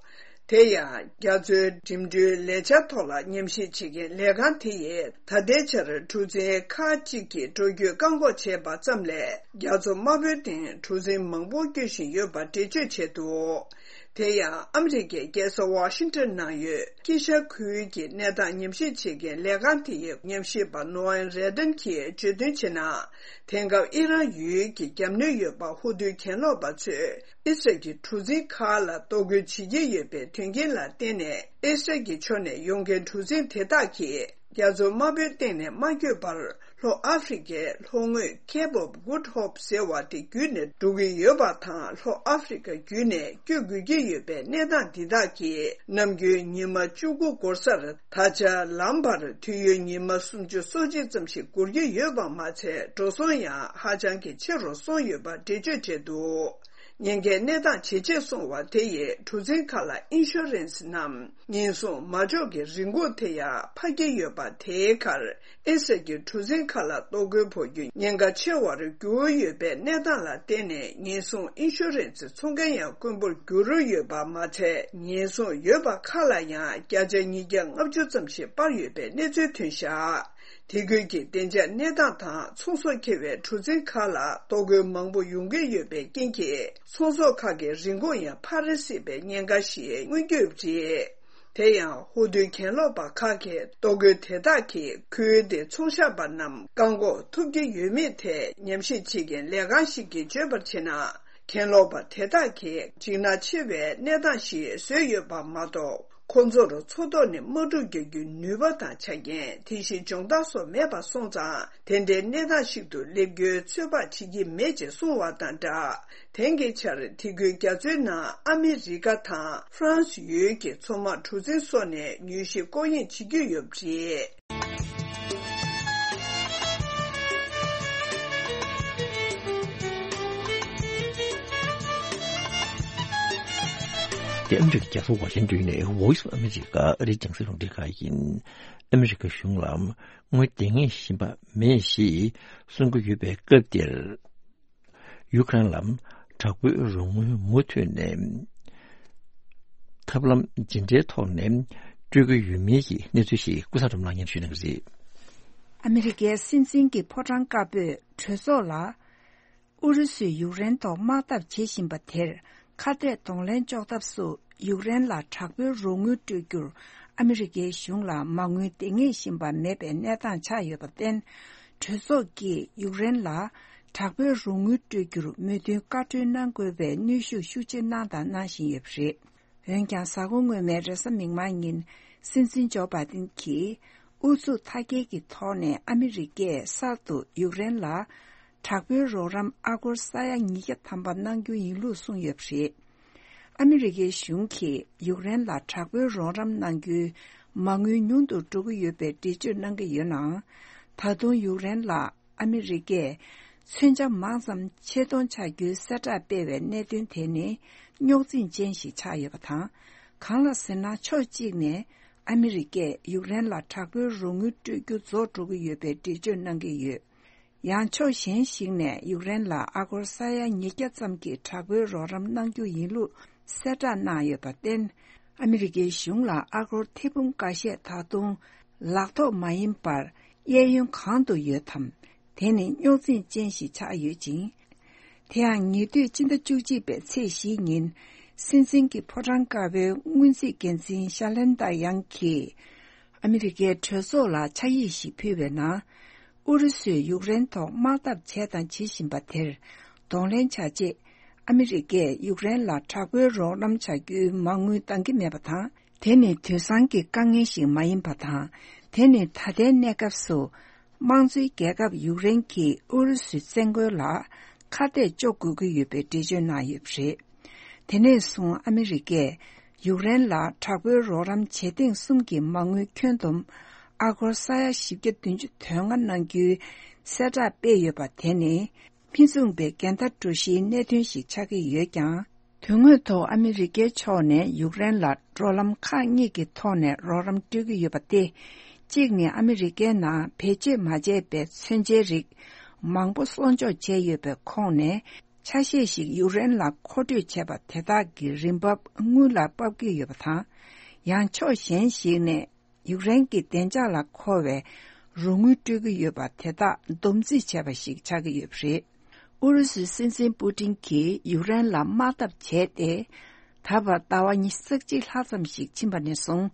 དེ་ཡང་རྒྱ་མཚོའི་འགྲིམ་འགྲུལ་ལས་འཆར་ཐོག་ལ་ཉམས་ཞིབ་བྱེད་མཁན་ལས་ཁང་དེ་ཡིས་ད་ལྟའི་ཆར་གྲུ་གཟིངས་ཁག་ཅིག་གི་འགྲོ་སྐྱོད་བཀག་འགོག་བྱས་པ་ཙམ་ལས། རྒྱ་མཚོ་དམར་པོའི་སྟེང་གྲུ་གཟིངས་མང་པོ་སྐྱོད་བཞིན་ཡོད་པ་འགྲེལ་བརྗོད་བྱས་འདུག་དེ་ཡང་ཨ་མི་རི་ཀའི་རྒྱལ་ས་ཝ་ཤིང་ཊོན་ནང་ཡོད་དཀྱིལ་ཤར་ཁུལ་གྱི་གནས་སྟངས་ཉམས་ཞིབ་བྱེད་མཁན་ལས་ཁང་དེ་ཡི་ཉམས་ཞིབ་པ་ནོ་ཨན་རེ་ཏན་གྱིས་བརྗོད་དོན་བྱས་ན། དེང་སྐབས་ཨི་རན་ཡུལ་གྱི་རྒྱབ་ནུས་ཡོད་པ་ཧུ་ཏུའི་གྱེན་ལོག་པ་ཚོས། ཨི་སི་རལ་གྱི་གྲུ་གཟིངས་ཁག་ལ་གཏོར་རྒོལ་བྱེད་ཀྱི་ཡོད་པའི་དོན་རྐྱེན་ལ་བརྟེན་ནས། ཨི་སི་རལ་གྱི་ཕྱོགས་ནས་ཡོང་མཁན་གྲུ་གཟིངས་དེ་དག་གིས་རྒྱ་མཚོ་དམར་པོའི་སྟེང་ནས་མ་བསྐྱོད་པར། ལྷོ་ཨ་ཧྥེ་རི་ཁའི་ལྷོ་ངོས་Cape of Good Hope ཟེར་བ་དེ་བརྒྱུད་ནས་འགྲོ་གི་ཡོད་པ་དང་། ལྷོ་ཨ་ཧྥེ་རི་ཁ་བརྒྱུད་ནས་བསྐྱོད་དགོས་ཀྱི་ཡོད་པའི་གནས་སྟངས་འདི་དག་གིས། ནམ་རྒྱུན་ཉི་མ་བཅུ་དགུ་འགོར་སར། ད་ཆ་ལམ་བར་དུས་ཡུན་ཉི་མ་སུམ་ཅུ་སོ་གཅིག་ཙམ་ཞིག་འགོར་གྱི་ཡོད་པ་མ་ཚད། འགྲོ་སོང་ཡང་ཧ་ཅང་གི་ཆེ་རུ་སོང་ཡོད་པ་འགྲེལ་བརྗོད་བྱས་འདུག་ཉེན་ཁའི་གནས་སྟངས་ཇེ་ཆེར་སོང་བ་དེ་ཡིས་གྲུ་གཟིངས་ཁག་ལ་ཨིན་ཤུ་རན་སི་ནམ་ཉེན་སྲུང་མ་འཇོག་གི་རིན་གོང་དེ་ཡང་འཕར་གྱི་ཡོད་པ། དེའི་ཁར་ཨི་སི་རལ་གྱི་གྲུ་གཟིངས་ཁག་ལ་གཏོར་རྒོལ་ཕོག་རྒྱུ་ཉེན་ཁ་ཆེ་བར་གྱུར་ཡོད་པའི་གནས་སྟངས་ལ་བརྟེན་ནས། ཉེན་སྲུང་ཨིན་ཤུ་རན་སི་འཚོང་མཁན་ཡང་དཀོན་པོར་གྱུར་ཡོད་པ་མ་ཚད། ཉེན་སྲུང་ཡོད་པ་ཁག་ལ་ཡང་བརྒྱ་ཆ་ཉིས་བརྒྱ་ལྔ་བཅུ་ཙམ་ཞིག་སྤར་ཡོད་པའི་གནས་ཚུལ་ཐོན་བཞག་དེ་ཁུལ་གྱི་བདེ་འཇགས་གནས་སྟངས་དང་ཚོང་ཟོག་འཁྱེར་བའི་གྲུ་གཟིངས་ཁག་ལ་གཏོར་རྒོལ་མང་པོ་ཡོང་གི་ཡོད་པའི་རྐྱེན་གྱིས། ཚོང་ཟོག་ཁག་གི་རིན་གོང་ཡང་འཕར་སྲིད་པའི་ཉེན་ཁ་ཞིག་མངོན་གྱི་ཡོད་པ་རེད། དེ་ཡང་ཧུ་ཏུའི་གྱེན་ལོག་པ་ཁག་གི་གཏོར་རྒོལ་དེ་དག་གིས་ཁུལ་དེའི་ཚོང་ཞབས་པ་རྣམས་བཀག་འགོག་ཐུབ་ཀྱི་ཡོད་མེད་ཐད་ཉམས་ཞིབ་བྱེད་མཁན་ལས་ཁང་ཞིག་གིས་བརྗོད་པར་བྱས་ན། གྱེན་ལོག་པ་དེ་དག་གིས་འཇིགས་སྣང་ཆེ་བའི་གནས་སྟངས་ཤིག་བཟོས་ཡོད་པ་མ་གཏོགས། ཁོང་ཚོར་མཚོ་ཐོག་ནས་དམག་འཁྲུག་རྒྱག་རྒྱུའི་ནུས་པ་དང་ཆ་རྐྱེན། དེ་བཞིན་སྦྱོང་བརྡར་སོགས་མེད་པ་སོང་ཙང་། དེ་འདྲའི་གནས་སྟངས་ཤིག་ཏུ་སླེབས་རྒྱུའི་ཚོད་དཔག་བྱེད་ཀྱི་མེད་ཅེས་གསུངས་བ་དང་སྦྲགས། དེང་གི་ཆར་དེ་ཁུལ་རྒྱ་མཚོའི་ནང་ཨ་མི་རི་ཀ་དང་ཧྥ་རན་སི་ཡུལ་གྱི་མཚོ་དམག་གྲུ་གཟིངས་སོགས་ནས་མྱུལ་ཞིབ་སྐོར་གཡེང་བྱེད་ཀྱི་ཡོད་པ་རེད། འདི་ཨ་མི་རི་ཀའི་རྒྱལ་ས་ཝ་ཤིང་ཏོན་ནས་Voice of America ཨ་རིའི་རྒྱང་སྲིང་རླུང་འཕྲིན་ཁང་ཡིན། ཨ་མི་རི་ཀའི་གཞུང་ལ་དངུལ་འདང་ངེས་བཞིན་པ་མེད་ཞེས་གསུང་གི་ཡོད་པའི་སྐབས་འདིར། ཡུཀ་རེན་ལ་དྲག་པོའི་རོགས་དངུལ་མུ་མཐུད་ནས་ཐབས་ལམ་ཇི་འདྲའི་ཐོག་ནས་སྤྲོད་ཀྱི་ཡོད་མེད་ཀྱི་གནས་ཚུལ་ཞིག་ཀུན་བཟང་སྒྲོལ་མ་ལགས་སྙན་ཞུ་གནང་གི་རེད། ཨ་མི་རི་ཀའི་སྲིད་འཛིན་གྱི་ཕོ་བྲང་དཀར་པོས་གྲོས་ཚོགས་ལ། ཨུ་རུ་སུས་ཡུཀ་རེན་ཐོག་དམག་འཐབ་བྱེད་བཞིན་པ་དེར་ཁ་གཏད་གདོང་ལེན་གཅོག་ཐབས་སུ་ཡུཀ་རེན་ལ་དྲག་པོའི་རོགས་དངུལ་སྤྲོད་རྒྱུར་ཨ་མི་རི་ཀའི་གཞུང་ལ་མ་དངུལ་འདང་ངེས་བཞིན་པ་མེད་པའི་གནས་སྟངས་ཆགས་ཡོད་པར་བརྟེན། གྲོས་ཚོགས་ཀྱིས་ཡུཀ་རེན་ལ་དྲག་པོའི་རོགས་དངུལ་སྤྲོད་རྒྱུར་མོས་མཐུན་བཀའ་འཁྲོལ་གནང་དགོས་པའི་གནོན་ཤུགས་ཤུགས་ཆེ་གནང་དང་གནང་བཞིན་ཡོད་པ་རེད། འོན་ཀྱང་། གཟའ་འཁོར་སྔོན་མའི་རེས་གཟའ་མིག་དམར་ཉིན། སྲིད་འཛིན་ཇོ་བྷའི་ཏིན་གྱིས་ཨུ་ཚུགས་མཐའ་སྐྱེལ་གྱི་ཐོག་ནས་ཨ་མི་རི་ཀས་གསར་དུ་ཡུཀ་རེན་ལ་དྲག་པོའི་རོགས་རམ་ཨ་སྒོར་ས་ཡ་ཉིས་བརྒྱ་ཐམ་པ་གནང་རྒྱུ་ཡིན་ལུགས་གསུངས་ཡོད་པ་རེད། ཨ་མི་རི་ཀའི་གཞུང་གིས་ཡུཀ་རེན་ལ་དྲག་པོའི་རོགས་རམ་གནང་རྒྱུའི་མ་དངུལ་ཉུང་དུ་འགྲོ་གི་ཡོད་པའི་འགྲེལ་བརྗོད་གནང་གི་ཡོད་ནའང་། ད་དུང་ཡུཀ་རེན་ལ། ཨ་མི་རི་ཀས་མཚོན་ཆ་མང་ཙམ་ཆེད་གཏོང་བྱ་རྒྱུའི་གསལ་བསྒྲགས་སྤེལ་བའི་གནད་དོན་དེ་ནི་རྙོག་འཛིང་ཅན་ཞིག་ཆགས་ཡོད་པ་དང་། གང་ལགས་ཟེར་ན། ཕྱོགས་གཅིག་ནས་ཨ་མི་རི་ཀས་ཡུཀ་རེན་ལ་དྲག་པོའི་རོགས་དངུལ་སྤྲོད་རྒྱུ་རྫོགས་འགྲོ་གི་ཡོད་པའི་འགྲེལ་བརྗོད་གནང་གི་ཡོད། ཡང་ཕྱོགས་གཞན་ཞིག་ནས་ཡུཀ་རེན་ལ་ཨ་སྒོར་ས་ཡ་ཉིས་བརྒྱ་ཙམ་གྱི་དྲག་པོའི་རོགས་རམ་གནང་རྒྱུ་ཡིན་ལུགས་གསལ་བསྒྲགས་གནང་ཡོད་པར་བརྟེན། ཨ་མི་རི་ཀའི་གཞུང་ལ་ཨ་སྒོར་ཐེར་འབུམ་འགའ་ཤས་ད་དུང་ལག་ཐོགས་མ་ཡིན་པར་གཡས་གཡོན་གང་དུ་ཡོད་དམ། དེ་ནི་རྙོག་འཛིང་ཅན་ཞིག་ཆགས་ཡོད་ཅིང་། དེ་ཡང་ཉེ་དུས་སྤྱི་ཟླ་བཅུ་གཅིག་པའི་ཚེས་བཞིའི་ཉིན། སྲིད་འཛིན་གྱི་ཕོ་བྲང་དཀར་པོའི་སྔོན་རྩིས་འགན་འཛིན་ཤ་ལན་ཏཱ་ཡང་གིས། ཨ་མི་རི་ཀའི་གྲོས་ཚོགས་ལ་ཕྱག་ཡིག་ཞིག་ཕུལ་བའི་ནང་། ཨུ་རུ་སུས་ཡུཀ་རེན་ཐོག་དམག་འཐབ་བྱས་དང་བྱེད་བཞིན་པ་དེར་གདོང་ལེན་བྱ་ཆེད། ཨ་མི་རི་ཀས་ཡུཀ་རེན་ལ་དྲག་པོའི་རོགས་རམ་བྱ་རྒྱུའི་མ་དངུལ་འདང་གི་མེད་པ་དང་། དེ་ནི་དུས་སང་གི་དཀའ་ངལ་ཞིག་མ་ཡིན་པ་དང་། དེ་ནི་ད་ལྟའི་གནས་སྐབས་སུ། དམངས་གཙོའི་རྒྱལ་ཁབ་ཡུཀ་རེན་གྱིས་ཨུ་རུ་སུའི་བཙན་རྒོལ་ལ་ཁ་གཏད་གཅོག་དགོས་ཀྱི་ཡོད་པའི་འགྲེལ་བརྗོད་གནང་ཡོད་པ་རེད། དེ་ནས་བཟུང་ཨ་མི་རི་ཀས་ཡུཀ་རེན་ལ་དྲག་པོའི་རོགས་རམ་བྱེད་ཐེངས་གསུམ་གྱི་མ་དངུལ་ཁྱོན་བསྡོམས་ཨ་སྒོར་ས་ཡ་བཞི་བརྒྱ་བདུན་ཅུ་དོན་ལྔ་གནང་རྒྱུའི་གསལ་བསྒྲགས་སྤེལ་ཡོད་པ་དེ་ནི། མི་མཚུངས་པའི་འགལ་ཟླ་འགྲོ་གཞིའི་གནད་དོན་ཞིག་ཆགས་ཀྱི་ཡོད་ཀྱང་། དོན་དངོས་ཐོག་ཨ་མི་རི་ཀའི་ཕྱོགས་ནས་ཡུཀ་རེན་ལ་འགྲོ་ལམ་ཁག་གཉིས་ཀྱི་ཐོག་ནས་རོགས་རམ་སྤྲོད་ཀྱི་ཡོད་པ་སྟེ། གཅིག་ནི་ཨ་མི་རི་ཀའི་ནང་བེད་སྤྱོད་མ་བྱས་པའི་མཚོན་ཆའི་རིགས་མང་པོ་གསོག་འཇོག་བྱས་ཡོད་པའི་ཁོངས་ནས། ཆ་ཤས་ཤིག་ཡུཀ་རེན་ལ་མཁོ་སྤྲོད་བྱས་པ་དེ་དག་གི་རིན་འབབ་དངུལ་ལ་ཕབ་ཀྱི་ཡོད་པ་དང་། ཡང་ཕྱོགས་གཞན་ཞིག་ནས། ཡུཀ་རེན་གྱི་བདེ་འཇགས་ལ་མཁོ་བའི་རོགས་དངུལ་སྤྲོད་ཀྱི་ཡོད་པ་དེ་དག་བསྡོམས་རྩིས་བྱས་པ་ཞིག་ཆགས་ཀྱི་ཡོད་པ་རེད། ཨུ་རུ་སུའི་སྲིད་འཛིན་པུ་ཏིན་གྱིས་ཡུཀ་རེན་ལ་དམག་འཐབ་བྱས་ཏེ། ད་བར་ཟླ་བ་ཉི་ཤུ་རྩ་གཅིག་ལྷག་ཙམ་ཞིག་ཕྱིན་པ་ནས་བཟུང་།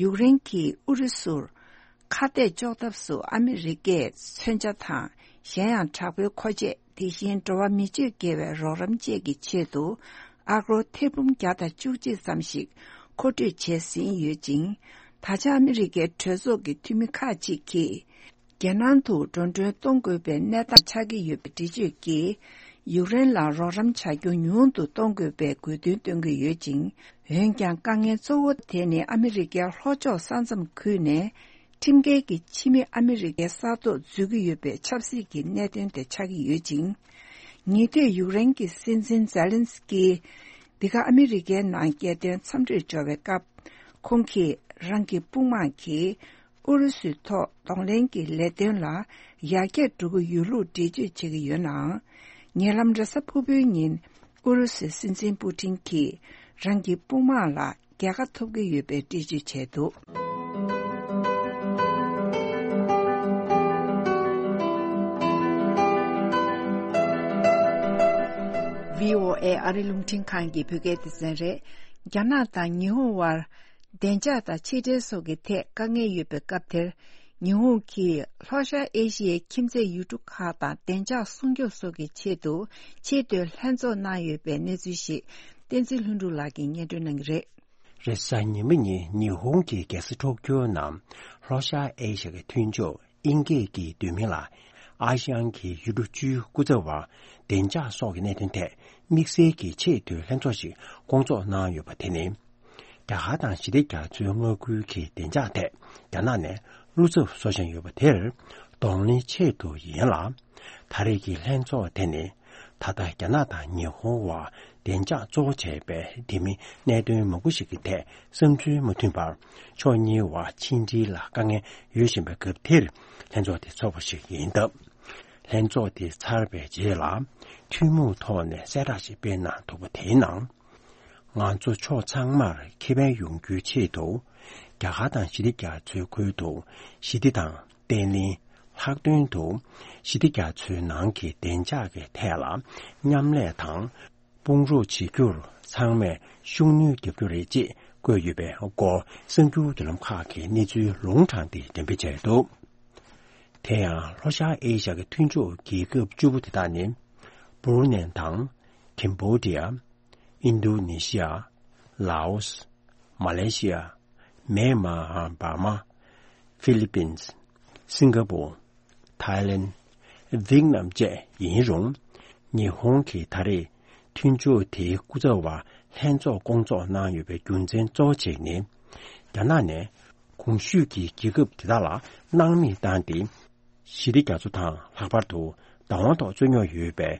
ཡུཀ་རེན་གྱིས་ཨུ་རུ་སུར་ཁ་གཏད་གཅོག་ཐབས་སུ་ཨ་མི་རི་ཀས་མཚོན་ཆ་དང་། གཞན་ཡང་དྲག་པོའི་མཁོ་ཆས། དེ་བཞིན་འགྲོ་བ་མི་སྤྱོད་དགེ་བའི་རོགས་རམ་བཅས་ཀྱི་ཆེད་དུ་ཨ་སྒོར་ཐེར་འབུམ་བརྒྱ་དང་བཅུ་གཅིག་ཙམ་ཞིག་མཁོ་སྤྲོད་བྱས་ཟིན་ཡོད་ཅིང་། ད་ཆ་ཨ་མི་རི་ཀའི་གྲོས་ཚོགས་ཀྱི་འཐུས་མི་ཁག་ཅིག་གིས། རྒྱལ་ནང་དུ་འགྲོ་གྲོན་གཏོང་དགོས་པའི་གནས་སྟངས་ཆགས་ཀྱི་ཡོད་པའི་འགྲེལ་བརྗོད་ཀྱིས། ཡུཀ་རེན་ལ་རོགས་རམ་བྱ་རྒྱུ་ཉུང་དུ་གཏོང་དགོས་པའི་དགོས་འདུན་བཏོན་གྱི་ཡོད་ཅིང་། འོན་ཀྱང་དཀའ་ངལ་གཙོ་བོ་དེ་ནི་ཨ་མི་རི་ཀའི་ལྷོ་ཕྱོགས་ས་མཚམས་ཁུལ་ནས། ཁྲིམས་འགལ་གྱི་ཕྱི་མི་ཨ་མི་རི་ཀའི་ས་ཐོག་འཛུལ་གྱི་ཡོད་པའི་ཆབ་སྲིད་ཀྱི་གནད་དོན་དེ་ཆགས་ཀྱི་ཡོད་ཅིང་། ཉེ་དུས་ཡུཀ་རེན་གྱི་སྲིད་འཛིན་ཛེ་ལན་སི་ཀི་འདི་ག་ཨ་མི་རི་ཀའི་ནང་རྒྱལ་དོན་འཚམས་འདྲིར་འབྱོར་བའི་སྐབས། ཁོང་གིས་རང་གི་དཔུང་དམག་གིས་ཨུ་རུ་སུའི་ཐོག་གདོང་ལེན་གྱི་ལས་དོན་ལ་ཡར་རྒྱས་འགྲོ་གི་ཡོད་ལུགས་འགྲེལ་བརྗོད་བྱེད་ཀྱི་ཡོད་ནའང་། ཉེ་ལམ་རེས་གཟའ་ཕུར་བུའི་ཉིན་ཨུ་རུ་སུའི་སྲིད་འཛིན་པུ་ཏིན་གྱིས་རང་གི་དཔུང་དམག་ལ། རྒྱལ་ཁ་ཐོབ་ཀྱི་ཡོད་པའི་འགྲེལ་བརྗོད་བྱས་འདུག་བྷི་ཨོ་ཨེ་ཨ་རི་རླུང་འཕྲིན་ཁང་གི་བོད་སྐད་སྡེ་ཚན་རེད། རྒྱ་ནག་དང་ཉི་ཧོང་དབར་བདེ་འཇགས་དང་ཕྱི་འབྲེལ་སོགས་ཀྱི་ཐད་དཀའ་ངལ་ཡོད་པའི་སྐབས་དེར། ཉི་ཧོང་གིས་ལྷོ་ཤར་ཨེ་ཤི་ཡའི་ཁྱིམ་མཚེས་ཡུལ་གྲུ་ཁག་དང་བདེ་འཇགས་སྲུང་སྐྱོབ་སོགས་ཀྱི་ཆེད་དུ་ཆེས་མཐོའི་ལྷན་ཚོགས་གནང་ཡོད་པའི་གནས་ཚུལ་ཞིག་བསྟན་འཛིན་ལྷུན་གྲུབ་ལགས་ཀྱིས་སྙན་སྒྲོན་གནང་གི་རེད། རེས་གཟའ་ཉི་མ་ཉིན་ཉི་ཧོང་གི་རྒྱལ་ས་ཊོ་ཀྱོ་ནང་ལྷོ་ཤར་ཨེ་ཤ་ཡའི་མཐུན་ཕྱོགས་དབྱིན་སྐད་ཀྱི་བསྡུས་མིང་ལ་ཨ་ཤི་ཡན་གྱི་ཡུལ་གྲུ་བཅུའི་སྐུ་ཚབ་པ་བདེ་འཇགས་སོགས་ཀྱི་གནད་དོན་ཐད་དམིགས་བསལ་གྱི་ཆེས་མཐོའི་ལྷན་ཚོགས་ཤིག་བསྐོང་ཚོགས་གནང་ཡོད་པ་དེ་ནི། རྒྱ་གར་དང་ཞི་བདེ་རྒྱ་མཚོའི་མངའ་ཁུལ་གྱི་བདེ་འཇགས་ཐད་རྒྱ་ནག་ནས་བློ་འཚབ་བཟོ་བཞིན་ཡོད་པ་དེར་གདོང་ལེན་ཆེད་དུ་ཡིན་ལ། ད་རེས་ཀྱི་ལྷན་ཚོགས་དེ་ནི་ད་ལྟ་རྒྱ་ནག་དང་ཉི་ཧོང་དབར་ བདེ་འཇགས་གཙོ་བོ་བྱས་པའི་དེ་མིན་གནད་དོན་མང་པོ་ཞིག་གི་ཐད་བསམ་ཚུལ་མ་མཐུན་པར་ཕྱོགས་གཉིས་བར་ཕྱི་འབྲེལ་ལ་དཀའ་ངལ་ཡོད་བཞིན་པའི་སྐབས་དེར་ལྷན་ཚོགས་དེ་ཚོགས་པ་ཞིག་ཡིན་སྟབས། ལྷན་ཚོགས་དེ་ཚར་བའི་རྗེས་ལ་ཐུན་མོང་ཐོག་ནས་གསལ་བསྒྲགས་ཤིག་སྤེལ་གནང་འདུག་པ་དེའི་ནང་། ང་ཚོ་ཕྱོགས་ཚང་མར་ཁེ་ཕན་ཡོང་རྒྱུའི་ཆེད་དུ། རྒྱ་གར་དང་ཞི་བདེ་རྒྱ་མཚོའི་ཁུལ་དུ་ཞི་བདེ་དང་བརྟན་ལྷིང་། ལྷག་དོན་དུ་ཞི་བདེ་རྒྱ་མཚོའི་ནང་གི་བདེ་འཇགས་ཀྱི་ཐད་ལ་མཉམ་ལས་དང་དཔུང་རོགས་བྱེད་རྒྱུར་ཚང་མས་ཤུགས་སྣོན་རྒྱག་རྒྱུ་རེད་ཅེས་བཀོད་ཡོད་པའི་སྐོར་གསར་འགྱུར་བརྒྱུད་ལམ་ཁག་གིས་གནས་ཚུལ་ལུང་དྲངས་ཏེ་འགྲེམས་སྤེལ་བྱས་འདུག་དེ་ཡང་ལྷོ་ཤར་ཨེ་ཤ་ཡའི་མཐུན་ཕྱོགས་རྒྱལ་ཁབ་བཅུ་པོ་དེ་དག་ནི། སྦུ་རུ་ནེ་དང་། ཀེམ་བྷོ་ཌི་ཡ། ཨིན་ཌོ་ནེ་ཤི་ཡ། ལའོ་སི། མ་ལེ་ཤི་ཡ། མེན་མ་ཧ། འབར་མ། ཧྥི་ལི་པིན། སིང་ག་པོ། ཐའི་ལེན། ཝིཏ་ནམ་བཅས་ཡིན་རུང་། ཉི་ཧོང་གིས་ད་རེས་མཐུན་ཕྱོགས་དེའི་སྐུ་ཚབ་པ་ལྷན་ཚོགས་སྐོང་ཚོགས་གནང་ཡོད་པའི་རྒྱུ་མཚན་གཙོ་བོ་གཅིག་ནི། རྒྱ་ནག་ནས་གོང་ཞུས་ཀྱི་རྒྱལ་ཁབ་དེ་དག་ལ་སྣང་མེད་བཏང་སྟེ། ཞི་བདེ་རྒྱ་མཚོ་དང་ལྷག་པར་དུ་བདག་དབང་ཐོག་རྩོད་རྙོག་ཡོད་པའི་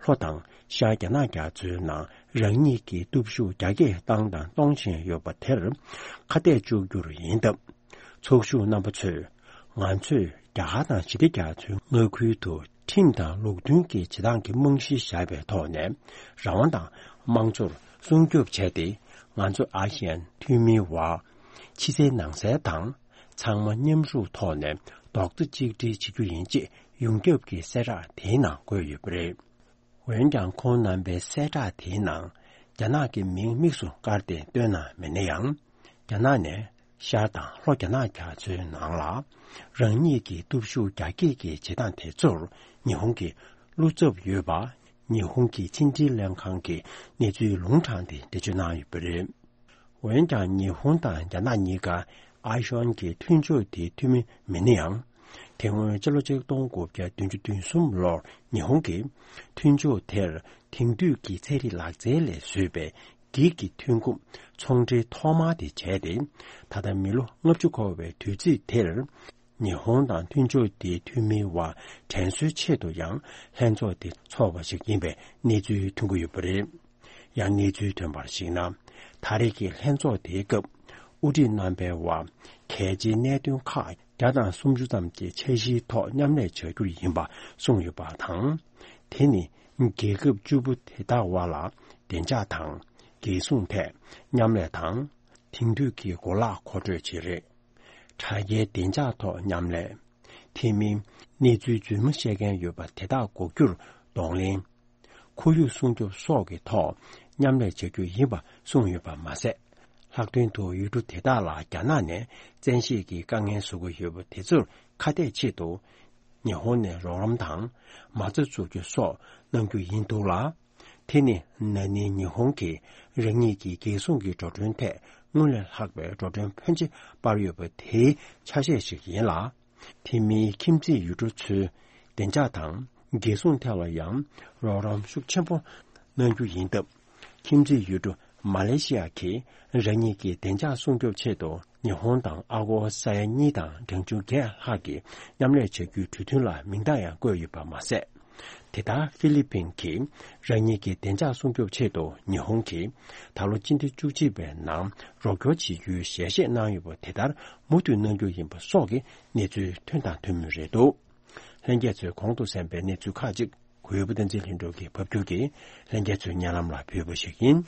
ལྷོ་དང་ཤར་རྒྱ་ནག་རྒྱ་མཚོའི་ནང་རང་ཉིད་ཀྱི་སྟོབས་ཤུགས་རྒྱ་སྐྱེད་བཏང་དང་གཏོང་བཞིན་ཡོད་པ་དེར་ཁ་གཏད་གཅོག་རྒྱུར་ཡིན་སྟབས། ཚོགས་ཞུགས་རྣམ་པ་ཚོས་ང་ཚོས་རྒྱ་གར་དང་ཞི་བདེ་རྒྱ་མཚོའི་མངའ་ཁུལ་དུ་ཁྲིམས་དང་ལུགས་མཐུན་གྱི་བྱེད་སྟངས་ཀྱི་རྨང་གཞི་བཞག་པའི་ཐོག་ནས་རང་དབང་དང་དམངས་གཙོར་སྲུང་སྐྱོབ་བྱས་ཏེ། ང་ཚོ་ཨ་སི་ཡན་འཐུས་མིའི་བར་ཕྱི་གསལ་ནང་གསལ་དང་། ཚང་མ་མཉམ་ཞུགས་ཐོག་ནས་རྡོག་རྩ་གཅིག་སྒྲིལ་བྱེད་རྒྱུ་ཡིན་ཅེས་ཡོངས་ཁྱབ་ཀྱི་གསལ་བསྒྲགས་དེའི་ནང་བཀོད་ཡོད་པ་རེད། འོན་ཀྱང་ཁོང་རྣམ་པའི་གསལ་བསྒྲགས་དེའི་ནང་རྒྱ་ནག་གི་མིང་དམིགས་སུ་བཀར་ཏེ་བཏོན་གནང་མེད་ན་ཡང་། རྒྱ་ནག་ནས་ཤར་དང་ལྷོ་རྒྱ་ནག་རྒྱ་མཚོའི་ནང་ལ་རང་ཉིད་ཀྱི་སྟོབས་ཤུགས་རྒྱ་སྐྱེད་ཀྱི་བྱེད་སྟངས་དེ་ཚོར་ཉི་ཧོང་གི་བློ་འཚབ་ཡོད་པ་ཉི་ཧོང་གི་ཕྱི་འབྲེལ་ལྷན་ཁང་གིས་གནས་ཚུལ་ལུང་དྲངས་ཏེ་འགྲེལ་བརྗོད་གནང་ཡོད་པ་རེད། འོན་ཀྱང་ཉི་ཧོང་དང་རྒྱ་ནག་གཉིས་ཀ་ཨ་ཤོན་གྱི་མཐུན་ཕྱོགས་དེའི་འཐུས་མི་མིན་ན་ཡང་། དེ་སྔོན་ཕྱི་ལོ་ཆིག་སྟོང་དགུ་བརྒྱ་བདུན་ཅུ་དོན་གསུམ་ལོར་ཉི་ཧོང་གིས་མཐུན་ཕྱོགས་དེར་དེང་དུས་ཀྱི་ཚན་རིག་ལག་རྩལ་ལས་བཟོས་པའི་འགྱིག་གི་ཐོན་ཁུངས་ཚོང་འབྲེལ་ཐོག་མ་དེ་བྱས་ཏེ། ད་ལྟ་མི་ལོ་ལྔ་བཅུ་འཁོར་བའི་དུས་ཚིགས་དེར། ཉི་ཧོང་དང་མཐུན་ཕྱོགས་དེའི་འཐུས་མིའི་བར་དྲན་གསོའི་ཆེད་དུ་ཡང་ལྷན་ཚོགས་དེ་འཚོགས་པ་ཞིག་ཡིན་པའི་གནས་ཚུལ་ཐོན་གྱི་ཡོད་པ་རེད། ཡང་གནས་ཚུལ་ཐོན་པར་གཞིགས་ན། ད་རེས་ཀྱི་ལྷན་ཚོགས་དེའི་སྐབས་དབུ་ཁྲིད་རྣམ་པའི་དབར་གལ་ཆེའི་གནད་དོན་ཁག་བརྒྱ་དང་སུམ་ཅུ་ཙམ་གྱི་འཆར་གཞིའི་ཐོག་མཉམ་ལས་བྱ་རྒྱུར་ཡིན་པ་གསུངས་ཡོད་པ་དང་། དེ་ནི་རྒྱལ་ཁབ་བཅུ་པོ་དེ་དག་དབར་ལ་བདེ་འཇགས་དང་། རྒྱལ་སྲུང་ཐད་མཉམ་ལས་དང་། དེང་དུས་ཀྱི་གོ་ལག་མཁོ་སྤྲོད་བཅས་རེད། དྲ་རྒྱའི་བདེ་འཇགས་ཐོག་མཉམ་ལས། དེ་མིན་གནས་ཚུལ་རྫུན་མ་བཤད་མཁན་ཡོད་པ་དེ་དག་འགོག་རྒྱུར་གདོང་ལེན། ཁོར་ཡུག་སྲུང་སྐྱོབ་སོགས་ཀྱི་ཐོག་མཉམ་ལས་བྱ་རྒྱུ་ཡིན་པ་གསུངས་ཡོད་པ་མ་ཟད། ལྷག་དོན་དུ་ཡུལ་གྲུ་དེ་དག་ལ་རྒྱ་ནག་ནས་བཙན་ཤེད་ཀྱིས་དཀའ་ངལ་བཟོ་གི་ཡོད་པ་དེ་ཚོར་ཁ་གཏད་ཆེད་དུ། ཉི་ཧོང་ནས་རོགས་རམ་དང་མ་རྩ་འཛུགས་རྒྱུ་སོགས་གནང་རྒྱུ་ཡིན་འདུག་ལ། དེ་ནི་ན་ནིང་ཉི་ཧོང་གིས་རང་ཉིད་ཀྱི་རྒྱལ་སྲུང་གི་འགྲོ་གྲོན་ཐད་སྔོན་ལས་ལྷག་པའི་འགྲོ་གྲོན་ཕོན་ཆེ་སྤར་ཡོད་པ་དེའི་ཆ་ཤས་ཤིག་ཡིན་ལ། དེ་མིན་ཁྱིམ་མཚེས་ཡུལ་གྲུ་ཚོའི་བདེ་འཇགས་དང་རྒྱལ་སྲུང་ཐད་ལ་ཡང་རོགས་རམ་ཤུགས་ཆེན་པོ་གནང་རྒྱུ་ཡིན་སྟབས། ཁྱིམ་མཚེས་ཡུལ་གྲུ་མ་ལེ་ཤི་ཡ་གིས་རང་ཉིད་ཀྱི་བདེ་འཇགས་སྲུང་སྐྱོབ་ཆེད་དུ་ཉི་ཧོང་དང་ཨ་སྒོར་ས་ཡ་གཉིས་དང་གྲངས་ཆུང་བརྒྱད་ལྷག་གི་མཉམ་ལས་བྱ་རྒྱུའི་གྲོས་མཐུན་ལ་མིང་རྟགས་ཡང་བཀོད་ཡོད་པ་མ་ཟད། དེ་ལྟར་ཧྥི་ལི་པིན་གྱིས་རང་ཉིད་ཀྱི་བདེ་འཇགས་སྲུང་སྐྱོབ་ཆེད་དུ་ཉི་ཧོང་གིས་ད་ལོ་སྤྱི་ཟླ་བཅུ་གཅིག་པའི་ནང་རོགས་སྐྱོར་བྱེད་རྒྱུའི་ཞལ་བཞེས་གནང་ཡོད་པ་དེ་ལྟར་མུ་མཐུད་གནང་རྒྱུ་ཡིན་པ་སོགས་ཀྱི་གནས་ཚུལ་ཐོན་དང་ཐོན་མུས་རེད་འདུག་ལྷན་རྒྱས་ཚོས་གོང་དུ་གསན་པའི་གནས་ཚུལ་ཁག་ཅིག་གུས་པ་བསྟན་འཛིན་ལྷུན་གྲུབ་ཀྱིས་ཕབ་སྒྱུར་གྱིས་ལྷན་རྒྱས་ཚོའི་སྙན་ལམ་ལ་ཕུལ་བ་ཞིག་ཡིན།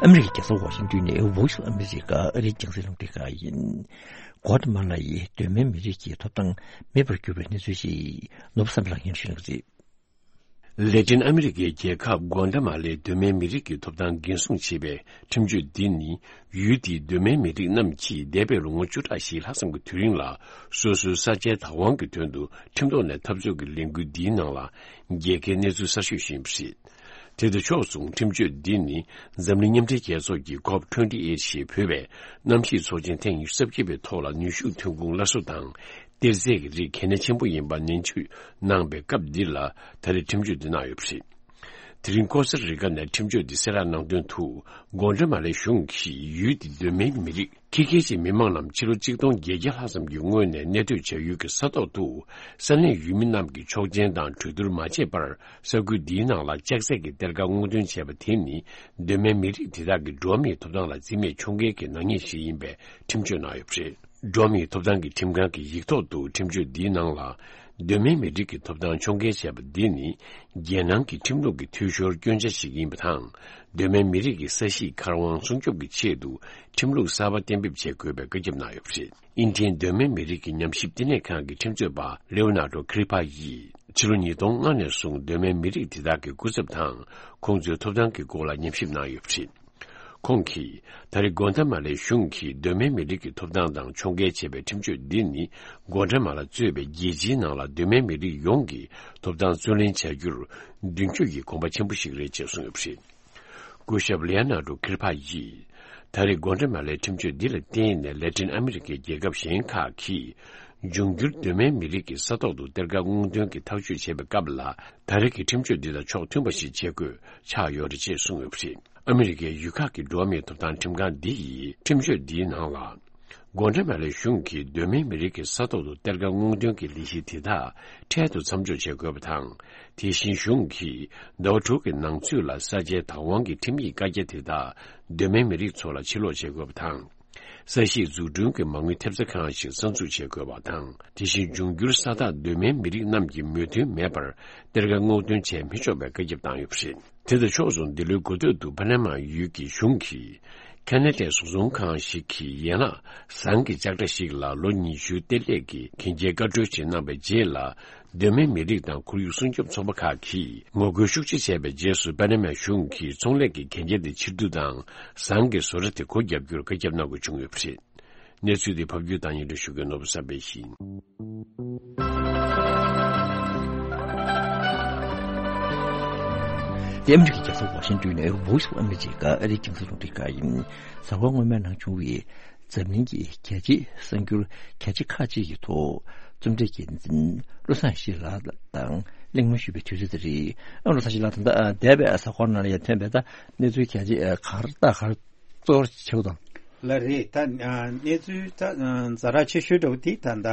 ཨ་མི་རི་ཀའི་རྒྱལ་ས་ཝ་ཤིང་ཏོན་ནས་Voice of America ཨ་རིའི་རྒྱང་སྲིང་རླུང་འཕྲིན་ཁང་ཡིན། གོ་ཏ་མ་ལ་ཡི་གདོད་མའི་མི་རིགས་ཀྱི་ཐོབ་ཐང་མེད་པར་གྱུར་བའི་གནས་ཚུལ་ཞིག་ནོར་བུ་བསམ་འཕེལ་ལགས་སྙན་ཞུ་གནང་གི་རེད། ལེ་ཏིན་ཨ་མི་རི་ཀའི་རྒྱལ་ཁབ་གོ་ཏ་མ་ལའི་གདོད་མའི་མི་རིགས་ཀྱི་ཐོབ་ཐང་འགན་སྲུང་བྱེད་པའི་ཁྲིམས་གཅོད་འདི་ནི། ཡུལ་དེའི་གདོད་མའི་མི་རིགས་རྣམས་ཀྱིས་འདས་པའི་ལོ་ངོ་བཅུ་ཕྲག་བཞི་ལྷག་ཙམ་གྱི་དུས་རིང་ལ་སོ་སོའི་ས་ཆའི་བདག་དབང་གི་དོན་དུ་ཁྲིམས་ཐོག་ནས་འཐབ་རྩོད་ཀྱི་ལས་འགུལ་འདིའི་ནང་ལ་རྒྱལ་ཁའི་གནས་ཚུལ་གསར་ཤོས་ཤིག་ཡིན་པ་རེད། དེ་དང་ཕྱོགས་མཚུངས་ཁྲིམས་གཅོད་འདི་ནི་འཛམ་གླིང་མཉམ་འབྲེལ་རྒྱལ་ཚོགས་ཀྱི་ཀོབ་ཊུ་ཝེན་ཊི་ཨེཊ་ཞེས་འབོད་པའི་གནམ་གཤིས་ཚོགས་ཆེན་ཐེངས་ཉི་ཤུ་རྩ་བརྒྱད་པའི་ཐོག་ལ་ནུས་ཤུགས་ཐོན་ཁུངས་སླར་གསོ་དང་གཏེར་རྫས་ཀྱི་རིགས་གལ་གནད་ཆེན་པོ་ཡིན་པ་ནན་བརྗོད་གནང་པའི་སྐབས་འདི་ལ་ད་རེས་ཁྲིམས་གཅོད་འདི་གནང་ཡོད་པ་རེད། དེ་རིང་ཀོ་སྟ་རི་ཀ་ནས་ཁྲིམས་གཅོད་འདི་གསལ་བསྒྲགས་གནང་དོན་དུ། གོ་ཏ་མ་ལའི་གཞུང་གིས་ཡུལ་འདི་གདོད་མའི་མི་རིགས་ཁི་ཁེ་ཅན་མི་མང་རྣམས་ཕྱི་ལོ་གཅིག་སྟོང་བརྒྱད་བརྒྱ་ལྷག་ཙམ་གྱི་སྔོན་ནས་གནས་སྡོད་བྱ་ཡུལ་གྱི་ས་ཐོག་ཏུ། ས་གནས་ཡུལ་མི་རྣམས་ཀྱིས་ཆོག་མཆན་དང་གྲོས་བསྡུར་མ་བྱས་པར། ས་ཁུལ་འདིའི་ནང་ལ་ལྕགས་རྩེད་ཀྱི་གཏེར་ཁ་སྔོག་འདོན་བྱས་པ་དེ་ནི། གདོད་མའི་མི་རིགས་དེ་དག་གི་འགྲོ་བ་མིའི་ཐོབ་ཐང་ལ་བརྩི་མེད་ཕྱོགས་འགལ་གྱི་ནག་ཉེས་ཤིག་ཡིན་པའི་ཁྲིམས་གཅོད་གནང་ཡོད་པ་རེད། འགྲོ་བ་མིའི་ཐོབ་ཐང་གི་ཁྲིམས་ཁང་གི་ཡིག་ཐོག་ཏུ་ཁྲིམས་གཅོད་འདིའི་ནང་ལ། གདོད་མའི་མི་རིགས་ཀྱི་ཐོབ་ཐང་ཕྱོགས་འགལ་བྱས་པ་འདི་ནི། རྒྱལ་ནང་གི་ཁྲིམས་ལུགས་ཀྱི་འཐུས་ཤོར་སྐྱོན་ཆ་ཞིག་ཡིན་པ་དང་། གདོད་མའི་མི་རིགས་ཀྱི་ས་གཤིས་ཁ་དབང་སྲུང་སྐྱོབ་ཀྱི་ཆེད་དུ་ཁྲིམས་ལུགས་གསར་པ་གཏན་འབེབས་བྱེད་དགོས་པའི་བཀའ་ཁྱབ་གནང་ཡོད་པ་རེད། དབྱིན་ལྡན་གདོད་མའི་མི་རིགས་ཀྱི་ཉམས་ཞིབ་བསྟི་གནས་ཁང་གི་ཁྲིམས་རྩོད་པ་ལེའོ་ནར་ཌོ་ཁི་རི་པ་ཡིས་ཕྱི་ལོ་ཉིས་སྟོང་ལྔ་ནས་བཟུང་གདོད་མའི་མི་རིགས་དེ་དག་གི་སྐུ་ཚབ་དང་ཁོང་ཚོའི་ཐོབ་ཐང་གི་སྐོར་ལ་ཉམས་ཞིབ་གནང་ཡོད་པ་རེད། ཁོང་གིས་ད་རེས་གོ་ཏ་མ་ལའི་གཞུང་གིས་གདོད་མའི་མི་རིགས་ཀྱི་ཐོབ་ཐང་དང་ཕྱོགས་འགལ་བྱས་པའི་ཁྲིམས་གཅོད་འདི་ནི། གོ་ཏ་མ་ལ་གཙོས་པའི་རྒྱལ་སྤྱིའི་ནང་ལ་གདོད་མའི་མི་རིགས་ཡོངས་ཀྱི་ཐོབ་ཐང་རྩོད་ལེན་བྱ་རྒྱུར་མདུན་སྐྱོད་ཀྱི་གོམ་པ་ཆེན་པོ་ཞིག་རེད་ཅེས་གསུངས་ཡོད་པ་རེད། སྐུ་ཞབས་ལེའོ་ནར་ཌོ་ཁི་རི་པ་ཡིས། ད་རེས་གོ་ཏ་མ་ལའི་ཁྲིམས་གཅོད་འདི་ལ་བརྟེན་ནས་ལེ་ཏིན་ཨ་མི་རི་ཀའི་རྒྱལ་ཁབ་གཞན་ཁག་གིས། འབྱུང་འགྱུར་གདོད་མའི་མི་རིགས་ཀྱི་ས་ཐོག་ཏུ་གཏེར་ཁ་སྔོག་འདོན་གྱི་ཐག་གཅོད་བྱེད་པའི་སྐབས་ལ། ད་རེས་ཀྱི་ཁྲིམས་གཅོད་འདི་དང་ཕྱོགས་མཐུན་པ་ཞིག་བྱེད་དགོས་ཆགས་ཡོད་རེད་ཅེས་གསུངས་ཡོད་པ་རེད། ཨ་མི་རི་ཀའི་ཡུལ་ཁག་གི་འགྲོ་བ་མིའི་ཐོབ་ཐང་ཁྲིམས་ཁང་འདི་ཡིས་ཁྲིམས་གཅོད་འདིའི་ནང་ལ། གོ་ཏ་མ་ལའི་གཞུང་གིས་གདོད་མའི་མི་རིགས་ཀྱི་ས་ཐོག་ཏུ་གཏེར་ཁ་སྔོག་འདོན་གྱི་ལས་གཞི་དེ་དག་འཕྲལ་དུ་མཚམས་འཇོག་བྱེད་དགོས་པ་དང་། དེ་བཞིན་གཞུང་གིས་ཟླ་བ་དྲུག་གི་ནང་ཚུད་ལ་ས་ཆའི་བདག་དབང་གི་ཁྲིམས་ཡིག་བཀའ་རྒྱ་དེ་དག་གདོད་མའི་མི་རིགས་ཚོ་ལ་ཕྱིར་སློག་བྱེད་དགོས་པ་དང་། ས་གཤིས་འཛུགས་སྐྲུན་གྱི་མ་དངུལ་ཐེབས་རྩ་ཁང་ཞིག་གསར་འཛུགས་བྱེད་དགོས་པ་དང་། དེ་བཞིན་འབྱུང་འགྱུར་ས་ཐག་གདོད་མའི་མི་རིགས་རྣམས་ཀྱི་མོས་མཐུན་མེད་པར་གཏེར་ཁ་སྔོག་འདོན་བྱས་མི་ཆོག་པའི་བཀའ་ཁྱབ་བཏང་ཡོད་པ་རེད། དེ་དང་ཕྱོགས་མཚུངས་འདི་ལོའི་འགོ་སྟོད་དུ་པ་ན་མ་ཡུལ་གྱི་གཞུང་གིས་ཁ་ན་ཌའི་བཟོ་ཚོང་ཁང་ཞིག་གི་ཡན་ལག་ཟངས་ཀྱི་ལྕགས་དྲ་ཞིག་ལ་ལོ་ཉི་ཤུའི་གཏེར་ལས་ཀྱི་གན་རྒྱའི་བཀའ་འཁྲོལ་ཞིག་གནང་བའི་རྗེས་ལ། གདོད་མའི་མི་རིགས་དང་ཁོར་ཡུག་སྲུང་སྐྱོབ་ཚོགས་པ་ཁག་གིས་ངོ་རྒོལ་ཤུགས་ཆེ་བྱས་པའི་རྗེས་སུ། པ་ན་མའི་གཞུང་གིས་ཚོང་ལས་ཀྱི་གན་རྒྱ་དེ་ཕྱིར་བསྡུ་དང་། ཟངས་ཀྱི་བཟོ་གྲྭ་དེ་སྒོ་བརྒྱབ་རྒྱུར་བཀའ་ཁྱབ་གནང་དགོས་བྱུང་ཡོད་པ་རེད། གནས་ཚུལ་དེ་ཕབ་སྒྱུར་དང་སྙན་སྒྲོན་ཞུ་མཁན་ནོར་བུ་བསམ་འཕེལ་ཡིན། ཨ་མི་རི་ཀའི་རྒྱལ་ས་ཝ་ཤིང་ཏོན་ནས་Voice of America ཨ་རིའི་རྒྱང་སྲིང་རླུང་འཕྲིན་ཁང་ཡིན། གཟའ་འཁོར་སྔོན་མའི་ནང་བྱུང་བའི་འཛམ་གླིང་གི་རྒྱལ་སྤྱིའི་གསར་འགྱུར་གལ་ཆེ་ཁག་ཅིག་གི་ཐོག་རྩོམ་སྒྲིག་འགན་འཛིན་བློ་བཟང་ཡེ་ཤེས་ལགས་དང་གླེང་མོལ་ཞུས་པའི་དུས་ཚོད་དེ་རེད། ཨ། བློ་བཟང་ཡེ་ཤེས་ལགས། ད་ལྟ་འདས་པའི་གཟའ་འཁོར་ནང་ལ་ཡང་ཐོན་པའི་ད་གནས་ཚུལ་གལ་ཆེ་ག་རེ་ད་ག་རེ་གཙོ་བོར་ཆེ་བོ་དང་། ལགས་རེད། ད་ཨ་གནས་ཚུལ་ད་ཨ་ཛ་དྲག་ཆེ་ཤོས་འདྲ་བོ་དེ་ད་ལྟ་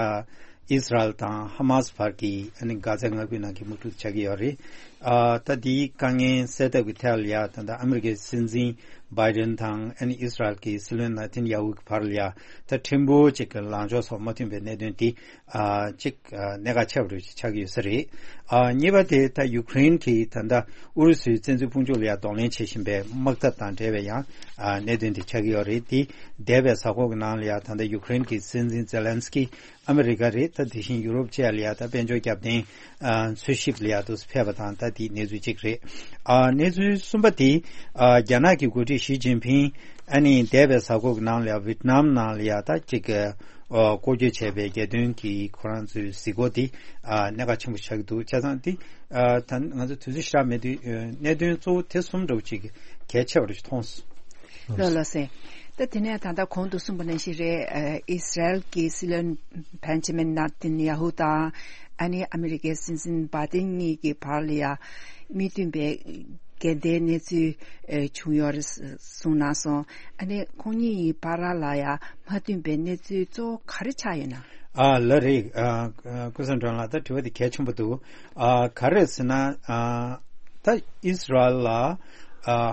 ཨིས་རལ་དང་ཧ་མཱས་བར་གྱི་ཨ་ནི་གྷ་ཛའི་མངའ་ཁུལ་ནང་གི་དམག་འཁྲུག་ཆགས་ཀྱི་ཡོད་རེད། ཨ་ད་དེའི་དཀའ་ངལ་སེལ་ཐབས་ཀྱི་ཐད་ལ་ཡ་ད་ལྟ་ཨ་མི་རི་ཀའི་སྲིད་འཛིན་བྷའི་ཌེན་དང་ཨ་ནི་ཨིས་རལ་གྱི་སྲིད་བློན་ནེ་ཐན་ཡ་ཧུ་གི་བར་ལ་ཡ་ད་ཕྲན་བུ་ཅིག་གི་ལངས་ཕྱོགས་སོགས་མ་མཐུན་པའི་གནད་དོན་དེ། ཨ་གཅིག་ཨ་གནད་འགག་ཆེ་བ་རུ་ཆགས་ཀྱི་ཡོད་ས་རེད། ཨ་གཉིས་པ་དེ་ད་ཡུ་ཀེ་རེན་གྱིས་ད་ལྟ་ཨུ་རུ་སུའི་བཙན་འཛུལ་དཔུང་ཚོགས་ལ་ཡང་གདོང་ལེན་བྱེད་བཞིན་པའི་དམག་འཐབ་དང་འབྲེལ་བའི་ཡང་ཨ་གནད་དོན་དེ་ཆགས་ཀྱི་ཡོད་རེད། དེ་འདས་པའི་གཟའ་འཁོར་གྱི་ནང་ལ་ཡང་ད་ལྟ་ཡུ་ཀེ་རེན་གྱི་སྲིད་འཛིན་ཛེ་ལན་སི་ཀི་ཨ་མི་རི་ཀ་རེད། ད་དེ་བཞིན་ཡུ་རོབ་བཅས་ལ་ཡང་ད་དཔལ་འབྱོར་རྒྱབ་རྟེན་ཨ་འཚོལ་ཞིབ་ལ་ཡང་དུ་ཕེབས་པ་དང་། ད་དེའི་གནས་ཚུལ་གཅིག་རེད། ཨ་གནས་ཚུལ་གསུམ་པ་དེ་ཨ་རྒྱ་ནག་གི་འགོ་ཁྲིད་ཞི་ཅིན་ཕིང་ཨ་ནི་འདས་པའི་གཟའ་འཁོར་གྱི་ནང་ལ་ཡང་ཝི་ཏི་ནམ་ནང་ལ་ཡང་ད་གཅིག་གི་ཨ་སྐོར་སྐྱོད་བྱས་པའི་རྒྱལ་དོན་གྱི་ཁོ་རང་ཚོའི་གཟིགས་སྐོར་དེ་ཨ་གནད་འགག་ཆེན་པོ་ཆགས་ཀྱི་འདུག་བྱས་ཙང་དེ་ཨ་ད་ང་ཚོ་དུས་ཚོད་ཞེ་དྲག་མེད་དུས་ཨ་གནད་དོན་གཙོ་བོ་དེ་གསུམ་འདྲ་བོ་ཅིག་གལ་ཆེ་བ་རུ་མཐོང་སོང་། ལགས་ལགས་སེ། ད་དེ་ནས་ད་ལྟ་གོང་དུ་གསུངས་པ་ནང་བཞིན་རེད། ཨ་ཨིས་རལ་གྱི་སྲིད་བློན་བན་ཇ་མིན་ནེ་ཐན་ཡ་ཧུ་དང་ཨ་ནི་ཨ་མི་རི་ཀའི་སྲིད་འཛིན་བྷའི་ཏིན་གཉིས་ཀྱི་བར་ལ་ཡ་མི་མཐུན་པའི་འགལ་ཟླའི་གནས་ཚུལ་ཨ་བྱུང་ཡོད་རེད་གསུངས་གནང་སོང་། ཨ་ནི་ཁོང་གཉིས་ཡི་བར་ལ་ཡ་མ་མཐུན་པའི་གནས་ཚུལ་གཙོ་བོ་ག་རེ་ཆགས་ཡོད་ན། ཨ་ལགས་རེད། ཨ་ཨ་ཀུན་བཟང་སྒྲོན་ལགས། ད་དྲི་བ་དེ་གལ་ཆེན་པོ་འདུག་ཨ་ག་རེ་ཟེར་ན་ཨ་ད་ཨིས་རལ་ལ་ཨ་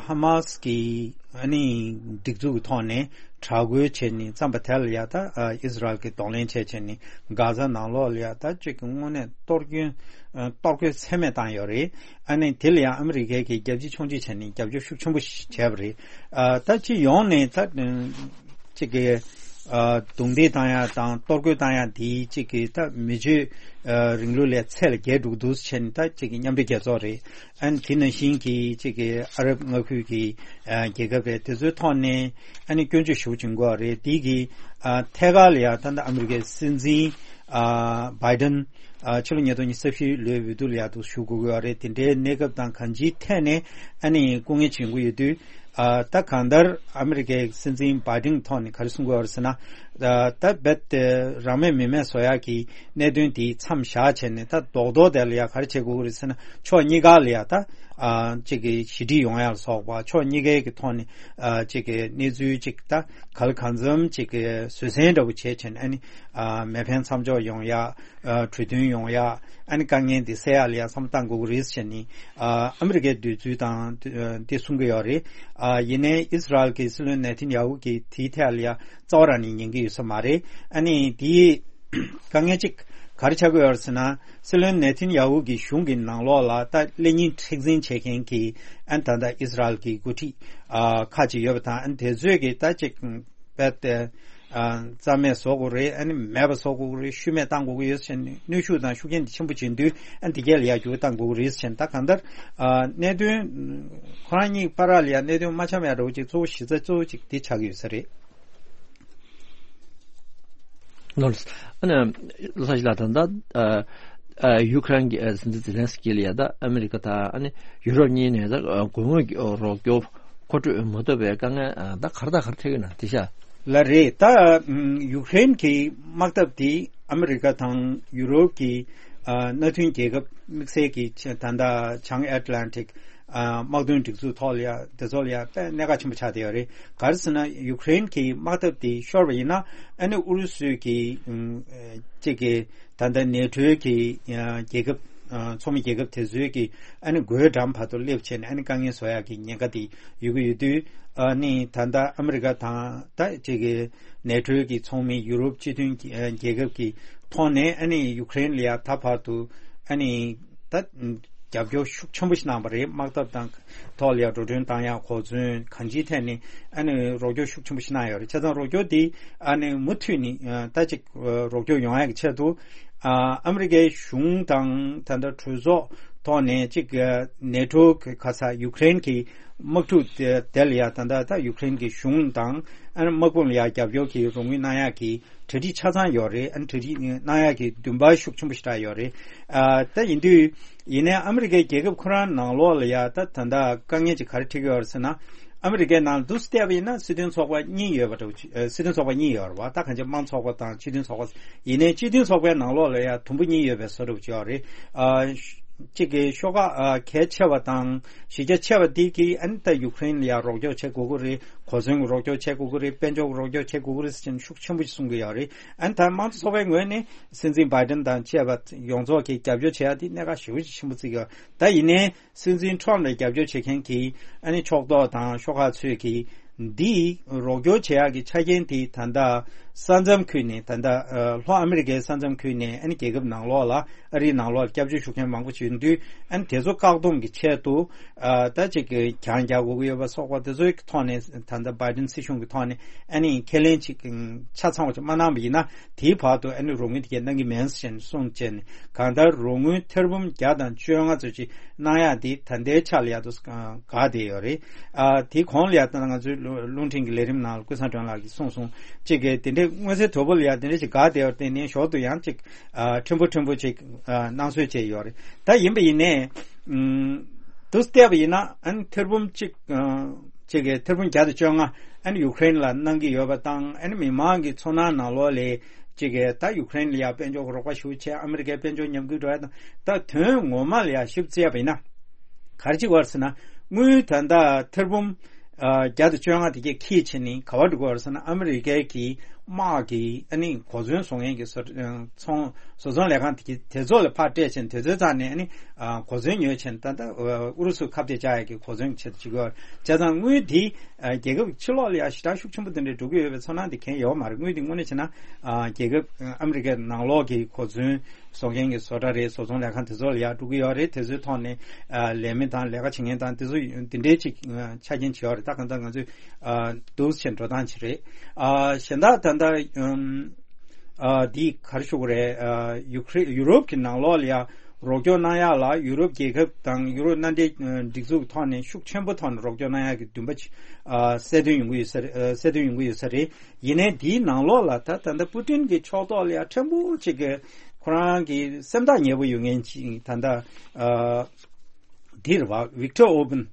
ཧ་མཱས་ཀྱི་ཨ་ནི་སྒྲིག་འཛུགས་ཀྱི་ཐོག་ནས་དྲག་རྒོལ་བྱས་ནས་བརྩམས་པ་དེ་ལ་ཡ་ད་ཨ་ཨིས་རལ་གྱི་གདོང་ལེན་བྱས་བྱས་ནས་གྷ་ཛ་ནང་ལོགས་ལ་ཡ་ད་ཅིག་གི་དངོས་གནས་གཏོར་སྐྱོན་ཨ་གཏོར་རྒོལ་ཚད་མེད་བཏང་ཡོད་རེད། ཨ་ནི་དེ་ལ་ཡང་ཨ་མི་རི་ཀའི་གི་རྒྱལ་སྤྱི་ཕྱོགས་སྒྲིག་བྱས་ནས་རྒྱབ་སྐྱོར་ཤུགས་ཆེན་པོ་ཞིག་བྱས་པ་རེད། ཨ་ད་སྤྱི་ཡོངས་ནས་ད་ཅིག་གི་ཨ་རྡུང་རྡེག་བཏང་ཡ་དང་གཏོར་རྒོལ་བཏང་ཡ་དེ་ཅིག་གི་ད་མི་ཆོས་ཨ་རིང་ལུགས་ལས་ཚད་ལས་བརྒལ་འགྲོ་གི་འདུག་ཟེར་ནས། ད་ཅིག་གི་མཉམ་འབྲེལ་རྒྱལ་ཚོགས་རེད། ཨ་ནི་དེ་ནང་བཞིན་གྱི་ཅིག་གི་ཨ་རབ་མངའ་ཁུལ་གྱི་ཨ་རྒྱལ་ཁབ་རེད། དེ་ཚོའི་ཐོག་ནས་ཨ་ནི་སྐྱོན་བརྗོད་ཞེ་པོ་བྱེད་དགོས་པ་རེད། དེ་གི་ཨ་ཐད་ཀར་ལ་ཡ་ད་ལྟ་ཨ་མི་རི་ཀའི་སྲིད་འཛིན་ཨ་བྷའི་ཌེན་ ཨ་ཕྱི་ལོ་ཉིས་སྟོང་ཉི་ཤུ་རྩ་བཞི་ལོའི་འོས་བསྡུ་ལ་ཡག་ཏུ་ཞུགས་དགོས་ཀྱི་ཡོད་རེད། དེ་འདྲའི་གནས་སྐབས་དང་གང་ཅིའི་ཐད་ནས་ཨ་ནི་སྐུ་ངལ་བྱེད་དགོས་ཡོད་དུས། ཨ་ད་གང་ལྟར་ཨ་མི་རི་ཀའི་སྲིད་འཛིན་བྷའི་ཌེན་ཐོག་ནས་ག་རེ་གསུང་གི་ཡོད་རེད་ཟེར་ན། ཨ་ད་རྦད་དེ་རང་མོས་མི་མོས་བཟོ་ཡག་གི་གནད་དོན་དེ་མཚམས་བཞག་བྱས་ནས། ད་རྡོག་རྡོག་དེ་ལ་ཡ་ག་རེ་བྱེད་དགོས་ཀྱི་རེད་ཟེར་ན། ཕྱོགས་གཉིས་ཀ་ལ་ཡ་ད་ཨ་གཅིག་གི་ཞི་འགྲིག་ཡོང་ཡག་ལ་སོགས་པ། ཕྱོགས་གཉིས་ཀའི་གི་ཐོག་ནས་ཨ་གཅིག་གི་གནས་ཚུལ་གཅིག་ད་ག་ལ་གང་འཚམ་གཅིག་གི་བཟོད་བསྲན་འདྲ་པོ་བྱས་བྱས་ནས། ཨ་ནི་ཨ་མེ་འཕེན་མཚམས་འཇོག་ཡོང་ཡག། ཨ་གྲོས་མཐུན་ཡོང་ཡག། ཨ་ནི་དཀའ་ངལ་འདི་སེལ་ཡག་ལ་ཡ་བསམ་བློ་བཏང་དགོས་ཀྱི་རེད་ཟེར་ནས། ཨ་ཨ་མི་རི་ཀའི་འདོད་ཚུལ་དང་འདི་གསུང་གི་ཡོད་རེད། ཨ་ཡིན་ནའི་ཨིས་ར་ཨེལ་གྱི་སྲིད་བློན་ནེ་ཐན་ཡ་ཧུ་གིས་དེའི་ཐད་ལ་ཡ་རྩ་བ་རང་ནས་ཉན་གྱི་ཡོད་ས་མ་རེད། ཨ་ནི་དེའི་དཀའ་ངལ་གཅིག་ག་རེ་ཆགས་ཀྱི་ཡོད་རེད་ཟེར་ན། སྲིད་བློན་ནེ་ཐན་ཡ་ཧུ་གི་གཞུང་གི་ནང་ལོགས་ལ་ད་ཀླད་རྙིང་མཁྲེགས་འཛིན་བྱེད་མཁན་གྱི་ཨ་ནི་ད་ལྟ་ཨིས་ར་ཨེལ་གྱི་འགོ་ཁྲིད་ཨ་ཁག་ཅིག་ཡོད་པ་དང་། ཨ་ནི་དེ་ཚོས་ཀྱི་ད་ཅིག་རྦད་དེ་ཨ་རྩ་མེད་བཟོ་དགོས་རེད། ཨ་ནི་མེད་པ་བཟོ་དགོས་རེད། ཤུལ་མེད་བཏང་དགོས་ཀྱི་ཡོད་ཟེར་ནས་གནོན་ཤུགས་དང་ཤུགས་རྐྱེན་དེ་ཆེན་པོ་བྱེད་དུས། ཨ་ནི་དེ་གས་ལ་ཡ་འགྱུར་བ་བཏང་དགོས་ཀྱི་རེད་ཟེར་ནས། ད་གང་ལྟར་ཨ་གནད་དོན་ཁོ་རང་གཉིས་བར་ལ་ཡ་གནད་དོན་མ་འཆམ་ཡ་འདྲ་བོ་ཅིག་གཙོ་བོ་གཞི་རྩ་གཙོ་བོ་ཅིག་དེ་ཆགས་ཀྱི་ཡོད་ས་རེད། ནོར། ཨ་ནི་ལྷ་ཞི་ལགས། ད་ལྟ་ཨ་ཨ་ཡུ་ཀེ་རེན་གྱི་ཨ་སྲིད་འཛིན་ཛེ་ལན་སི་ཀི་ལ་ཡ་ད་ཨ་མི་རི་ཀ་དང་ཨ་ནི་ཡུ་རོབ་གཉིས་ནས་ད་ཨ་དགོས་ངེས་ཀྱི་རོགས་སྐྱོར་མཁོ་སྤྲོད་མ་ཐུབ་པའི་དཀའ་ངལ་ཨ་ད་ག་རེ་དང་ག་རེ་འཕྲད་ཀྱི་ན་དེ་ཤ། ལགས་རེད། ད་ཨམ་ཡུ་ཀེ་རེན་གྱི་དམག་འཐབ་དེ་ཨ་མི་རི་ཀ་དང་ཡུ་རོབ་ཀྱི་ཨ་མནའ་མཐུན་རྒྱལ་ཁབ་དམིགས་བསལ་གྱི་ཆ་ད་ལྟ་བྱང་ཨེཊ་ལན་ཊིག་ཨ་དམག་དོན་སྒྲིག་འཛུགས་ཐོག་ལ་ཡ་དེ་ཚོ་ལ་ཡ་དཔེ་གནད་འགག་ཆེན་པོ་ཆགས་བསྡད་ཡོད་རེད། ག་རེ་ཟེར་ན། ཡུ་ཀེ་རེན་གྱི་དམག་འཐབ་དེ་ཤོར་བ་ཡིན་ན། ཨ་ནི་ཨུ་རུ་སུའི་གི་ཨམ་ཨ་གཅིག་གི་ད་ལྟ་ནེ་ཊོའི་གི་ཨ་རྒྱལ་ཁབ་ཨ་ཚོགས་མི་རྒྱལ་ཁབ་དེ་ཚོའི་གི་ཨ་ནི་སྒོའི་འགྲམ་བར་དུ་སླེབས་བྱས་ནས། ཨ་ནི་དཀའ་ངལ་བཟོ་ཡག་གི་ཉེན་ཁ་དེ་ཡོད་ཀྱི་ཡོད་དུས། ཨ་ནི་ད་ལྟ་ཨ་མི་རི་ཀ་དང་ད་གཅིག་གི་ནེ་ཊོའི་གི་ཚོགས་མི་ཡུ་རོབ་སྤྱི་མཐུན་གྱི་ཨ་རྒྱལ་ཁབ་ཀྱི་ཐོག་ནས། ཨ་ནི་ཡུ་ཀེ་རེན་ལ་ཡ་ད་བར་དུ་ཨ་ནི་ད་རྒྱབ་སྐྱོར་ཤུགས་ཆེན་པོ་ཞིག་གནང་བ་རེད། དམག་འཐབ་དང་ཐོག་ལ་ཡ་འགྲོ་གྲོན་བཏང་ཡག། གོ་མཚོན་གང་ཅིའི་ཐད་ནས་ཨ་ནི་རོགས་སྐྱོར་ཤུགས་ཆེན་པོ་ཞིག་གནང་ཡོད་རེད། བྱས་ཙང་རོགས་སྐྱོར་དེ་ཨ་ནི་མུ་མཐུད་ནས་ཨ་ད་ཅིག་རོགས་སྐྱོར་ཡོང་ཡག་གི་ཆེད་དུ། ཨ་ཨ་མི་རི་ཀའི་གཞུང་དང་ད་ལྟ་གྲོས་ཚོགས་ཐོག་ནས་ཅིག་ཨ་ནེ་ཊོ་གི་ཁ་ས་ཡུ་ཀེ་རེན་གྱི་དམག་འཁྲུག་དེ་དེ་ལ་ཡ་ད་ལྟ་ད་ཡུ་ཀེ་རེན་གྱི་གཞུང་དང་ཨ་ནི་དམག་དཔུང་ལ་ཡ་རྒྱབ་སྐྱོར་གྱི་རོགས་དངུལ་གནང་ཡག་གི་གྲ་སྒྲིག་ཆ་ཚང་ཡོད་རེད། ཨ་ནི་གྲ་སྒྲིག་གནང་ཡག་གི་འདུན་པ་ཤུགས་ཆེན་པོ་ཞིག་རག་ཡོད་རེད། ཨ་ད་ཡིན་དུས་ཡིན་ནའི་ཨ་མི་རི་ཀའི་རྒྱལ་ཁབ་ཁོ་རང་ནང་ལོགས་ལ་ཡ་ད་ད་ལྟ་དཀའ་ངལ་ཅིག་ག་རེ་འཕྲད་ཀྱི་ཡོད་རེད་ཟེར་ན། ཨ་མི་རི་ཀའི་ནང་དུ་བལྟས་པ་ཡིན་ན་སྲིད་དོན་ཚོགས་པ་གཉིས་ཡོད་པ་འདྲ་བོ་ཅིག་ཨ་སྲིད་དོན་ཚོགས་པ་གཉིས་ཡོད་རེད་བ། ད་གང་ཅི་དམངས་ཚོགས་པ་དང་སྤྱི་མཐུན་ཚོགས་པ། ཡིན་ནའི་སྤྱི་མཐུན་ཚོགས་པའི་ནང་ལོགས་ལ་ཡ་དུམ་བུ་གཉིས་ཡོད་པའི་བཟོ་འདྲ་བོ་ཅིག་ཡོད་རེད། ཨ་གཅིག་གི་ཤོག་ཁག་ཨ་གལ་ཆེ་བ་དང་གཞི་རྒྱ་ཆེ་བ་དེ་གིས་ཨ་ནི་ད་ཡུ་ཀེ་རེན་ལ་ཡ་རོགས་སྐྱོར་བྱེད་དགོས་ཀྱི་རེད། གོ་མཚོན་གྱི་རོགས་སྐྱོར་བྱེད་དགོས་ཀྱི་རེད། དཔལ་འབྱོར་གྱི་རོགས་སྐྱོར་བྱེད་དགོས་ཀྱི་རེད་ཟེར་ནས་ཤུགས་ཆེན་པོ་ཞིག་གསུང་གི་ཡོད་རེད། ཨ་ནི་ད་དམངས་གཙོ་ཚོགས་པའི་ངོས་ནས་སྲིད་འཛིན་བྷའི་ཌེན་དང་བཅས་པ་ཡོངས་རྫོགས་ཀྱིས་རྒྱབ་སྐྱོར་བྱེད་ཡ་དེ་གནད་འགག་ཞེ་པོ་ཅིག་ཆེན་པོ་བརྩི་གི་ཡོད། ད་ཡིན་ནའི་སྲིད་འཛིན་ཊམ་ལ་རྒྱབ་སྐྱོར་བྱེད་མཁན་གྱི་ཨ་ནི་ཕྱོགས་གཏོགས་དང་ཤོག་ཁག་ཚོས་ཀྱིས་འདི་རོགས་སྐྱོར་བྱེད་ཡག་གི་ཆ་རྐྱེན་དེ་ད་ལྟ་ས་མཚམས་ཁུལ་ནས། ད་ལྟ་ཨ་ལྷོ་ཨ་མི་རི་ཀའི་ས་མཚམས་ཁུལ་ནས་ཨ་ནི་རྒྱལ་ཁབ་ནང་ལོགས་ལ། ཨ་རིའི་ནང་ལོགས་ལ་སྐྱབས་བཅོལ་ཞུ་མཁན་མང་པོ་ཞིག་ཡོད་དུས། ཨ་ནི་དེ་ཚོ་བཀག་སྡོམ་གྱི་ཆེད་དུ་ཨ་ད་ཅིག་གི་གྱང་རྒྱག་དགོས་ཀྱི་ཡོད་པ་སོགས་པ་དེ་ཚོའི་ཐོག་ནས། ད་ལྟ་བྷའི་ཌེན་སྲིད་གཞུང་གི་ཐོག་ནས་ཨ་ནི་ཁས་ལེན་ཅིག་ཆ་ཚང་བ་ཅིག་མ་གནང་བ་ཡིན་ན། དེའི་བར་དུ་ཨ་ནི་རོགས་དངུལ་དེ་གས་གནང་གི་མིན་ཟེར་ནས་གསུངས་བྱས་ནས། གང་ལྟར་རོགས་དངུལ་ཐེར་འབུམ་བརྒྱ་དང་བཅོ་ལྔ་ཙམ་ཅིག་གནང་ཡག་དེ་ད་ལྟའི་ཆ་ལ་ཡག་ཏུ་འགག་བསྡད་ཡོད་རེད། ཨ་དེའི་གོང་ལ་ཡ་ད་ང་ཚོའི་རླུང་རླུང་འཕྲིན་གྱི་ལས་རིམ་ནང་ལ་ཀུན་བཟང་སྒྲོན་ལགས་ཀྱིས་གསུངས་སོང་། གཅིག་གིས་དེ་འདྲའི་མངོན་གསལ་དོད་པོ་ལ་ཡ་དེ་འདྲ་ཞིག་འགག་བསྡད་ཡོད་རེད། དེ་ནས་ཞོར་དུ་ཡང་ཅིག་ཨ་ཕྲན་བུ་ཕྲན་བུ་ཅིག་ཨ་སྣང་ཚུལ་བྱས་ཡོད་རེད། ད་ཡིན་པ་ཡིན་ནའི་ཨུམ་དུ་བལྟས་པ་ཡིན་ན། ཨ་ནི་ཐེར་འབུམ་གཅིག་ཨ་གཅིག་གི་ཐེར་འབུམ་བརྒྱ་དང་བཅོ་ལྔ་ཨ་ནི་ཡུ་ཀེ་རེན་ལ་གནང་གི་ཡོད་པ་དང་། ཨ་ནི་མི་མང་གི་ཚོར་སྣང་ནང་ལོགས་ལ་གཅིག་གི་ད་ཡུ་ཀེ་རེན་ལ་ཡ་དཔལ་འབྱོར་གྱི་རོགས་པ་ཞེ་པོ་བྱས། ཨ་མི་རི་ཀའི་དཔལ་འབྱོར་ཉམས་རྒུད་འགྲོ་ཡ་དང་། ད་དོན་ངོ་མ་ལ་ཡ་ཞིབ་བཙལ་བ་ཡིན་ན། ག་རེ་ཅིག་ཡོད་རེད་ཟེར་ན། དངུལ་ད་ལྟ་ཐེར་འབུམ་ཨ་བརྒྱ་དང་བཅོ་ལྔ་དེ་གས་འཁྱེར་བྱས་ནས་ག་པར་འགྲོ་གི་ཡོད་རེད་ཟེར་ན། ཨ་མི་རི་ཀའི་གི་དམག་གི་ཨ་ནི་གོ་མཚོན་བཟོ་མཁན་གྱི་བཟོ་ཚོང་བཟོ་ཚོང་ལས་ཁང་དེ་གི་དེ་ཚོ་ལ་ཕར་སྤྲད་བྱས་ནས། དེ་ཚོའི་རྩ་ནས་ཨ་ནི་ཨ་གོ་མཚོན་ཉོས་བྱས་ནས། ད་ལྟ་ཨུ་རུ་སུ་ཁ་གཏད་བཅག་ཡག་གི་གོ་མཚོན་གྱི་ཆེད་དུ་བྱེད་ཀྱི་ཡོད་རེད། བྱས་ཙང་དངུལ་དེ་ཨ་རྒྱལ་ཁབ་ཕྱི་ལོགས་ལ་ཡ་ཞེ་དྲག་ཤུགས་ཆེན་པོ་དེ་འདྲ་འགྲོ་གི་ཡོད་པའི་ཚོར་སྣང་དེ་གང་ཡང་ཡོད་མ་རེད། དངུལ་དེ་དངོས་གནས་བྱས་ན་ཨ་རྒྱལ་ཁབ་ཨ་མི་རི་ཀའི་ནང་ལོགས་ཀྱི་གོ་མཚོན་བཟོ་མཁན་གྱི་བཟོ་གྲྭ་རེད། བཟོ་ཚོང་ལས་ཁང་དེ་ཚོ་ལ་ཡ་འགྲོ་གི་ཡོད་རེད། དེ་ཚོའི་ཐོག་ནས་ཨ་ལས་མི་དང་ལས་ཀ་བྱེད་མཁན་དང་དེ་ཚོ་དེ་འདྲའི་ཅིག་ཨ་ཆ་རྐྱེན་བྱེད་ཡོད་རེད། ད་གང་ལྟར་ང་ཚོས་ཨ་འདུག་སེ་འགྲོ་སྟངས་ཅིག་རེད། ཨ་གཞན་དག་ད་ལྟ་ཨམ་ཨ་འདི་ག་རེ་ཞུ་དགོས་རེད། ཨ་ཡུ་ཀེ་རེན། ཡུ་རོབ་ཀྱི་ནང་ལོགས་ལ་ཡ་རོགས་སྐྱོར་གནང་ཡག་ལ་ཡུ་རོབ་རྒྱལ་ཁབ་དང་ཡུ་རོབ་མནའ་འབྲེལ་ཨ་སྒྲིག་འཛུགས་ཐོག་ནས་ཤུགས་ཆེན་པོ་ཐོག་ནས་རོགས་སྐྱོར་གནང་ཡག་གི་འདུན་པ་ཅིག་ཨ་གསལ་སྟོན་ཡོང་གི་ཡོད་ས་རེད། ཨ་གསལ་སྟོན་ཡོང་གི་ཡོད་ས་རེད། ཡིན་ནའི་འདིའི་ནང་ལོགས་ལ་ད་ད་ལྟ་པུ་ཏིན་གྱི་ཕྱོགས་གཏོགས་ལ་ཡ་ཕྲན་བུ་ཅིག་གི་ཁོ་རང་གི་སེམས་ཐག་ཉེ་པོ་ཡོད་མཁན་ཅིག་ད་ལྟ་ཨ་འདིར་བ་ཝིག་ཏོར་ཨོ་བན་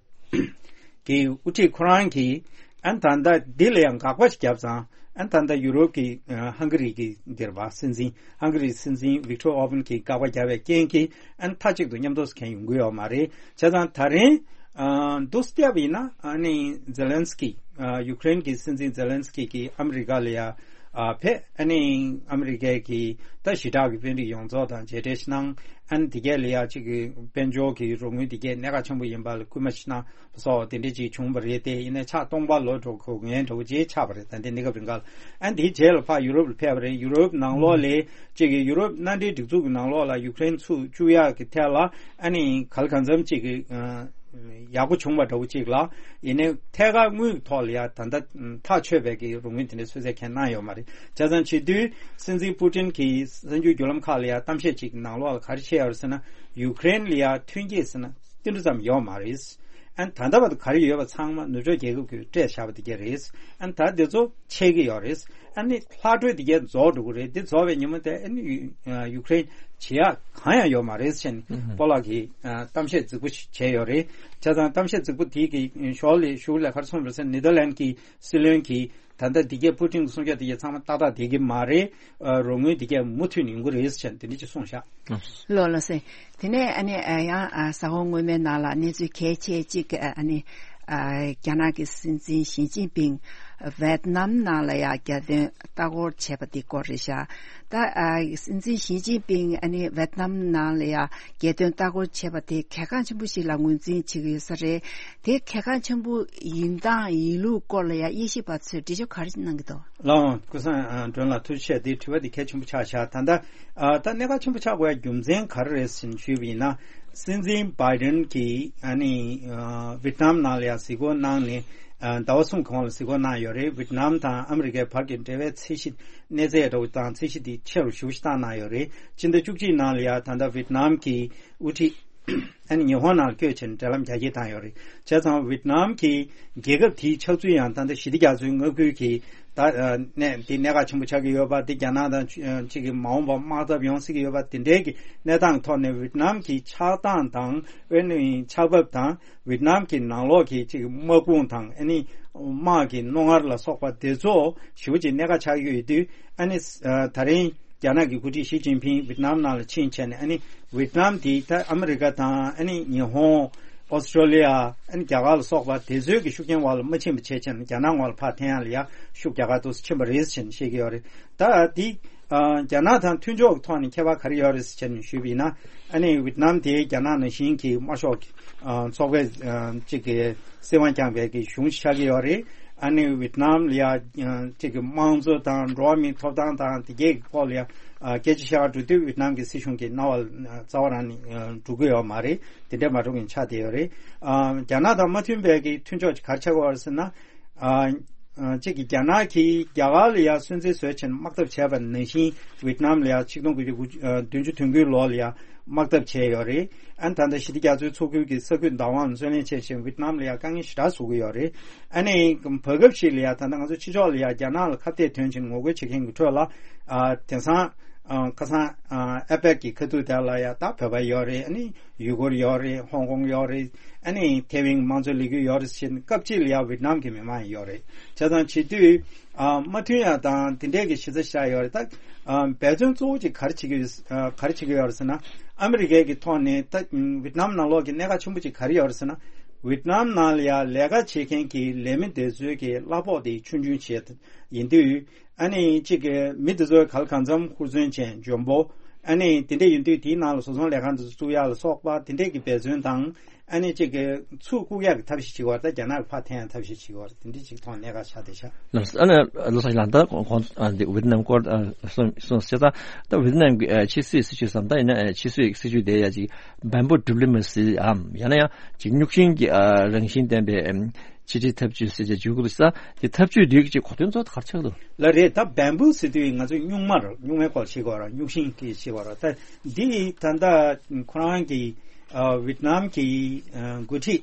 གི་དབུ་ཁྲིད་ཁོ་རང་གིས་ཨན་ད་ལྟ་འདི་ལ་ཡང་དགག་པ་ཞིག་བརྒྱབ་ཙང་ཨན་ད་ལྟ་ཡུ་རོབ་ཀྱི་ཨ་ཧང་ག་རི་གི་འདིར་བ་སྲིད་འཛིན་ཧང་ག་རི་སྲིད་འཛིན་ཝིག་ཏོར་ཨོ་བན་གྱིས་དགག་པ་བརྒྱབ་པའི་རྐྱེན་གྱིས་ཨན་མཐའ་གཅིག་ཏུ་མཉམ་དུ་གང་ཡོང་གི་ཡོད་མ་རེད། བྱས་ཙང་ད་རིང་ཨ་འདུག་སེ་བལྟས་པ་ཡིན་ན་ཨ་ནི་ཛེ་ལན་སི་ཀི་ཨ་ཡུ་ཀེ་རེན་གྱི་སྲིད་འཛིན་ཛེ་ལན་སི་ཀི་གིས་ཨ་མི་རི་ཀ་ལ་ཡ་ཨ་ཕེབས། ཨ་ནི་ཨ་མི་རི་ཀའི་གི་ད་ཞི་དྲག་གི་དཔོན་རིགས་ཡོངས་རྫོགས་དང་མཇལ་འཕྲད་ཞིག་གནང་། ཨ་ནི་དེ་གས་ལ་ཡ་གཅིག་གི་དཔལ་འབྱོར་གྱི་རོགས་དངུལ་དེ་གས་གནད་འགག་ཆེན་པོ་ཡིན་པ་ལ་སྐུལ་མ་ཞིག་གནང་སོགས་དེ་འདྲ་ཅིག་བྱུང་བ་རེད་དེ། ཡིན་ནའི་ཆགས་སྟོང་པ་ལོ་འགྲོ་དགོས་ངེས་འདྲ་བོ་ཅིག་ཆགས་པ་རེད། ད་ལྟའི་གནས་སྐབས་རིང་ག་ལ་ཨ་ནི་དེའི་རྗེས་ལ་ཕར་ཡུ་རོབ་ལ་ཕེབས་པ་རེད། ཡུ་རོབ་ནང་ལོགས་ལ་གཅིག་གི་ཡུ་རོབ་མནའ་འབྲེལ་སྒྲིག་འཛུགས་ཀྱི་ནང་ལོགས་ལ་ཡུ་ཀེ་རེན་ཚུར་བཅུག་ཡག་གི་ཐད་ལ་ཨ་ནི་ག་ལ་གང་འཚམ་གཅིག་གི་ཨ་ཡག་པོ་བྱུང་བ་འདྲ་བོ་གཅིག་ལ། ཡིན་ནའི་ཐད་ཀར་དངུལ་གྱི་ཐོག་ལ་ཡ་ད་ལྟ་ཐག་ཆོད་པའི་གི་རོགས་དངུལ་དེ་འདྲའི་གསོལ་སྩལ་གང་གནང་ཡོད་མ་རེད། བྱས་ཙང་བྱེད་དུས་སྲིད་འཛིན་པུ་ཏིན་གྱིས་གསར་འགྱུར་བརྒྱུད་ལམ་ཁག་ལ་ཡ་གཏམ་བཤད་ཅིག་གི་ནང་ལོགས་ལ་ག་རེ་བཤད་ཡོད་རེད་ཟེར་ན། ཡུ་ཀེ་རེན་ལ་ཡ་ཐོན་སྐྱེད་ཟེར་ན་ཏིལ་འབྲུ་ཙམ་ཡོད་མ་རེད། ཨ་ནི་ད་ལྟ་བར་དུ་ག་རེ་ཡོད་པ་ཚང་མ་ནུབ་ཕྱོགས་རྒྱལ་ཁབ་ཀྱིས་སྤྲད་བཞག་པ་དེ་གས་རེད། ཨ་ནི་ད་དེ་ཚོ་ཆད་ཀྱི་ཡོད་རེད། ཨ་ནི་ལྷག་འཕྲོས་དེ་གས་རྫོགས་འགྲོ་གི་རེད། དེ་རྫོགས་པའི་ཉིན་མོ་དེ་ཨ་ནི་ཡུ་ཡུ་ཀེ་རེན་བྱེད་ཡག་གང་ཡང་ཡོད་མ་རེད་ཟེར་ནས་ཨུ་ཧུ། སྤོ་ལགས་ཀྱིས་ཨ་གཏམ་བཤད་རྫིག་པོ་ཞིག་བྱས་ཡོད་རེད། བྱས་ཙང་གཏམ་བཤད་རྫིག་པོ་དེ་གི་ཞོར་ལ་ཞུ་ལས་ཁར་སོང་བ་ཟེར་ནེ་དར་ལན་གྱི་སྲིད་བློན་གྱིས་ད་ལྟ་འདི་གས་པུ་ཏིན་གྱི་གསུང་བཤད་འདི་གས་ཚང་མ་ཏག་ཏག་བསྡད་ཀྱི་མ་རེད། ཨ་རོགས་དངུལ་འདི་གས་མུ་མཐུད་ནས་ཡོང་གི་རེད་ཟེར་དེ་འདྲ་ཅིག་གསུངས་ཤག་ལགས་ལགས་སེ། དེ་ནས་ཨ་ནི་ཨ་ཡང་ཨ་གཟའ་འཁོར་སྔོན་མའི་ནང་ལ་གནས་ཚུལ་གལ་ཆེ་གཅིག་ཨ་ནི་ཨ་རྒྱ་ནག་གི་སྲིད་འཛིན་ཞི་ཅིན་ཕིང་ཝེད་ནམ་ནང་ལ་ཡང་རྒྱལ་དོན་ལྟ་སྐོར་བྱས་པ་དེ་སྐོར་རེད་ཤག་ད་ཨ་སྲིད་འཛིན་ཞི་ཅིན་ཕིང་ཨ་ནི་ཝེད་ནམ་ནང་ལ་ཡང་རྒྱལ་དོན་ལྟ་སྐོར་བྱས་པ་དེ་གལ་འགངས་ཆེན་པོ་ཞིག་ལ་ངོས་འཛིན་བྱེད་ཀྱི་ཡོད་ས་རེད། དེ་གལ་འགངས་ཆེན་པོ་ཡིན་སྟངས་ཡིན་ལུགས་སྐོར་ལ་ཡང་དབྱེ་ཞིབ་པ་ཚོས་འགྲེལ་བརྗོད་ག་རེ་གནང་གི་འདུག་ལགས་འོང་། ཀུན་བཟང་ཨ་སྒྲོན་ལགས་ཐུགས་རྗེ་ཆེ། དེ་དྲི་བ་དེ་གལ་ཆེན་པོ་ཆགས་བཞག་ད་ལྟ་ཨ་ད་གནད་འགག་ཆེན་པོ་ཆགས་དགོས་ཡ་རྒྱུ་མཚན་ག་རེ་རེད་ཟེར་ཞུས་པ་ཡིན་ན། སྲིད་འཛིན་བྷའི་ཌེན་གྱིས་ཨ་ནི་ཨ་ཝི་ཏི་ནམ་ནང་ལ་ཡ་གཟིགས་སྐོར་གནང་ནས་ཨ་ཟླ་བ་གསུམ་གོང་ལ་གཟིགས་སྐོར་གནང་ཡོད་རེད། ཝི་ཏི་ནམ་དང་ཨ་མི་རི་ཀའི་བར་གྱི་འབྲེལ་བའི་ཚད་གཞི་གནས་ཚད་འདྲ་བོ་དང་ཚད་གཞི་དེ་ཆེ་རུ་ཞེ་པོ་ཞིག་བཏང་གནང་ཡོད་རེད། སྤྱི་ཟླ་བཅུ་གཅིག་ནང་ལ་ཡ་ད་ལྟ་ཝི་ཏི་ནམ་གྱི་དབུ་ཁྲིད་ཨ་ནི་ཉི་ཧོང་ནང་བསྐྱོད་བྱས་ནས་འབྲེལ་ལམ་རྒྱ་སྐྱེད་བཏང་ཡོད་རེད། བྱས་ཙང་ཝི་ཏི་ནམ་གྱི་རྒྱལ་ཁབ་དེའི་ཆགས་ཚུལ་ཡང་ད་ལྟ་ཞི་བདེ་རྒྱ་མཚོའི་མངའ་ཁུལ་གྱི་ད་ཨ་གནས་འདི་གནད་འགག་ཆེན་པོ་ཆགས་ཀྱི་ཡོད་པ་འདི་རྒྱ་ནག་དང་ཨ་གཅིག་གི་མ་འོངས་པར་དམག་འཐབ་ཡོང་སྲིད་ཀྱི་ཡོད་པ་དེ་འདྲའི་གི་གནས་སྟངས་ཐོག་ནས་ཝི་ཏི་ནམ་གྱི་ཆགས་སྟངས་དང་ཨ་ནི་ཆགས་བབ་དང་ཝི་ཏི་ནམ་གྱི་ནང་ལོགས་ཀྱི་གཅིག་གི་དམག་དཔུང་དང་ཨ་ནི་དམག་གི་རྣོ་ངར་ལ་སོགས་པ་དེ་ཚོ་ཞེ་པོ་ཅིག་གནད་འགག་ཆགས་ཀྱི་ཡོད་དུས་ཨ་ནི་ཨ་ད་རིང་རྒྱ་ནག་གི་འགོ་ཁྲིད་ཞི་ཅིན་ཕིང་ཝི་ཏི་ནམ་ནང་ལ་ཕྱིན་བྱས་ནས་ཨ་ནི་ཝི་ཏི་ནམ་དེ་ད་ཨ་མི་རི་ཀ་དང་ཨ་ནི་ཉི་ཧོང་། ཨོ་སི་ཀྲོ་ལི་ཡ། ཨ་ནི་རྒྱ་གར་ལ་སོགས་པ་དེ་ཚོའི་གི་ཤུགས་རྐྱེན་འོག་ལ་མ་ཕྱིན་པ་བྱས་བྱས་ནས་རྒྱ་ནག་ངོས་ལ་ཕར་འཐེན་ཡག་ལ་ཡ་ཤུགས་རྒྱག་ག་འདུག་སེ་ཕྱིན་པ་རེད་ཟེར་ནས་བཤད་ཀྱི་ཡོད་རེད། ད་དེ་ཨ་རྒྱ་ནག་དང་མཐུན་ཕྱོགས་ཀྱི་ཐོག་ནས་ཁྱད་པར་ག་རེ་ཡོད་རེད་ཟེར་བྱས་ནས་ཞུས་པ་ཡིན་ན། ཨ་ནི་ཝི་ཏི་ནམ་དེ་རྒྱ་ནག་ནང་བཞིན་གྱི་དམར་ཤོག་གི་ཨ་ཚོགས་པའི་ཨ་གཅིག་གི་སྲིད་དབང་བསྐྱངས་པའི་གི་གཞུང་ཞིག་ཆགས་ཀྱི་ཡོད་རེད། ཨ་ནི་ཝི་ཏི་ནམ་ལ་ཡ་གཅིག་གི་དམངས་གཙོ་དང་འགྲོ་བ་མིའི་ཐོབ་ཐང་དང་དེ་གའི་སྐོར་ལ་ཡ་སྐད་ཆ་བཤད་ག་འགྲོ་དུས་ཝི་ཏི་ནམ་གྱི་སྲིད་གཞུང་གི་རྣ་བ་ལ་རྩ་བ་རང་ནས་འགྲོ་གི་ཡོད་མ་རེད། དེ་འདྲ་མ་འགྲོ་མཁན་ཆགས་བསྡད་ཡོད་རེད། རྒྱ་ནག་དང་མ་མཐུན་པའི་གི་མཐུན་ཕྱོགས་ཀྱི་ག་རེ་ཆགས་ཀྱི་ཡོད་རེད་ཟེར་ན། གཅིག་གི་རྒྱ་ནག་གིས་རྒྱ་གར་ལ་ཡ་སུན་གཙེར་བཟོས་བྱས་ནས་དམག་འཐབ་བྱས་པ་ནང་བཞིན་ཝི་ཏི་ནམ་ལ་ཡ་ཆིག་སྟོང་དགུ་བརྒྱ་བདུན་ཅུ་དོན་དགུའི་ལོ་ལ་ཡ་དམག་འཐབ་བྱས་ཡོད་རེད། ཨ་ནི་ད་ལྟ་ཞི་བདེ་རྒྱ་མཚོའི་མཚོ་ཁུལ་གྱི་ས་ཁུལ་བདག་དབང་ལ་བརྩོན་ལེན་བྱས་བྱས་ཝི་ཏི་ནམ་ལ་ཡ་དཀའ་ངལ་ཞེ་དྲག་བཟོ་གི་ཡོད་རེད། ཨ་ནི་བར་སྐབས་ཤིག་ལ་ཡ་ད་ལྟ་ང་ཚོ་ཕྱི་ཕྱོགས་ལ་ཡ་རྒྱ་ནག་ལ་ཁ་གཏད་དོན་ཆེན་ངོ་རྒོལ་བྱེད་མཁན་གྱི་ཁྲོད་ལ་ཨ་དེང་སང་ཨ་ཁ་སང་ཨ་ཨེ་པེག་གི་ཁ་ཐུག་དེ་ལ་ཡ་ད་བོད་པ་ཡོད་རེད། ཨ་ནི་ཡུ་གུར་ཡོད་རེད། ཧོང་ཀོང་ཡོད་རེད། ཨ་ནི་ཐེ་ཝན་དམངས་གཙོའི་ལས་འགུལ་ཡོད་རེད་ཟེར་ནས་སྐབས་གཅིག་ལ་ཡ་ཝི་ཏི་ནམ་གྱི་མི་མང་ཡོད་རེད། བྱས་ཙང་བྱེད་དུས་ཨ་མ་མཐུན་ཡ་དང་དེ་འདྲས་ཀྱི་གཞི་རྩ་ཞིག་ཡོད་རེད། ད་ཨ་འབད་བརྩོན་གཙོ་བོ་གཅིག་ག་རེ་བྱེད་ཀྱི་ཡོད་ཨ་ག་རེ་བྱེད་ཀྱི་ཡོད་རེད་ཟེར་ན། ཨ་མི་རི་ཀའི་གི་ཐོག་ནས་ད་ཝི་ཏི་ནམ་ནང་ལོགས་ཀྱི་གནད་འགག་ཆེན་པོ་གཅིག་ག་རེ་ཡོད་རེད་ཟེར་ན། ཝི་ཏི་ནམ་ནང་ལ་ཡ་ལས་ཀ་བྱེད་མཁན་གྱི་ལས་མི་དེ་ཚོའི་གི་གླ་ཕོགས་དེ་ཆུང་ཆུང་བྱས་ཡིན་དུས། ཨ་ནི་གཅིག་གི་མི་དེ་ཚོའི་ག་ལ་གང་འཚམ་ཧུར་བརྩོན་བྱས་འཇོན་པོ། ཨ་ནི་དེ་འདྲ་ཡིན་དུས་དེའི་ནང་ལ་བཟོ་ཚོང་ལས་ཁང་དེ་ཚོ་བཙུགས་ཡག་ལ་སོགས་པ་དེ་འདྲས་ཀྱི་འབད་བརྩོན་དང་། ཨ་ནི་གཅིག་གི་ཚུར་བཀུག་ཡག་གི་ཐབས་ཤེས་བྱེད་དགོས་རེད། ད་རྒྱ་ནག་གི་ཕར་འཐེན་ཡག་ཐབས་ཤེས་བྱེད་དགོས་རེད། དེ་འདྲས་ཅིག་ཐོག་གནད་འགག་ཆགས་བསྡད་ཤག་ལགས་སོ། ཨ་ནི་ལགས་སོ་ལགས། ད་གོང་ཨ་འདི་ཝི་ཏི་ནམ་སྐོར་ཨ་གསུངས་གསུངས་ཟེར། ད་ད་ཝི་ཏི་ནམ་གྱི་ཨ་ཕྱི་སྲིད་སྲིད་ཇུས་སམ། ད་ཡིན་ན་ཨ་ཕྱི་སྲིད་སྲིད་ཇུས་དེ་ཡ་ཅིག་བམ་པུ་ཌི་པི་ལོ་མ་སི་འམ། ཡང་ན་ཡང་ཅིག་རྙོག་ཤིང་གི་ཨ་རང་བཞིན་ལྡན་པའི་ཨམ་ཕྱི་འབྲེལ་འཐབ་ཇུས་ཟེར་བྱས་བརྗོད་ཀྱི་འདུག་ས། དེ་འཐབ་ཇུས་འདི་གི་ཅིག་གོ་དོན་གཙོ་བོ་ག་རེ་ཆགས་འདུག་ལ་རེད། ད་བམ་པུ་ཟེར་དུས་ང་ཚོ་སྨྱུག་མར་སྨྱུག་མའི་སྐོར་བཤད་ཀྱི་ཡོད་རེད། རྙོག་ཤིང་གི་བཤད་ཀྱི་ཡོད་རེད། ད་འདི་ད་ལྟ་ཁོ་རང་གི་ཨ་ཝི་ཏི་ནམ་གྱི་ཨ་འགོ་ཁྲིད་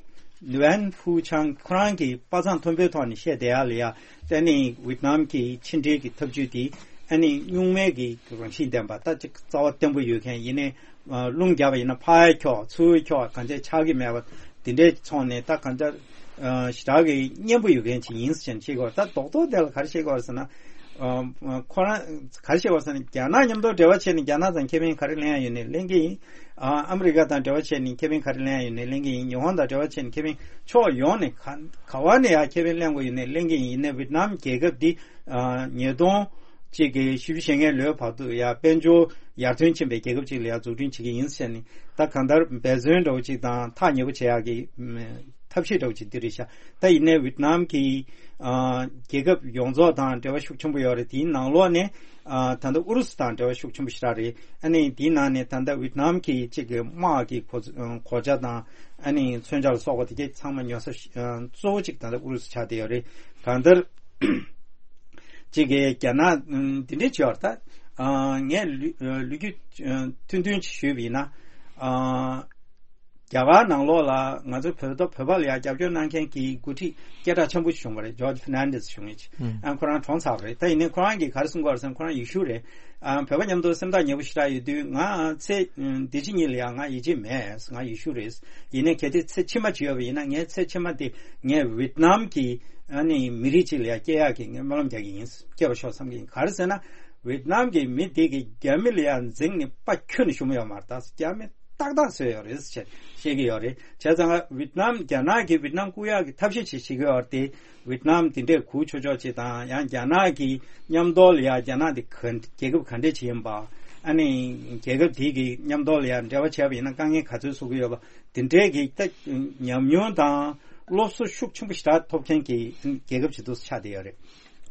ལུ་ཝན་ཧྥུ་ཆང་ཁོ་རང་གི་པ་སངས་མཐོན་པོའི་ཐོག་ནས་བཤད་བསྡད་ཡག་ལ་ཡ། ད་ནི་ཝི་ཏི་ནམ་གྱི་ཕྱི་འབྲེལ་གྱི་འཐབ་ཇུས་དེ་ ཨ་ནི་སྨྱུག་མའི་གི་རང་བཞིན་ལྡན་པ། ད་ཅིག་རྩ་བ་བརྟན་པོ་ཡོད་མཁན་ཡིན་ནའི། ཨ། རླུང་རྒྱབ་པ་ཡིན་ན་ཕར་འཁྱོག་ཚུར་འཁྱོག་གང་ཆགས་ཆགས་ཀྱི་མེད་པ་དེ་འདྲའི་ཚོང་ནས། ད་གང་ཆགས། ཨ། ཞེ་དྲག་གི་མཉེན་པོ་ཡོད་མཁན་ཅིག་ཡིན་ཟེར་ནས་བཤད་ཀྱི་ཡོད་རེད། ད་རྡོག་རྡོག་དེ་ལ་ག་རེ་བཤད་ཀྱི་ཡོད་རེད་ཟེར་ན། ཨ། ཁོ་རང་ག་རེ་བཤད་ཀྱི་ཡོད་རེད་ཟེར་ན། རྒྱ་ནག་མཉམ་དུ་འབྲེལ་བ་བྱས་ནས་རྒྱ་ནག་ཚང་ཁེ་ཕན་ག་རེ་ལེན་ཡ་ཡོད་ནའི་ལེན་གྱི་ཡིན། ཨ། ཨ་མི་རི་ཀ་དང་འབྲེལ་བ་བྱས་ནས་ཁེ་ཕན་ག་རེ་ལེན་ཡ་ཡོད་ནའི་ལེན་གྱི་ཡིན། ཉི་ཧོང་དང་འབྲེལ་བ་བྱས་ནས་ཁེ་ཕན་ཕྱོགས་ཡོངས་ནས་ག་ག་བ་ནས་ཡང་ཁེ་ཕན་ལེན་དགོས་ཡོད་ནའི་ལེན་གྱི་ཡིན། ཡིན་ནའི་ཝི་ཏི་ནམ་རྒྱལ་ཁབ་འདི། ཨ། ཉིས་སྟོང་གཅིག་གི་བཞི་བཅུ་ཞེ་ལྔའི་ལོའི་བར་དུ་ཡང་དཔལ་འབྱོར་ཡར་ཐོན་ཕྱིན་པའི་རྒྱལ་ཁབ་ཅིག་ལ་ཡང་འཛུགས་སྐྲུན་བྱེད་ཀྱི་ཡིན་ཟེར་ནས། ད་གང་ལྟར་འབད་བརྩོན་འདྲ་བོ་ཅིག་དང་ཐག་ཉེ་པོ་བྱེད་ཡག་གི་ཐབས་ཤེས་འདྲ་བོ་ཅིག་འདི་རེད་ཤག། ད་ཡིན་ནའི་ཝི་ཏི་ནམ་གྱི། ཨ། རྒྱལ་ཁབ་ཡོངས་རྫོགས་དང་འབྲེལ་བ་ཤུགས་ཆེན་པོ་ཡོད་རེད། དེའི་ནང་ལོགས་ནས། ཨ། ད་ལྟ་ཨུ་རུ་སུ་དང་འབྲེལ་བ་ཤུགས་ཆེན་པོ་ཞེ་དྲག་རེད། ཨ་ནི་དེའི་ནང་ནས་ད་ལྟ་ཝི་ཏི་ནམ་གྱི་གཅིག་གི་དམག་གི་གོ་གོ་ཆ་དང་། ཨ་ནི་མཚོན་ཆ་ལ་སོགས་པ་དེ་གས་ཚང་མ་ཉོ་ས་ཤ་ཨ། གཙོ་བོ་གཅིག་ད་ལྟ་ཨུ་རུ་སུ་ཆགས་བསྡད་ཡོད་རེད། གང་ལྟར་གཅིག་གི་རྒྱ་ནག་ཨ། འདི་འདྲས་བྱས་པ་རེད། ད། ཨ། ངས་ལོ་ལོ་རྒྱུས་ཨ། ཐུང་ཐུང་ཅིག་ཞུས་པ་ཡིན་ན། ཨ། རྒྱ་གར་ནང་ལོགས་ལ་ང་ཚོ་བོད་དོ་བོད་པ་ལ་ཡང་རྒྱབ་སྐྱོར་གནང་མཁན་གྱི་འགོ་ཁྲིད་སྐད་གྲགས་ཆེན་པོ་ཞིག་བྱུང་བ་རེད། ཇོརྗ་ཕར་ནན་ཌེ་སི་ཞུ་མཁན་ཅིག། ཨ། ཁོ་རང་གྲོངས་ཚར་བ་རེད། ད་ཡིན་ནའི་ཁོ་རང་གིས་ག་རེ་གསུང་གི་ཡོད་རེད་ཟེར་ན། ཁོ་རང་ཡེ་ཤུ་རེད། ཨ། བོད་པ་མཉམ་དུ་སེམས་ཐག་ཉེ་པོ་ཞེ་དྲག་ཡོད་དུས། ང་ཚེ་འདི་ཕྱི་གཉིས་ལ་ཡང་ང་ཡིད་ཆེས་མེད། ང་ཡེ་ཤུ་རེད། ཡིན་ནའི་གལ་ཏེ་ཚེ་ཕྱི་མ་ཅིག་ཡོད་པ་ཡིན་ན། ངའི་ཚེ་ཕྱི་མ་དེ་ངས་ཝི་ཏི་ནམ་གྱི། ཨ་ནི་མི་རིགས་ཅིག་ལ་ཡང་སྐྱེ་ཡག་གི་ངས་སྨོན་ལམ་རྒྱག་གི་ཡིན། སྐྱེ་བར་ཤོག་བསམ་གྱི་ཡིན། ག་རེ་ཟེར་ན། ཝི་ཏི་ནམ་གྱི་མི་དེ་གིས་རྒྱ་མི་ལ་ཡང་འཛིང་ནས་པ་ཁྱོན་ནས་ཞུམ་ཡོད་མ་རེད། ད་རྒྱ་མི་ཏག་ཏག་བཟོས་ཡོད་རེད་ཟེར་བཤད་ཀྱི་ཡོད་རེད། བྱས་ཙང་ང་ཝི་ཏི་ནམ། རྒྱ་ནག་གིས་ཝི་ཏི་ནམ་བཀུག་ཡག་གི་ཐབས་ཤེས་ཅིག་བྱེད་ཀྱི་ཡོད་རེད་དེ། ཝི་ཏི་ནམ་དེ་འདྲས་གུག་ཆོག་ཆོག་ཅིག་དང་། ཡང་རྒྱ་ནག་གི་མཉམ་དུ་ལ་ཡང་། རྒྱ་ནག་དེ་ག་རྒྱལ་ཁབ་ག་འདྲས་ཅིག་ཡིན་པ། ཨ་ནི་རྒྱལ་ཁབ་དེ་གི་མཉམ་དུ་ལ་ཡང་འབྲེལ་བ་བྱས་པ་ཡིན་ན་དཀའ་ངལ་ག་ཚོད་བཟོ་གི་ཡོད་པ། དེ་འདྲས་ཀྱི་ད་ཉམས་མྱོང་དང་སློབ་གསོ་ཤུགས་ཆེན་པོ་ཞེ་དྲག་ཐོབ་མཁན་གྱི་རྒྱལ་ཁབ་ཅིག་ཏུ་ཆགས་བསྡད་ཡོད་རེད།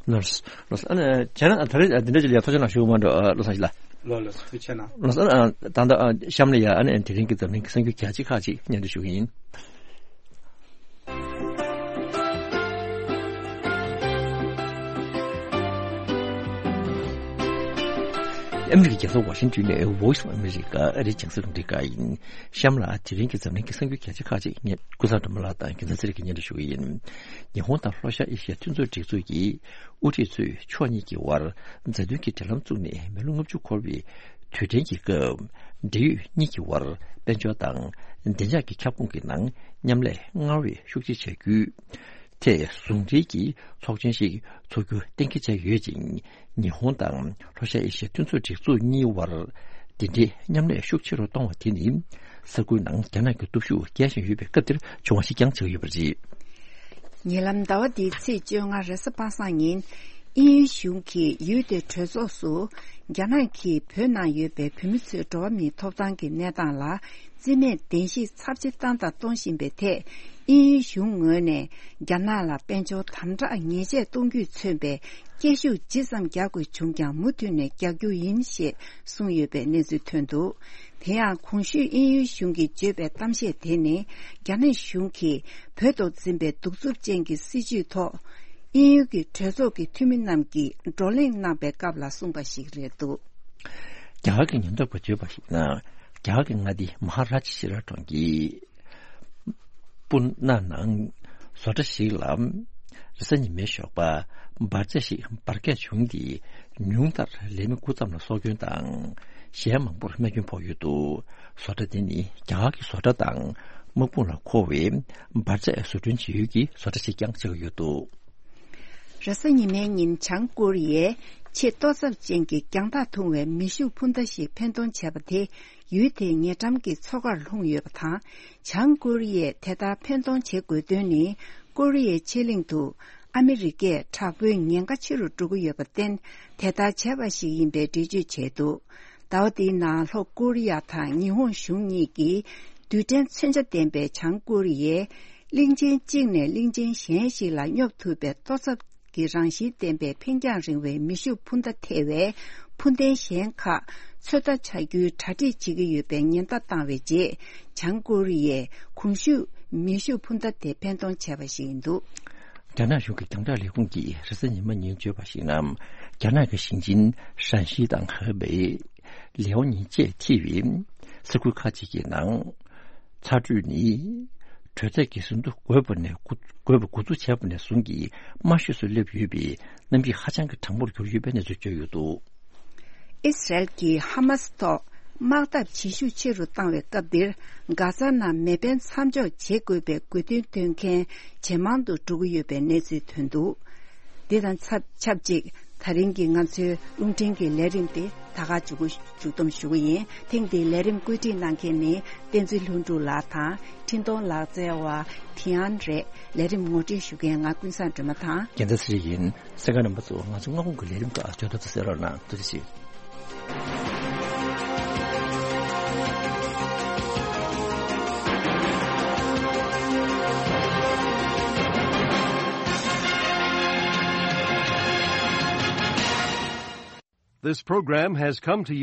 ལགས་སོ། ལགས་སོ། ཨ་ནི་བྱས་ན་ད་རེས་འདི་འདྲ་ཅིག་ལ་ཐུགས་རྗེ་གནང་ཞུ་གི་མ་འགྲོ། ཨ། བློ་བཟང་ལགས། ལགས་ལགས། ཐུགས་རྗེ་གནང་། ལགས་སོ། ཨ། ད་ལྟ་ཨ་གཤམ་ལ་ཡ། ཨ་ནི་དེ་རིང་གི་འཛམ་གླིང་གི་གསར་འགྱུར་རྒྱ་ཆེ་ཁག་ཅིག་སྙན་སྒྲོན་ཞུ་གི་ཡིན། ཨ་མི་རི་ཀའི་རྒྱལ་ས་ཝ་ཤིང་ཏོན་ནས་Voice of America ཨ་རིའི་རྒྱང་སྲིང་རླུང་འཕྲིན་ཁང་ཡིན། གཤམ་ལ་དེ་རིང་གི་འཛམ་གླིང་གི་གསར་འགྱུར་རྒྱ་ཆེ་ཁག་ཅིག་ངས་ཀུན་བཟང་སྒྲོལ་མ་ལགས་དང་རྒྱལ་མཚན་ཚེ་རིང་གིས་སྙན་སྒྲོན་ཞུ་གི་ཡིན། ཉི་ཧོང་དང་ལྷོ་ཤར་ཨེ་ཤི་ཡ་མཐུན་ཚོགས་སྒྲིག་འཛུགས་ཀྱི་དབུ་ཁྲིད་ཚོས་ཕྱོགས་གཉིས་ཀྱི་དབར་མཛའ་མཐུན་གྱི་འབྲེལ་ལམ་བཙུགས་ནས་མི་ལོ་ལྔ་བཅུ་འཁོར་བའི་དུས་དྲན་གྱི་སྐབས། འབྲེལ་ཡོད་གཉིས་ཀྱི་དབར་དཔལ་འབྱོར་དང་བདེ་འཇགས་ཀྱི་ཁྱབ་ཁོངས་ཀྱི་ནང་མཉམ་ལས་སྔར་བས་ཤུགས་ཆེ་བྱ་རྒྱུ། ཐད་ཟུང་འབྲེལ་གྱི་ཚོགས་ཆེན་ཞིག་འཚོགས་རྒྱུ་གཏན་འཁེལ་བྱས་ཡོད་ཅིང་། ཉི་ཧོང་དང་ལྷོ་ཤར་ཨེ་ཤི་ཡ་མཐུན་ཚོགས་སྒྲིག་འཛུགས་གཉིས་དབར་འདི་འདྲའི་མཉམ་ལས་ཤུགས་ཆེ་རུ་གཏོང་བ་དེ་ནི་ས་ཁུལ་ནང་རྒྱ་ནག་གི་སྟོབས་ཤུགས་རྒྱས་བཞིན་ཡོད་པའི་སྐབས་འདིར་བྱུང་བ་ཞིག་ཀྱང་ཆགས་ཡོད་པ་རེད། ཉེ་ལམ་ཟླ་བ་འདིའི་ཚེས་བཅོ་ལྔ་རེས་གཟའ་པ་སངས་ཉིན། དབྱིན་ཡུལ་གཞུང་གིས་ཡུལ་དེའི་གྲོས་ཚོགས་སུ་རྒྱ་ནག་གིས་བོད་ནང་ཡོད་པའི་བོད་མི་ཚོའི་འགྲོ་བ་མིའི་ཐོབ་ཐང་གི་གནས་སྟངས་ལ་རྩིས་མེད་བདེན་བཞི་ཚབས་ཆེ་བཏང་དང་གཏོང་བཞིན་པའི་ཐད། དབྱིན་ཡུལ་གཞུང་ངོས་ནས་རྒྱ་ནག་ལ་དཔལ་འབྱོར་དམ་དྲག་ཉེས་ཆད་གཏོང་རྒྱུས་མཚོན་པའི་སྐད་ཤུགས་ཇི་ཙམ་རྒྱག་དགོས་བྱུང་ཀྱང་མུ་མཐུད་ནས་རྒྱག་རྒྱུ་ཡིན་ཞེས་གསུངས་ཡོད་པའི་གནས་ཚུལ་ཐོན་འདུག། དེ་ཡང་གོང་ཞུས་དབྱིན་ཡུལ་གཞུང་གིས་བརྗོད་པའི་གཏམ་བཤད་དེ་ནི་རྒྱ་ནག་གཞུང་གིས་བོད་དུ་འཛིན་པའི་གདུག་རྩུབ་ཅན་གྱི་སྲིད་བྱུས་ཐོག་དབྱིན་ཡུལ་གྱི་གྲོས་ཚོགས་ཀྱི་འཐུས་མི་རྣམས་ཀྱིས་བགྲོ་གླེང་གནང་པའི་སྐབས་ལ་གསུངས་པ་ཞིག་རེད་འདུག། རྒྱ་གར་གྱི་ཉེན་རྟོག་པས་བརྗོད་པར་གཞིགས་ན། རྒྱ་གར་གྱི་མངའ་སྡེ་མ་ཧ་ར་ཇི་ཤི་ར་གྲོང་ཁྱེར་པུ་ན་ནང་བཟོ་གྲྭ་ཞིག་ལ་རེས་གཟའ་ཉི་མའི་ཞོགས་པ་འབར་རྫས་ཤིག་འབར་གས་བྱུང་སྟེ། ཉུང་མཐར་ལས་མི་དགུ་ཙམ་ལ་སྲོག་སྐྱོན་དང་། གཞན་མང་པོར་རྨས་སྐྱོན་ཕོག་ཡོད་འདུག། བཟོ་གྲྭ་དེ་ནི་རྒྱ་གར་གྱི་བཟོ་གྲྭ་དང་དམག་དཔུང་ལ་མཁོ་བའི་འབར་རྫས་བཟོ་སྐྲུན་བྱེད་ཡུལ་གྱི་བཟོ་གྲྭ་ཞིག་ཀྱང་ཆགས་ཀྱི་ཡོད་འདུག། རེས་གཟའ་ཉི་མའི་ཉིན་བྱང་ཀོ་རི་ཡའི་ཆེས་ཏོག་ཙམ་ཅན་གྱི་རྒྱང་ཐག་ཐུང་བའི་མེ་ཤུགས་འཕུར་མདའ་ཞིག་འཕེན་གཏོང་བྱས་པ་དེ་ཡུལ་དེའི་ཉེ་འགྲམ་གྱི་མཚོ་ཁར་ལྷུང་ཡོད་པ་དང་། བྱང་ཀོ་རི་ཡས་དེ་ལྟར་འཕེན་གཏོང་བྱེད་དགོས་དོན་ནི། ཀོ་རི་ཡའི་ཕྱེད་གླིང་དུ་ཨ་མི་རི་ཀས་དྲག་པོའི་ཉེན་ཁ་ཆེ་རུ་འགྲོ་གི་ཡོད་པར་བརྟེན། དེ་ལྟར་བྱས་པ་ཞིག་ཡིན་པའི་འགྲེལ་བརྗོད་བྱས་འདུག། ཟླ་བ་འདིའི་ནང་ལྷོ་ཀོ་རི་ཡ་དང་ཉི་ཧོང་གཞུང་གཉིས་ཀྱིས་རྡུལ་ཕྲན་མཚོན་ཆ་ལྡན་པའི་བྱང་ཀོ་རི་ཡས་གླིང་ཆེན་གཅིག་ནས་གླིང་ཆེན་གཞན་ཞིག་ལ་སྙོབ་ཐུབ་པའི་ཏོག་ཙམ་གྱི་རང་བཞིན་ལྡན་པའི་འཕེན་རྒྱང་རིང་བའི་མེ་ཤུགས་འཕུར་མདའ་ཐེ་བའི་འཕུར་མདེལ་གཞན་ཁག་ཚོད་ལྟ་བྱ་རྒྱུའི་གྲ་སྒྲིག་བྱེད་ཀྱི་ཡོད་པའི་ཉེན་བརྡ་བཏང་བའི་རྗེས། བྱང་ཀོ་རི་ཡས་གོང་ཞུས་མེ་ཤུགས་འཕུར་མདའ་དེ་འཕེན་གཏོང་བྱས་པ་ཞིག་ཡིན་འདུག། རྒྱ་ནག་གཞུང་གི་རྒྱང་བསྒྲགས་ལས་ཁུངས་ཀྱིས་རེས་གཟའ་ཉི་མ་ཉིན་བརྗོད་པར་གཞིགས་ན། རྒྱ་ནག་གི་ཞིང་ཆེན་ཧྲན་ཤི་དང་ཧེ་པེ། ལེའོ་ཉིན་བཅས་ཐེ་བའི་ས་ཁུལ་ཁག་ཅིག་གི་ནང་ཚ་དྲོད་ནི་ གྲོས་ཚད་ཀྱི་ཟིན་ཐོ་འགོད་པ་ནས་འགོ་འགོད་པ་འགོ་འཛུགས་བྱས་པ་ནས་བཟུང་གི་དམའ་ཤོས་སུ་སླེབས་ཡོད་པས་གནམ་གཤིས་ཧ་ཅང་གི་གྲང་མོར་གྱུར་ཡོད་པའི་གནས་ཚུལ་བརྗོད་ཡོད་འདུག། ཨི་སི་རལ་གྱིས་ཧ་མ་སི་ཐོག་དམག་འཐབ་བྱེད་ཤུགས་ཆེ་རུ་བཏང་བའི་སྐབས་འདིར། གྷ་ཛ་ནང་མེ་འཕེན་མཚམས་འཇོག་བྱེད་དགོས་པའི་དགོས་འདུན་འདོན་མཁན་ཇེ་མང་དུ་འགྲོ་གི་ཡོད་པའི་གནས་ཚུལ་ཐོན་འདུག། འདི་དང་ཆབས་ཆབས་ཅིག་ད་རིང་གི་ང་ཚོའི་རླུང་འཕྲིན་གྱི་ལས་རིམ་དེ་ད་ག་མཇུག་མཇུག་བསྡོམས་ཞུ་གི་ཡིན། ཐེངས་འདིའི་ལས་རིམ་བཀོད་སྒྲིག་གནང་མཁན་ནི་བསྟན་འཛིན་ལྷུན་གྲུབ་ལགས་དང་། འཕྲིན་གཏོང་ལག་རྩལ་བ་ཐི་ཨན་རེད། ལས་རིམ་ངོ་སྤྲོད་ཞུ་མཁན་ང་ཀུན་བཟང་སྒྲོལ་མ་དང་། རྒྱལ་མཚན་ཚེ་རིང་ཡིན། གསན་མཁན་རྣམ་པ་ཚོ་ང་ཚོ་སྔ་དགོང་གི་ལས་རིམ་ཁག་བརྗོད་ཐོག་ཏུ་གསན་རོགས་གནང་། ཐུགས་རྗེ་ཆེ། This program has come to you